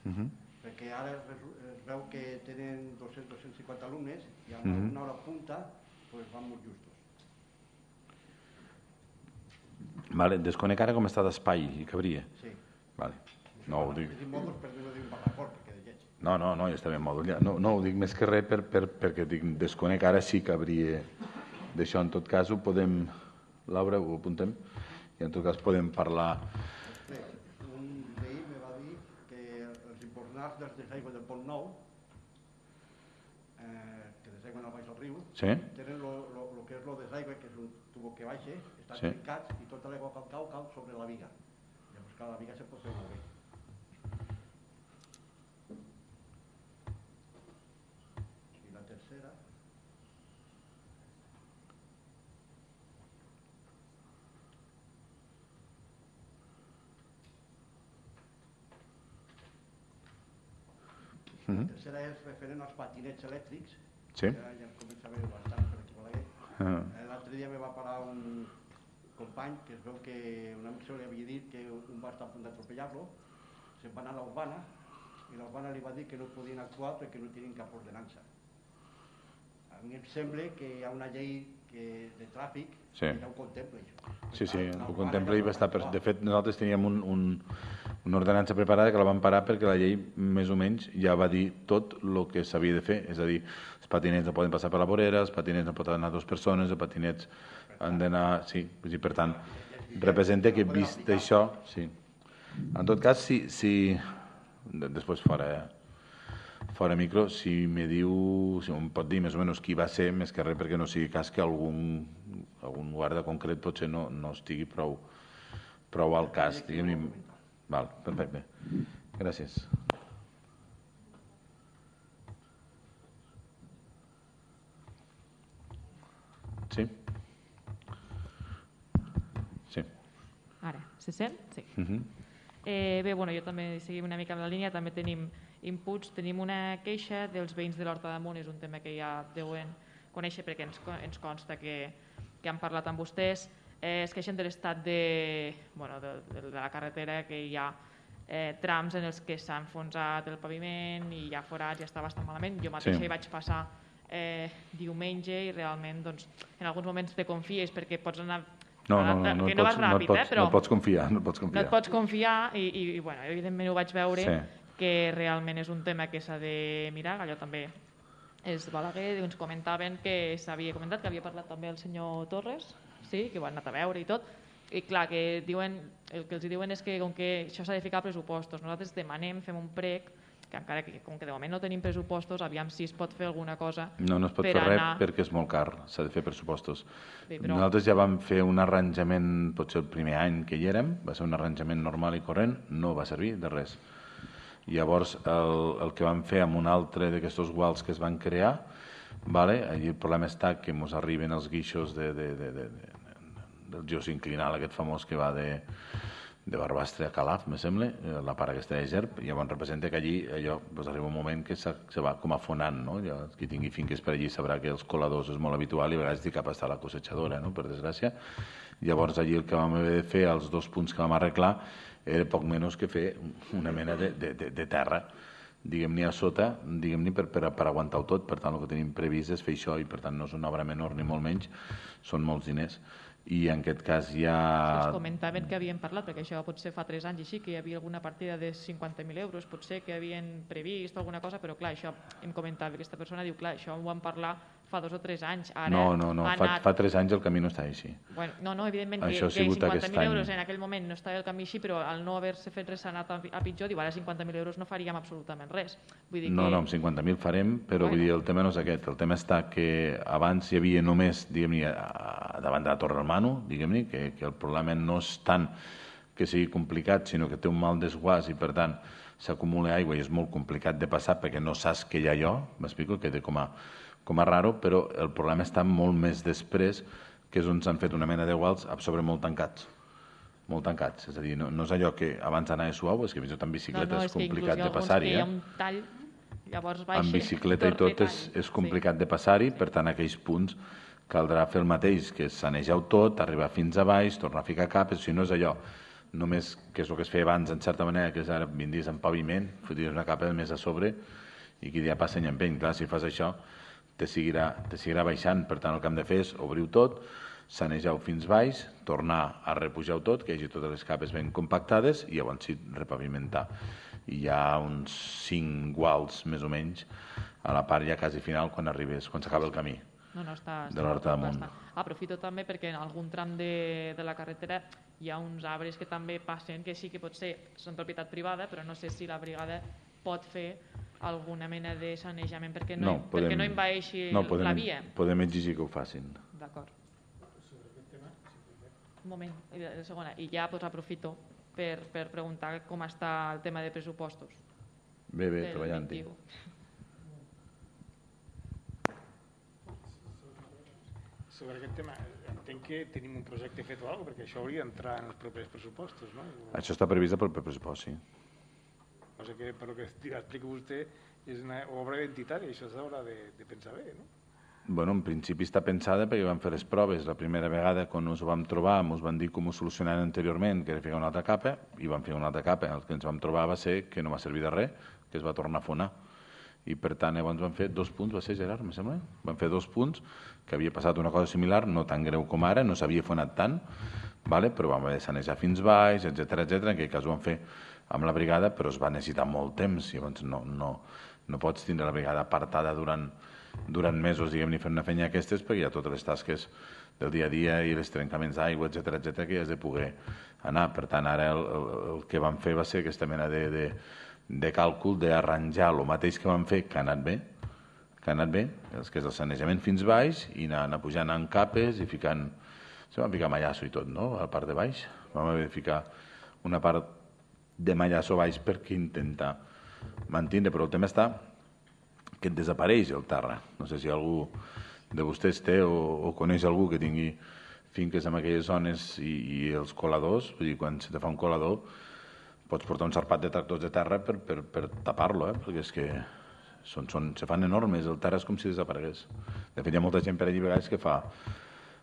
uh-huh. perquè ara es, es veu que tenen dos-cents a dos-cents cinquanta alumnes i a una, uh-huh. una hora punta pues, van molt justos. Vale, desconec ara com està d'espai i cabria. Sí. Vale. No ho dic. No, no, no, ja està ben mòdul. Ja. No, no ho dic més que res per, per, perquè dic, desconec ara sí cabria d'això. En tot cas ho podem... Laura, ho apuntem? I en tot cas podem parlar... Bé, un veí me va dir que els importants dels desaigües del Pont Nou, eh, que desaigüen al baix del riu, sí? tenen el que és el desaigüe, que és un tubo que baixa, estan sí. trencats i tota l'aigua que cau cau sobre la viga. Llavors cada viga se pot fer molt bé. I la tercera... La tercera és referent als patinets elèctrics, sí. ja, ja em comença a veure bastant per aquí Balaguer. Uh-huh. L'altre dia me va parar un company que es veu que un amic seu li havia dit que un va estar a punt d'atropellar-lo, se'n va anar a l'Urbana i l'Urbana li va dir que no podien actuar perquè no tenien cap ordenança. A mi em sembla que hi ha una llei que, de tràfic sí. que ja ho contempla, això. Sí, sí, ho contempla i va estar... Per... De fet, nosaltres teníem un, un, una ordenança preparada que la vam parar perquè la llei, més o menys, ja va dir tot el que s'havia de fer. És a dir, els patinets no poden passar per la vorera, els patinets no poden anar dues persones, els patinets han d'anar... Sí, per tant, representa que vist això... Sí. En tot cas, si... si... Després fora... fora micro, si me diu, si em pot dir més o menys qui va ser, més que res perquè no sigui cas que algun, algun guarda concret potser no, no estigui prou, prou al cas. Diguem-ne. Val, perfecte. gràcies. Sí? Sí. Ara, se sent? Sí. Uh -huh. eh, bé, bueno, jo també seguim una mica amb la línia, també tenim inputs, tenim una queixa dels veïns de l'Horta d'Amunt, és un tema que ja deuen conèixer perquè ens, ens consta que, que han parlat amb vostès, eh, es queixen de l'estat de, bueno, de, de, de la carretera, que hi ha eh, trams en els que s'ha enfonsat el paviment i hi ha forats i està bastant malament. Jo mateixa Sí. hi vaig passar eh, diumenge i realment doncs, en alguns moments te confies perquè pots anar No, no, no, no, que et no pots, vas no, et ràpid, pots, eh, però no et pots confiar. No et pots no confiar. et pots confiar i, i, i bueno, evidentment ho vaig veure Sí. que realment és un tema que s'ha de mirar. Allò també és Balaguer, ens comentaven que s'havia comentat, que havia parlat també el senyor Torres, sí, que ho han anat a veure i tot, i clar, que diuen, el que els diuen és que com que això s'ha de ficar a pressupostos, nosaltres demanem, fem un prec, que encara que com que de moment no tenim pressupostos, aviam si es pot fer alguna cosa No, no es pot per fer anar... res perquè és molt car, s'ha de fer pressupostos. Bé, però- Nosaltres ja vam fer un arranjament, potser el primer any que hi érem, va ser un arranjament normal i corrent, no va servir de res. Llavors, el, el que vam fer amb un altre d'aquests guals que es van crear, vale? Allí el problema està que ens arriben els guixos de, de, de, de, de, del geosinclinal, aquest famós que va de, de Barbastre a Calaf, me sembla, la part aquesta de Gerb, i llavors representa que allí allò, doncs arriba un moment que se, se va com afonant, no? Ja, qui tingui finques per allí sabrà que els coladors és molt habitual i a vegades dic cap a estar la cosechadora, no? Per desgràcia. Llavors allí el que vam haver de fer, els dos punts que vam arreglar, era poc menys que fer una mena de, de, de, de terra, diguem-ne a sota, diguem-ne per, per, per aguantar-ho tot. Per tant, el que tenim previst és fer això i per tant no és una obra menor ni molt menys, són molts diners. I en aquest cas ja... Ens comentaven que havien parlat, perquè això potser fa tres anys així, que hi havia alguna partida de cinquanta mil euros, potser que havien previst alguna cosa, però clar, això em comentava aquesta persona, diu, clar, això ho vam parlar fa dos o tres anys. Ara No, no, no, ha fa, anat... fa tres anys el camí no està així. Bueno, no, no, evidentment Això ha que, que sigut cinquanta aquest mil any. euros en aquell moment no estava el camí així, però al no haver-se fet res s'ha anat a, a pitjor, diu, ara cinquanta mil euros no faríem absolutament res. Vull dir No, que... no, amb cinquanta mil farem, però Bueno. vull dir, el tema no és aquest. El tema està que abans hi havia només, diguem-ne, a- davant de la Torre del Manu, diguem-ne, que, que el problema no és tant que sigui complicat, sinó que té un mal desguàs i, per tant, s'acumula aigua i és molt complicat de passar perquè no saps que hi ha allò, m'explico, que té com a, com a raro, però el problema està molt més després, que és on s'han fet una mena de guals a sobre molt tancats. Molt tancats, és a dir, no, no és allò que abans anava suau, és que fins i tot amb bicicleta no, no, és complicat de passar-hi. Hi ha Eh? un tall, llavors baixa... Amb bicicleta i tot és, és complicat de passar-hi, per tant, aquells punts caldrà fer el mateix, que és sanejar-ho tot, arribar fins a baix, tornar a ficar cap, si no és allò, només que és el que es feia abans, en certa manera, que és ara vindries en paviment, fotries una capa més a sobre i qui dia passa i empeny. Clar, si fas això, te seguirà, te seguirà baixant, per tant, el que hem de fer és obrir-ho tot, sanejar-ho fins baix, tornar a repujar-ho tot, que hi hagi totes les capes ben compactades i llavors sí, repavimentar. I hi ha uns cinc guals, més o menys, a la part ja quasi final, quan arribes, quan s'acaba el camí. No, no, està, de l'Horta d'Amunt. Aprofito també perquè en algun tram de, de la carretera hi ha uns arbres que també passen, que sí que potser són propietat privada, però no sé si la brigada pot fer alguna mena de sanejament perquè no, No, podem, perquè no envaeixi no, podem, la via. Podem exigir que ho facin. D'acord. Un moment, i de, de segona. I ja pues, aprofito per, per preguntar com està el tema de pressupostos. Bé, bé, del treballant-hi. vint i u. Sobre aquest tema, entenc que tenim un projecte fet o alguna cosa, perquè això hauria d'entrar en els propers pressupostos, no? Això està previst pel pressupost, sí. O sigui que, per lo que explica vostè, és una obra identitària, això s'haurà de, de pensar bé, no? Bueno, en principi està pensada perquè vam fer les proves. La primera vegada, quan ens ho vam trobar, ens van dir com ho solucionaven anteriorment, que era ficar una altra capa, i vam fer una altra capa. El que ens vam trobar va ser que no va servir de res, que es va tornar a fonar. I per tant, llavors vam fer dos punts, va ser Gerard, em sembla? Vam fer dos punts, que havia passat una cosa similar, no tan greu com ara, no s'havia fonat tant, vale? Però vam haver de sanejar fins baix, etcètera, etcètera. En aquell cas ho vam fer amb la brigada, però es va necessitar molt temps, llavors no, no, no pots tindre la brigada apartada durant, durant mesos, diguem-ne, fent una feina d'aquestes, perquè hi ha totes les tasques del dia a dia i els trencaments d'aigua, etcètera, etcètera, que hi has de poder anar. Per tant, ara el, el, el que vam fer va ser aquesta mena de, de, de càlcul d'arranjar el mateix que vam fer, que ha anat bé, que ha anat bé, els que és el sanejament fins baix, i anar, anar pujant en capes i ficant... Se van ficar mallasso i tot, no?, a la part de baix. Vam haver de ficar una part de Mallasso baix perquè intentar mantenir, però el tema està que et desapareix el terra. No sé si algú de vostès té o, o coneix algú que tingui finques en aquelles zones i, i els coladors, vull dir, quan se te fa un colador pots portar un sarpat de tractors de terra per, per, per tapar-lo, eh? Perquè és que són, són, se fan enormes, el terra és com si desaparegués. De fet, hi ha molta gent per allí a vegades que fa,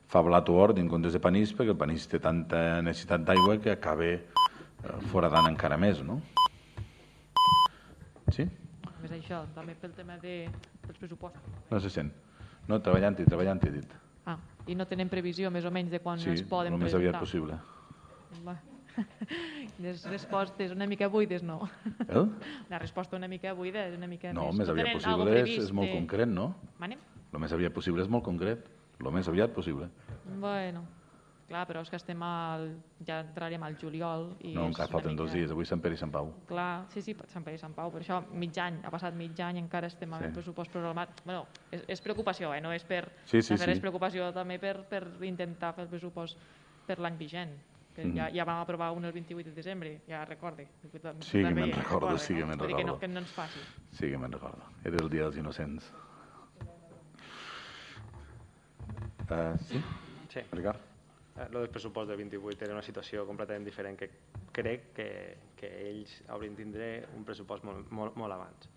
fa blat o hort en comptes de panís, perquè el panís té tanta necessitat d'aigua que acaba eh, foradant encara més, no? Sí? Més això, també pel tema de, dels pressupostos. No se sent. No, treballant-hi, treballant-hi, he dit. Ah, i no tenen previsió més o menys de quan sí, es poden presentar? Sí, el més aviat possible. Va. Les respostes una mica buides, no? Eh? La resposta una mica buida és una mica no, més... més aviat possible és, és molt de... concret, no? Manem? El més aviat possible és molt concret. El més aviat possible. Bueno, clar, però és que estem al... ja entrarem al juliol i... No, encara falten mica... dos dies, avui Sant Pere i Sant Pau. Clar, sí, sí, Sant Pere i Sant Pau, per això mig any, ha passat mig any, encara estem amb sí. el pressupost programat. Bueno, és, és preocupació, eh? No és per... Sí, sí, sí. És preocupació també per, per intentar fer el pressupost per l'any vigent, que mm. ja, ja vam aprovar un el vint-i-vuit de desembre, ja recorde. Sí que me'n recordo, sí que no? me'n recordo. Que no, que no ens faci. Sí que me'n recordo. Era el dia dels innocents. Uh, sí? Sí. Ricard? Lo del pressupost del vint-i-vuit era una situació completament diferent que crec que, que ells haurien de tindre un pressupost molt, molt, molt abans.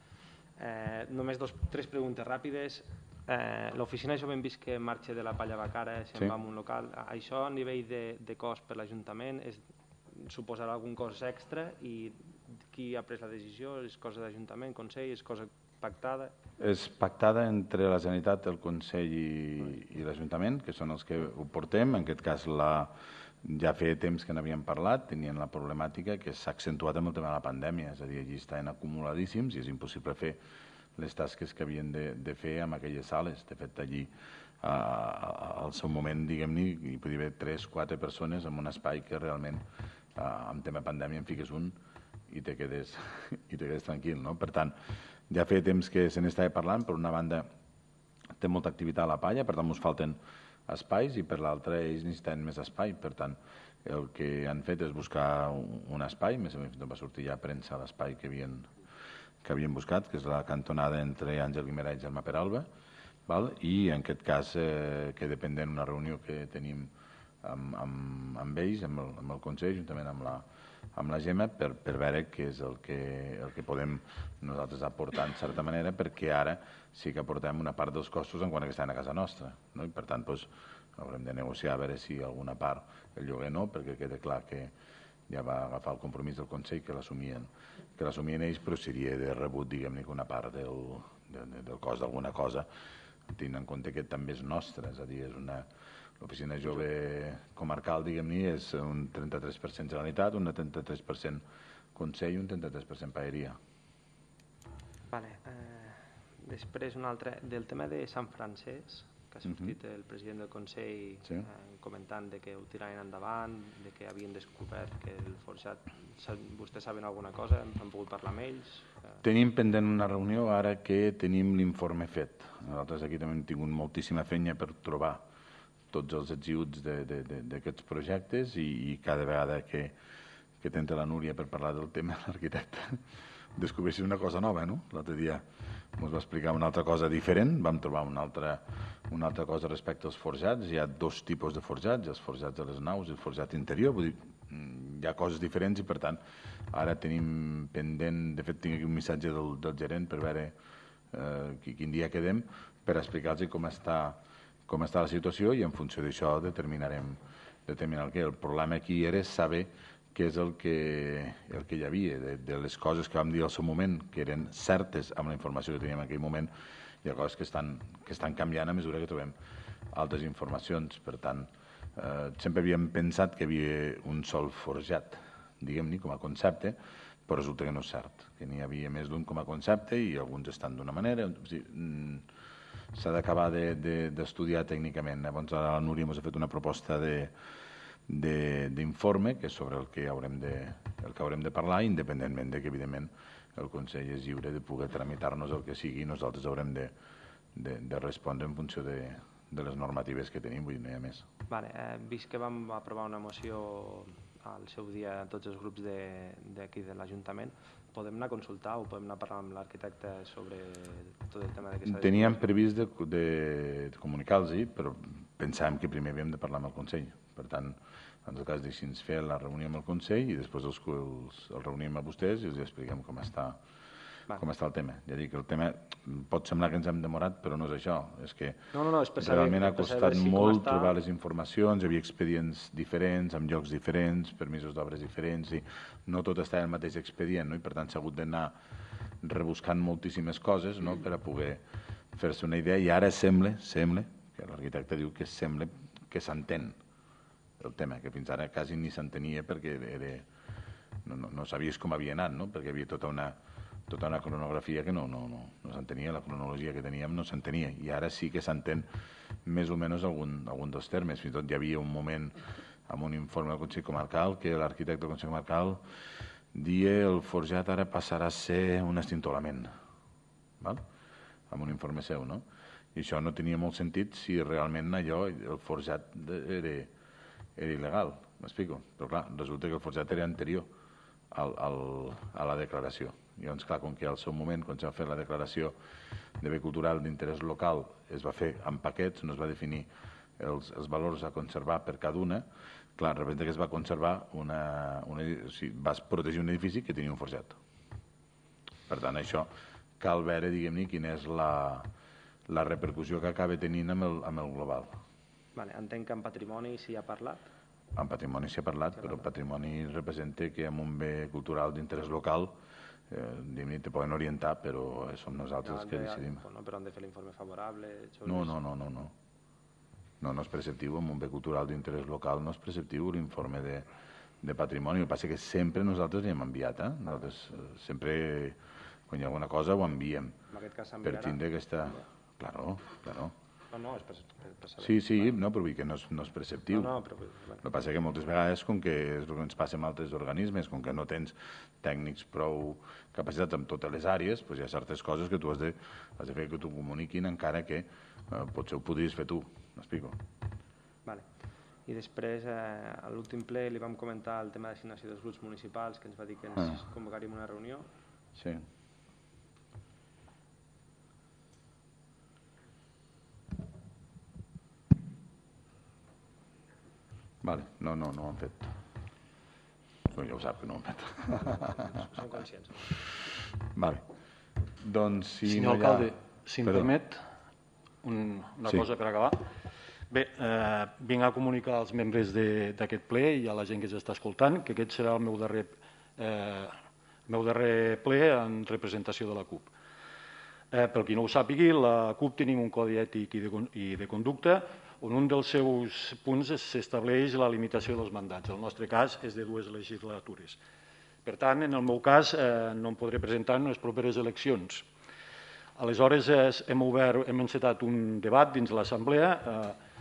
Eh, només dos, tres preguntes ràpides. Eh, L'oficina, això hem vist que marxa de la Palla Bacara, se'n sí. va a un local. Això a nivell de, de cost per l'Ajuntament suposarà algun cost extra i qui ha pres la decisió? És cosa d'Ajuntament, Consell, és cosa pactada? És pactada entre la Generalitat, el Consell i, i l'Ajuntament, que són els que ho portem. En aquest cas la, ja feia temps que n'havíem parlat, tenien la problemàtica que s'ha accentuat amb el tema de la pandèmia, és a dir, allí estaven acumuladíssims i és impossible fer les tasques que havien de, de fer en aquelles sales. De fet, allí, a, a, al seu moment, diguem-ne, hi podia haver tres, quatre persones en un espai que realment, a, amb tema pandèmia, en fiques un i te quedes, i te quedes tranquil, no? Per tant, ja feia temps que se n'estava parlant. Per una banda, té molta activitat a la Palla, per tant, ens falten espais, i per l'altra, ells necessiten més espai. Per tant, el que han fet és buscar un espai, més o menys va sortir ja a premsa l'espai que havien, que havien buscat, que és la cantonada entre Àngel Guimerà i Germà Peralba, val? I en aquest cas, eh, que depèn d'una reunió que tenim amb, amb, amb ells, amb el, amb el Consell, juntament amb la, amb la Gemma, per, per veure què és el que, el que podem nosaltres aportar en certa manera, perquè ara sí que aportem una part dels costos en quant a que estan a casa nostra, no? I per tant doncs, haurem de negociar a veure si alguna part, el lloguer no, perquè queda clar que ja va agafar el compromís del Consell que l'assumien que l'assumien ells, però seria de rebut, diguem-ne, que una part del, de, del cost d'alguna cosa, tenint en compte que també és nostre, és a dir, és una... L'oficina jove comarcal, diguem-ne, és un trenta-tres per cent Generalitat, un trenta-tres per cent Consell i un trenta-tres per cent Paeria. Vale. Eh, després un altre, del tema de Sant Francesc, que ha sortit uh -huh. el president del Consell sí. eh, comentant de que ho tiraven endavant, de que havien descobert que el forjat... Vostès saben alguna cosa? Han pogut parlar amb ells? Eh... Tenim pendent una reunió ara que tenim l'informe fet. Nosaltres aquí també hem tingut moltíssima feina per trobar tots els executs d'aquests projectes i, i cada vegada que, que tenta la Núria per parlar del tema, l'arquitecte descobreixi una cosa nova, no? L'altre dia ens va explicar una altra cosa diferent, vam trobar una altra, una altra cosa respecte als forjats. Hi ha dos tipus de forjats, els forjats de les naus i el forjat interior, vull dir, hi ha coses diferents i per tant ara tenim pendent, de fet tinc aquí un missatge del, del gerent per veure eh, quin dia quedem per explicar-los com està com està la situació i en funció d'això determinarem determinar el que. El problema aquí era saber què és el que, el que hi havia, de, de les coses que vam dir al seu moment, que eren certes amb la informació que teníem en aquell moment, hi ha coses que estan, que estan canviant a mesura que trobem altres informacions. Per tant, eh, sempre havíem pensat que hi havia un sol forjat, diguem-ne, com a concepte, però resulta que no és cert, que n'hi havia més d'un com a concepte i alguns estan d'una manera. O sigui, s'ha d'acabar d'estudiar de, tècnicament. Llavors, ara la Núria ens ha fet una proposta de d'informe que és sobre el que haurem de, el que haurem de parlar, independentment de que, evidentment, el Consell és lliure de poder tramitar-nos el que sigui i nosaltres haurem de, de, de respondre en funció de, de les normatives que tenim, vull dir, no hi ha més. Vale, eh, vist que vam aprovar una moció al seu dia tots els grups d'aquí de l'Ajuntament, podem anar a consultar o podem anar a parlar amb l'arquitecte sobre tot el tema de què s'ha de... Teníem previst de, de, de comunicar-los, però pensàvem que primer havíem de parlar amb el Consell. Per tant, en el cas deixi'ns fer la reunió amb el Consell i després els, els, els reunim a vostès i els expliquem com està, com està el tema. Ja dic, el tema pot semblar que ens hem demorat, però no és això. És que no, no, no, és realment saber, ha costat si molt està... trobar les informacions, hi havia expedients diferents, amb llocs diferents, permisos d'obres diferents, i no tot està en el mateix expedient, no? I per tant s'ha hagut d'anar rebuscant moltíssimes coses, no? Per a poder fer-se una idea, i ara sembla, sembla, que l'arquitecte diu que sembla que s'entén el tema, que fins ara quasi ni s'entenia perquè era, no, no, no sabies com havia anat, no? Perquè hi havia tota una, tota una cronografia que no, no, no, no s'entenia, la cronologia que teníem no s'entenia, i ara sí que s'entén més o menys algun, algun dels termes. Fins i tot hi havia un moment amb un informe del Consell Comarcal que l'arquitecte del Consell Comarcal dia el forjat ara passarà a ser un estintolament, val? Amb un informe seu, no? I això no tenia molt sentit si realment allò, el forjat era, era il·legal, m'explico? Però clar, resulta que el forjat era anterior al, al, a la declaració. I llavors, clar, com que al seu moment, quan s'ha fet la declaració de bé cultural d'interès local, es va fer en paquets, no es va definir els, els valors a conservar per cada una, clar, de repente que es va conservar una... una o sigui, vas protegir un edifici que tenia un forjat. Per tant, això cal veure, diguem-ne, quina és la... la repercussió que acaba tenint amb el, amb el global. Vale, entenc que en patrimoni s'hi ha parlat? En patrimoni s'hi ha parlat, però el patrimoni representa que amb un bé cultural d'interès local eh, te poden orientar, però som nosaltres els que decidim. No, però han de fer l'informe favorable? No, no, no, no, no. No, no és preceptiu, amb un bé cultural d'interès local no és preceptiu l'informe de, de patrimoni. El que passa és que sempre nosaltres li hem enviat, eh? Nosaltres sempre, quan hi ha alguna cosa, ho enviem. En aquest cas s'enviarà? Per tindre aquesta... Claro, claro. No, no, és per, per, per saber. Sí, sí, no, però vull que no és, no és preceptiu. No, no, però... Bueno. El que passa és que moltes vegades, com que és el que ens passa amb altres organismes, com que no tens tècnics prou capacitats en totes les àrees, doncs hi ha certes coses que tu has de, has de fer que t'ho comuniquin, encara que eh, potser ho podries fer tu. M'explico? Vale. I després, eh, a l'últim ple, li vam comentar el tema d'assignació dels grups municipals, que ens va dir que ens ah. convocaríem una reunió. Sí. Vale, no, no, no ho han fet. No, ja ho sap que no ho han fet. Som conscients. Vale. Doncs si Senyor no hi ha... alcalde, si em permet un, una sí. cosa per acabar. Bé, eh, vinc a comunicar als membres d'aquest ple i a la gent que s'està escoltant que aquest serà el meu darrer, eh, meu darrer ple en representació de la CUP. Eh, per qui no ho sàpigui, la CUP tenim un codi ètic i de, i de conducta on un dels seus punts s'estableix la limitació dels mandats. El nostre cas és de dues legislatures. Per tant, en el meu cas, eh, no em podré presentar en les properes eleccions. Aleshores, eh, hem obert, hem encetat un debat dins l'Assemblea, eh,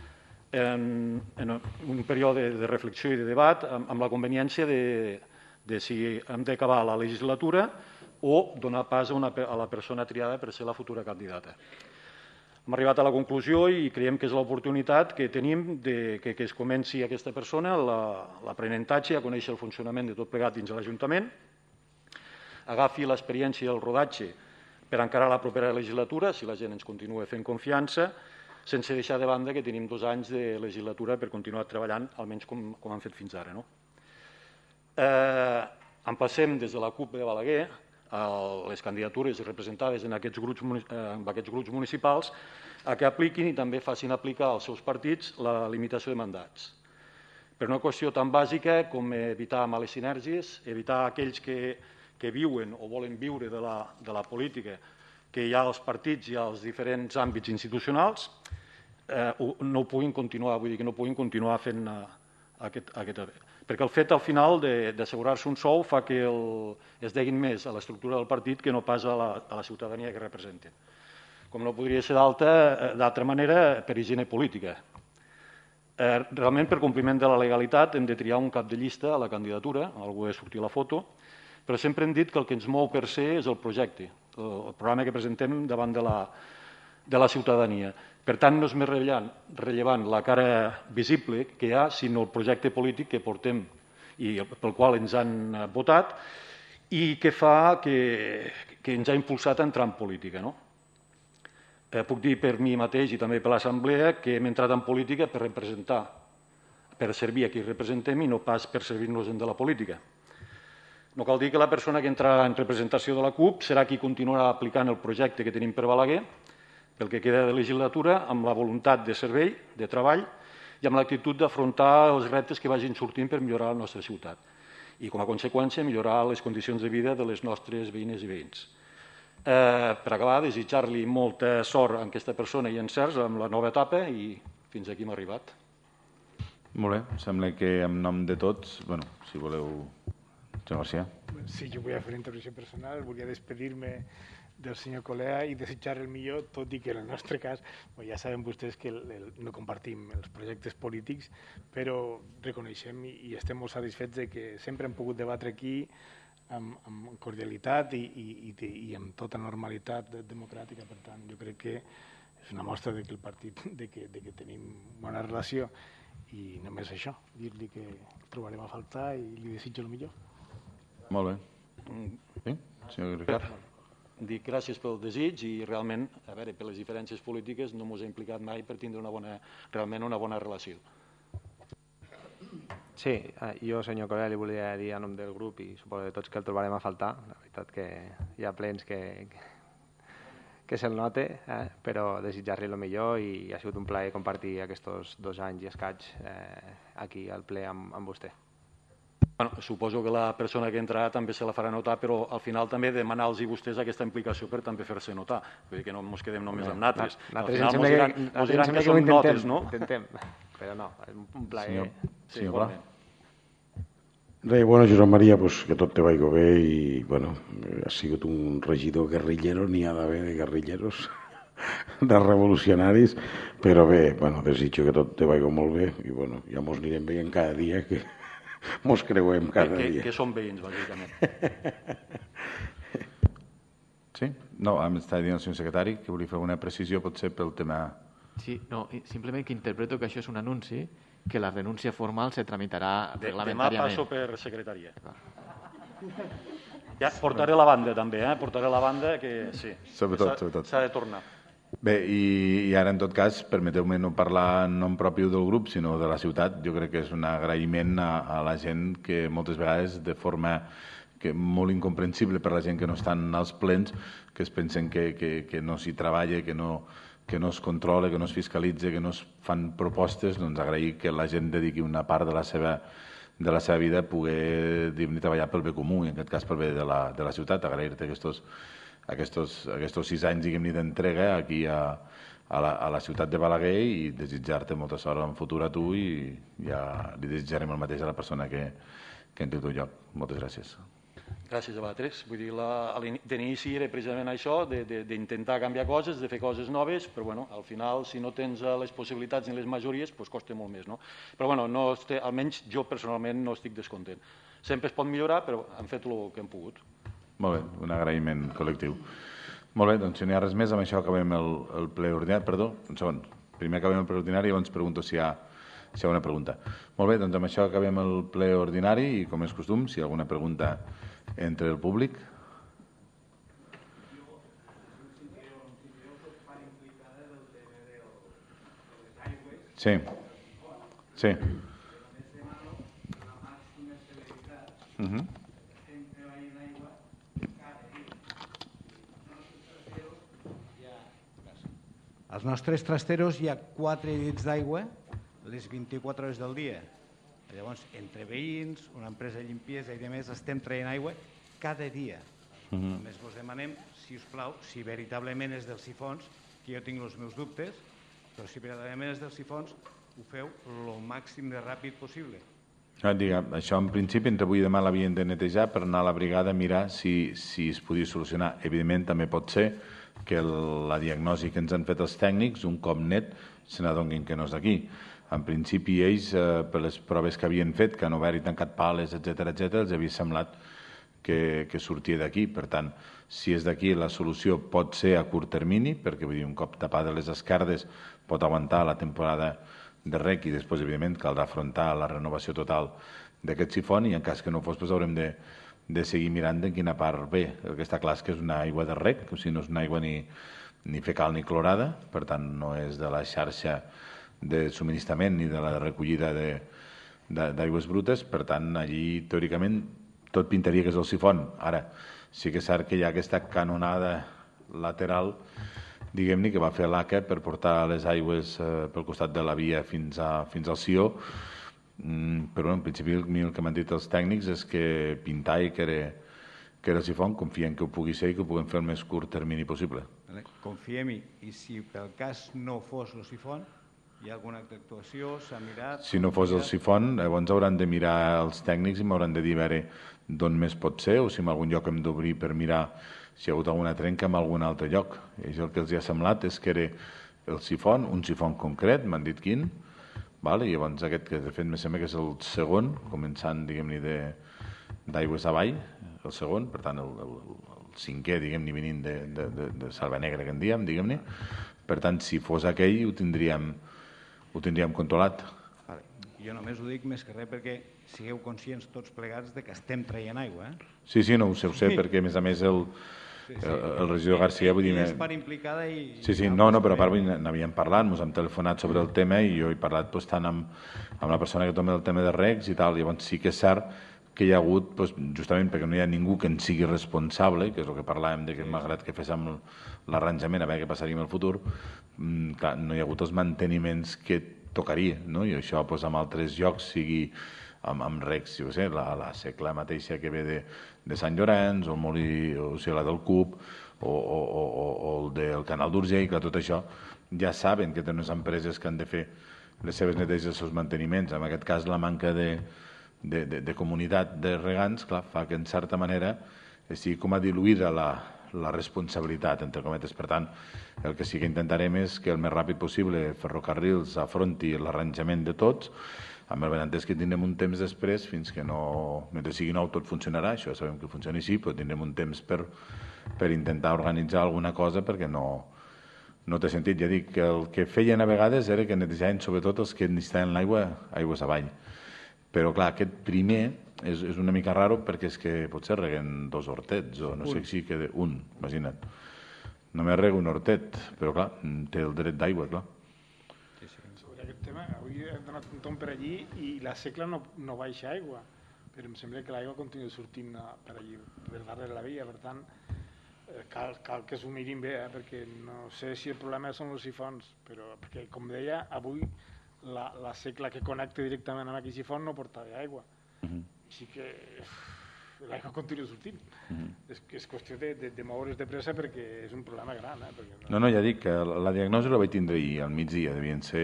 en, en un període de reflexió i de debat, amb, amb la conveniència de, de si hem d'acabar la legislatura o donar pas a, una, a la persona triada per ser la futura candidata. Hem arribat a la conclusió i creiem que és l'oportunitat que tenim de que, que es comenci aquesta persona l'aprenentatge, a conèixer el funcionament de tot plegat dins de l'Ajuntament, agafi l'experiència i el rodatge per encarar la propera legislatura, si la gent ens continua fent confiança, sense deixar de banda que tenim dos anys de legislatura per continuar treballant, almenys com, com han fet fins ara. No? Eh, emplacem des de la CUP de Balaguer les candidatures representades en aquests grups, en aquests grups municipals a que apliquin i també facin aplicar als seus partits la limitació de mandats. Per una qüestió tan bàsica com evitar males sinergies, evitar aquells que, que viuen o volen viure de la, de la política que hi ha als partits i als diferents àmbits institucionals, eh, no ho puguin continuar, vull dir que no puguin continuar fent eh, aquest, aquest perquè el fet al final d'assegurar-se un sou fa que el, es deguin més a l'estructura del partit que no pas a la, a la ciutadania que representen. Com no podria ser d'altra manera, per higiene política. Eh, realment, per compliment de la legalitat, hem de triar un cap de llista a la candidatura, algú ha de sortir a la foto, però sempre hem dit que el que ens mou per ser és el projecte, el programa que presentem davant de la, de la ciutadania. Per tant, no és més rellevant, rellevant la cara visible que hi ha, sinó el projecte polític que portem i pel qual ens han votat i que fa que, que ens ha impulsat a entrar en política. No? Eh, puc dir per mi mateix i també per l'Assemblea que hem entrat en política per representar, per servir a qui representem i no pas per servir-nos de la política. No cal dir que la persona que entrarà en representació de la CUP serà qui continuarà aplicant el projecte que tenim per Balaguer, pel que queda de legislatura, amb la voluntat de servei, de treball i amb l'actitud d'afrontar els reptes que vagin sortint per millorar la nostra ciutat i, com a conseqüència, millorar les condicions de vida de les nostres veïnes i veïns. Eh, per acabar, desitjar-li molta sort a aquesta persona i encerts amb la nova etapa i fins aquí hem arribat. Molt bé, sembla que en nom de tots, bueno, si voleu... Senyor García. Sí, jo volia fer una intervenció personal, volia despedir-me del senyor Colea i desitjar el millor, tot i que en el nostre cas, bueno, ja saben vostès que el, el, no compartim els projectes polítics, però reconeixem i, i estem molt satisfets de que sempre hem pogut debatre aquí amb, amb cordialitat i, i, i, i amb tota normalitat democràtica. Per tant, jo crec que és una mostra de que el partit de que, de que tenim bona relació i només això, dir-li que el trobarem a faltar i li desitjo el millor. Molt bé. Sí, senyor Ricard. Dic gràcies pel desig i realment, a veure, per les diferències polítiques no ens ha implicat mai per tindre una bona, realment una bona relació. Sí, jo, senyor Colea, li volia dir a nom del grup i suposo de tots que el trobarem a faltar. La veritat que hi ha plens que, que, que se'l note, eh? Però desitjar-li el millor i ha sigut un plaer compartir aquests dos anys i escaig eh, aquí al ple amb, amb vostè. Bueno, suposo que la persona que entrarà també se la farà notar, però al final també demanar-los a vostès aquesta implicació per també fer-se notar. Vull dir que no ens quedem només amb natres. Al final ens diran, ens diran que som notes, no? Intentem, però no, és un plaer. Senyor, senyor Pla. Res, bueno, Josep Maria, pues, que tot te vagi bé i, bueno, ha sigut un regidor guerrillero, n'hi ha d'haver de guerrilleros, de revolucionaris, però bé, bueno, desitjo que tot te vagi molt bé i, bueno, ja mos anirem veient cada dia que mos creuem cada que, dia. Que són veïns, bàsicament. Sí? No, em està dient el senyor secretari que volia fer una precisió, potser pel tema... Sí, no, simplement que interpreto que això és un anunci, que la renúncia formal se tramitarà de, reglamentàriament. Demà passo per secretaria. Ja, portaré la banda també, eh? Portaré la banda que sí. Sobretot, sobretot. S'ha de tornar. Bé, i, i ara, en tot cas, permeteu-me no parlar en nom propi del grup, sinó de la ciutat. Jo crec que és un agraïment a, a la gent que moltes vegades, de forma que molt incomprensible per la gent que no estan als plens, que es pensen que, que, que no s'hi treballa, que no, que no es controla, que no es fiscalitza, que no es fan propostes, doncs agrair que la gent dediqui una part de la seva, de la seva vida a poder treballar pel bé comú, i en aquest cas pel bé de la, de la ciutat. Agrair-te aquests Aquests, aquests sis anys d'entrega aquí a, a, la, a la ciutat de Balaguer i desitjar-te molta sort en futur a tu i ja li desitjarem el mateix a la persona que, que en té el teu lloc. Moltes gràcies. Gràcies a vosaltres. Vull dir, la, d'inici era precisament això, d'intentar canviar coses, de fer coses noves, però bueno, al final, si no tens les possibilitats ni les majories, doncs costa molt més. No? Però bueno, no estic, almenys jo personalment no estic descontent. Sempre es pot millorar, però hem fet el que hem pogut. Molt bé, un agraïment col·lectiu. Molt bé, doncs si no hi ha res més, amb això acabem el, el ple ordinari. Perdó, un segon. Primer acabem el ple ordinari i llavors pregunto si hi ha, si hi ha una pregunta. Molt bé, doncs amb això acabem el ple ordinari i, com és costum, si hi ha alguna pregunta entre el públic. Sí. Sí. Uh-huh. Als nostres trasteros hi ha quatre llits d'aigua les vint-i-quatre hores del dia. Llavors, entre veïns, una empresa de limpiesa i demés, estem traient aigua cada dia. Uh -huh. Només vos demanem, si us plau, si veritablement és dels sifons, que jo tinc els meus dubtes, però si veritablement és dels sifons, ho feu el màxim de ràpid possible. Diga, això en principi entre avui i demà l'havien de netejar per anar a la brigada a mirar si, si es podia solucionar. Evidentment també pot ser que la diagnosi que ens han fet els tècnics, un cop net, se n'adonguin que no és d'aquí. En principi ells, eh, per les proves que havien fet, que han obert i tancat pales, etcètera, etcètera, els havia semblat que, que sortia d'aquí. Per tant, si és d'aquí, la solució pot ser a curt termini, perquè vull dir, un cop tapades les esquerdes pot aguantar la temporada de rec i després, evidentment, caldrà afrontar la renovació total d'aquest sifon, i en cas que no fos, doncs haurem de, de seguir mirant de quina part ve. El que està clar és que és una aigua de rec, o sigui, no és una aigua ni, ni fecal ni clorada, per tant no és de la xarxa de subministrament ni de la recollida d'aigües brutes, per tant allí teòricament tot pintaria que és el sifon. Ara, sí que és cert que hi ha aquesta canonada lateral, diguem-ne, que va fer l'A C A per portar les aigües eh, pel costat de la via fins, a, fins al Sió, mm, però en principi el que m'han dit els tècnics és que pintar i que era, que era el sifon, confiem que ho pugui ser i que ho puguem fer el més curt termini possible. Vale. Confiem-hi, i si pel cas no fos el sifon, hi ha alguna altra actuació, s'ha mirat... Si no fos el sifon, llavors hauran de mirar els tècnics i m'hauran de dir a veure d'on més pot ser, o si en algun lloc hem d'obrir per mirar si hi ha hagut alguna trenca en algun altre lloc. I el que els hi ha semblat és que era el sifon, un sifon concret, m'han dit quin, val? I llavors aquest que de fet me sembla que és el segon, començant, diguem-ne, d'aigües avall, el segon, per tant el, el, el cinquè, diguem-ne, venint de, de, de, de Salva Negra, que en diem, diguem-ne. Per tant, si fos aquell, ho tindríem, ho tindríem controlat. Vale. Jo només ho dic més que res perquè sigueu conscients tots plegats de que estem traient aigua. Eh? Sí, sí, no ho sé, ho sé, perquè a més a més el, sí, sí. el, el regidor García... Vull dir, és part implicada i... Sí, sí, no, no, però a part n'havíem parlat, ens hem telefonat sobre el tema i jo he parlat doncs, tant amb, amb la persona que toma el tema de regs i tal, llavors sí que és cert que hi ha hagut, doncs, justament perquè no hi ha ningú que en sigui responsable, que és el que parlàvem, de que malgrat que féssim l'arranjament a veure què passaria en el futur, clar, no hi ha hagut els manteniments que tocaria, no? I això doncs, en altres llocs, sigui amb, amb recs, jo sé, la, la secla mateixa que ve de, de Sant Llorenç, o el molí, o sigui, la del Cup, o, o, o, o el del Canal d'Urgell, que tot això ja saben que tenen unes empreses que han de fer les seves neteges i els seus manteniments. En aquest cas, la manca de De, de, de comunitat de regants, clar, fa que en certa manera sigui com a diluïda la, la responsabilitat, entre cometes. Per tant, el que sí que intentarem és que el més ràpid possible Ferrocarrils afronti l'arranjament de tots, amb el benentès que tindrem un temps després, fins que no, mentre sigui nou tot funcionarà, això sabem que funciona així, però tindrem un temps per, per intentar organitzar alguna cosa perquè no, no té sentit. Ja dic que el que feien a vegades era que netejaven sobretot els que necessitaven l'aigua, aigües avall. Però, clar, aquest primer és, és una mica raro perquè és que potser reguen dos hortets, o no sé si queda un, imagina't. Només rega un hortet, però, clar, té el dret d'aigua, clar. Sí, sí. Sobre aquest tema, avui he donat un tom per allí i la secla no, no baixa aigua, però em sembla que l'aigua continua sortint per allí, per darrere la via, per tant, cal, cal que s'ho mirin bé, eh, perquè no sé si el problema són els sifons, però, perquè, com deia, avui La, la secla que connecta directament amb aquest sifon no portava aigua. Uh-huh. Així que l'aigua continua sortint. Uh-huh. és, és qüestió de, de, de moure's de pressa perquè és un problema gran. Eh? Perquè no... no, no, ja dic que la, la diagnosi la vaig tindre ahir al migdia, devien ser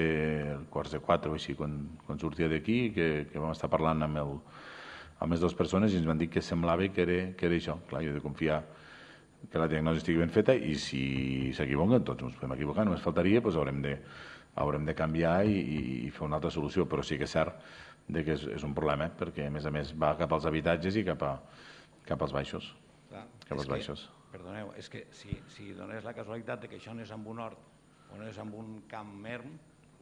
quarts de quatre o així, quan, quan sortia d'aquí, que, que vam estar parlant amb, el, amb les dues persones i ens van dir que semblava que era, que era això. Clar, jo he de confiar que la diagnosi estigui ben feta i si s'equivoquen, tots ens podem equivocar, només faltaria, doncs haurem de haurem de canviar i, i fer una altra solució, però sí que és cert de que és, és un problema, perquè a més a més va cap als habitatges i cap, a, cap als baixos. Clar, cap als que, baixos. Perdoneu, és que si, si donés la casualitat de que això no és amb un hort o no és amb un camp erm,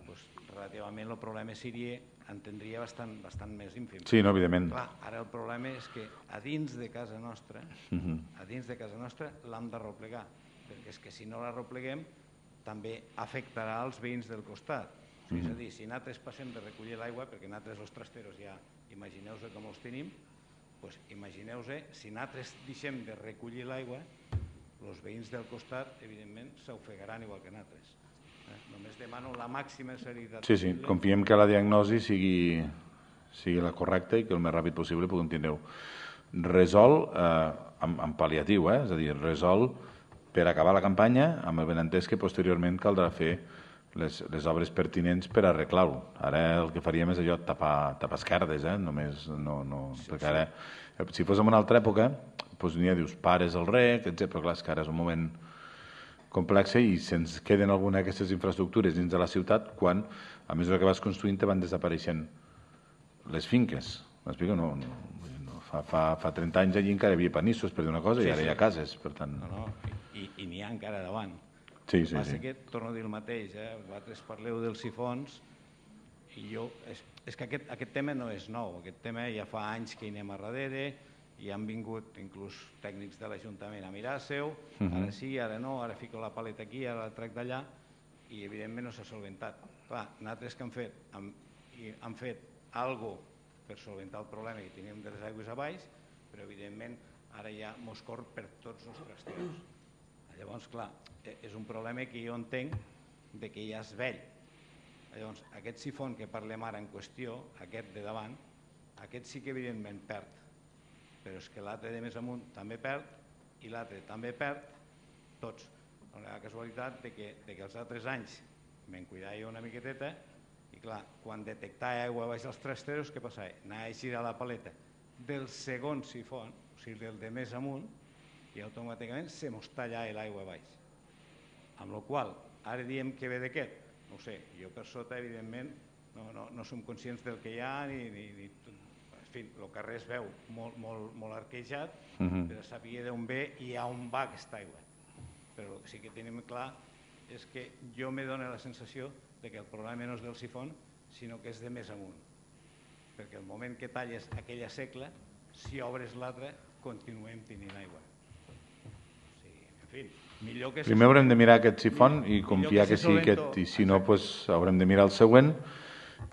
doncs relativament el problema seria, entendria bastant, bastant més ínfim. Sí, no, evidentment. Clar, ara el problema és que a dins de casa nostra, uh-huh. a dins de casa nostra l'hem de replegar, perquè és que si no la repleguem també afectarà als veïns del costat. Mm-hmm. És a dir, si nosaltres passem de recollir l'aigua, perquè nosaltres els trasteros ja imagineu-se com els tenim, doncs imagineu-se, si nosaltres deixem de recollir l'aigua, els veïns del costat, evidentment, s'ofegaran igual que nosaltres. Eh? Només demano la màxima serietat. Sí, sí, confiem que la diagnosi sigui, sigui la correcta i que el més ràpid possible puguem tindre resol eh, amb, amb pal·liatiu, eh? És a dir, resol per acabar la campanya, amb el benentès que posteriorment caldrà fer les, les obres pertinents per arreglar-ho. Ara el que faríem és allò, tapar, tapar esquerdes, eh? Només, no, no, sí, perquè ara, si fos en una altra època, doncs n'hi ha, dius, pares el rec, etcètera, però clar, és que ara és un moment complex i se'ns queden alguna d'aquestes infraestructures dins de la ciutat quan, a mesura que vas construint, te van desapareixent les finques. M'explico? No, no, no. Fa, fa, fa trenta anys allí encara hi havia panissos per dir una cosa sí, i ara sí. Hi ha cases, per tant... No, no. I, i n'hi ha encara davant. Sí, sí, el que passa sí. que, torno a dir el mateix, eh? Vosaltres parleu dels sifons i jo, és, és que aquest, aquest tema no és nou, aquest tema ja fa anys que hi anem a darrere, i han vingut inclús tècnics de l'Ajuntament a mirar-se-ho, ara sí, ara no, ara fico la paleta aquí, ara la trec d'allà, i evidentment no s'ha solventat. Clar, nosaltres que hem fet, hem, hem fet alguna cosa per solventar el problema que teníem de les aigües a baix, però evidentment ara ja mos corre per tots els trasters. Llavors, clar, és un problema que jo entenc de que ja és vell. Llavors, aquest sifon que parlem ara en qüestió, aquest de davant, aquest sí que evidentment perd, però és que l'altre de més amunt també perd i l'altre també perd, tots. La casualitat de que, de que els altres anys me'n cuidava jo una miqueteta i clar, quan detectava aigua baix dels trasteros, què passava? Anava a girar la paleta del segon sifon, o sigui, del de més amunt, i automàticament se mos tallava l'aigua baix. Amb la qual cosa, ara diem que ve d'aquest, no ho sé, jo per sota, evidentment, no, no, no som conscients del que hi ha, ni, ni, ni en fi, el carrer es veu molt, molt, molt arquejat, uh-huh. però sabia d'on ve i a on va aquesta aigua. Però el que sí que tenim clar és que jo me dóna la sensació de que el problema no és del sifon, sinó que és de més amunt. Perquè el moment que talles aquella secla, si obres l'altra, continuem tenint aigua. O sigui, en fi, millor que... Primer haurem de mirar aquest sifon i confiar que sigui aquest, i si no, haurem de mirar el següent,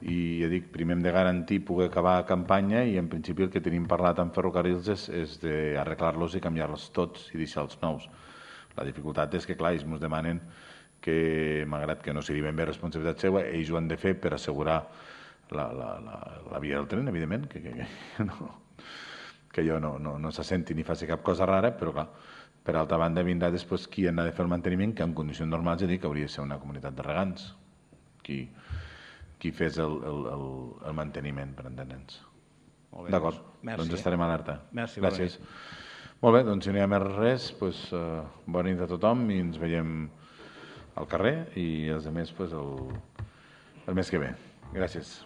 i ja dic, primer hem de garantir poder acabar la campanya i en principi el que tenim parlat amb ferrocarrils és, és d'arreglar-los i canviar-los tots i deixar els nous. La dificultat és que, clar, ells ens demanen que, malgrat que no sigui ben bé responsabilitat seva, ells ho han de fer per assegurar la, la, la, la via del tren, evidentment, que, que, que, no, que jo no, no, no s'assenti ni faci cap cosa rara, però clar, per altra banda vindrà després qui ha de fer el manteniment, que en condicions normals ja dic que hauria de ser una comunitat de regants, qui, qui fes el, el, el, el manteniment, per entendre'ns. D'acord, doncs estarem alerta. Merci, gràcies. Molt bé, doncs si no hi ha més res, doncs, uh, bona nit a tothom i ens veiem al carrer i els altres pues, el, el mes que ve. Gràcies.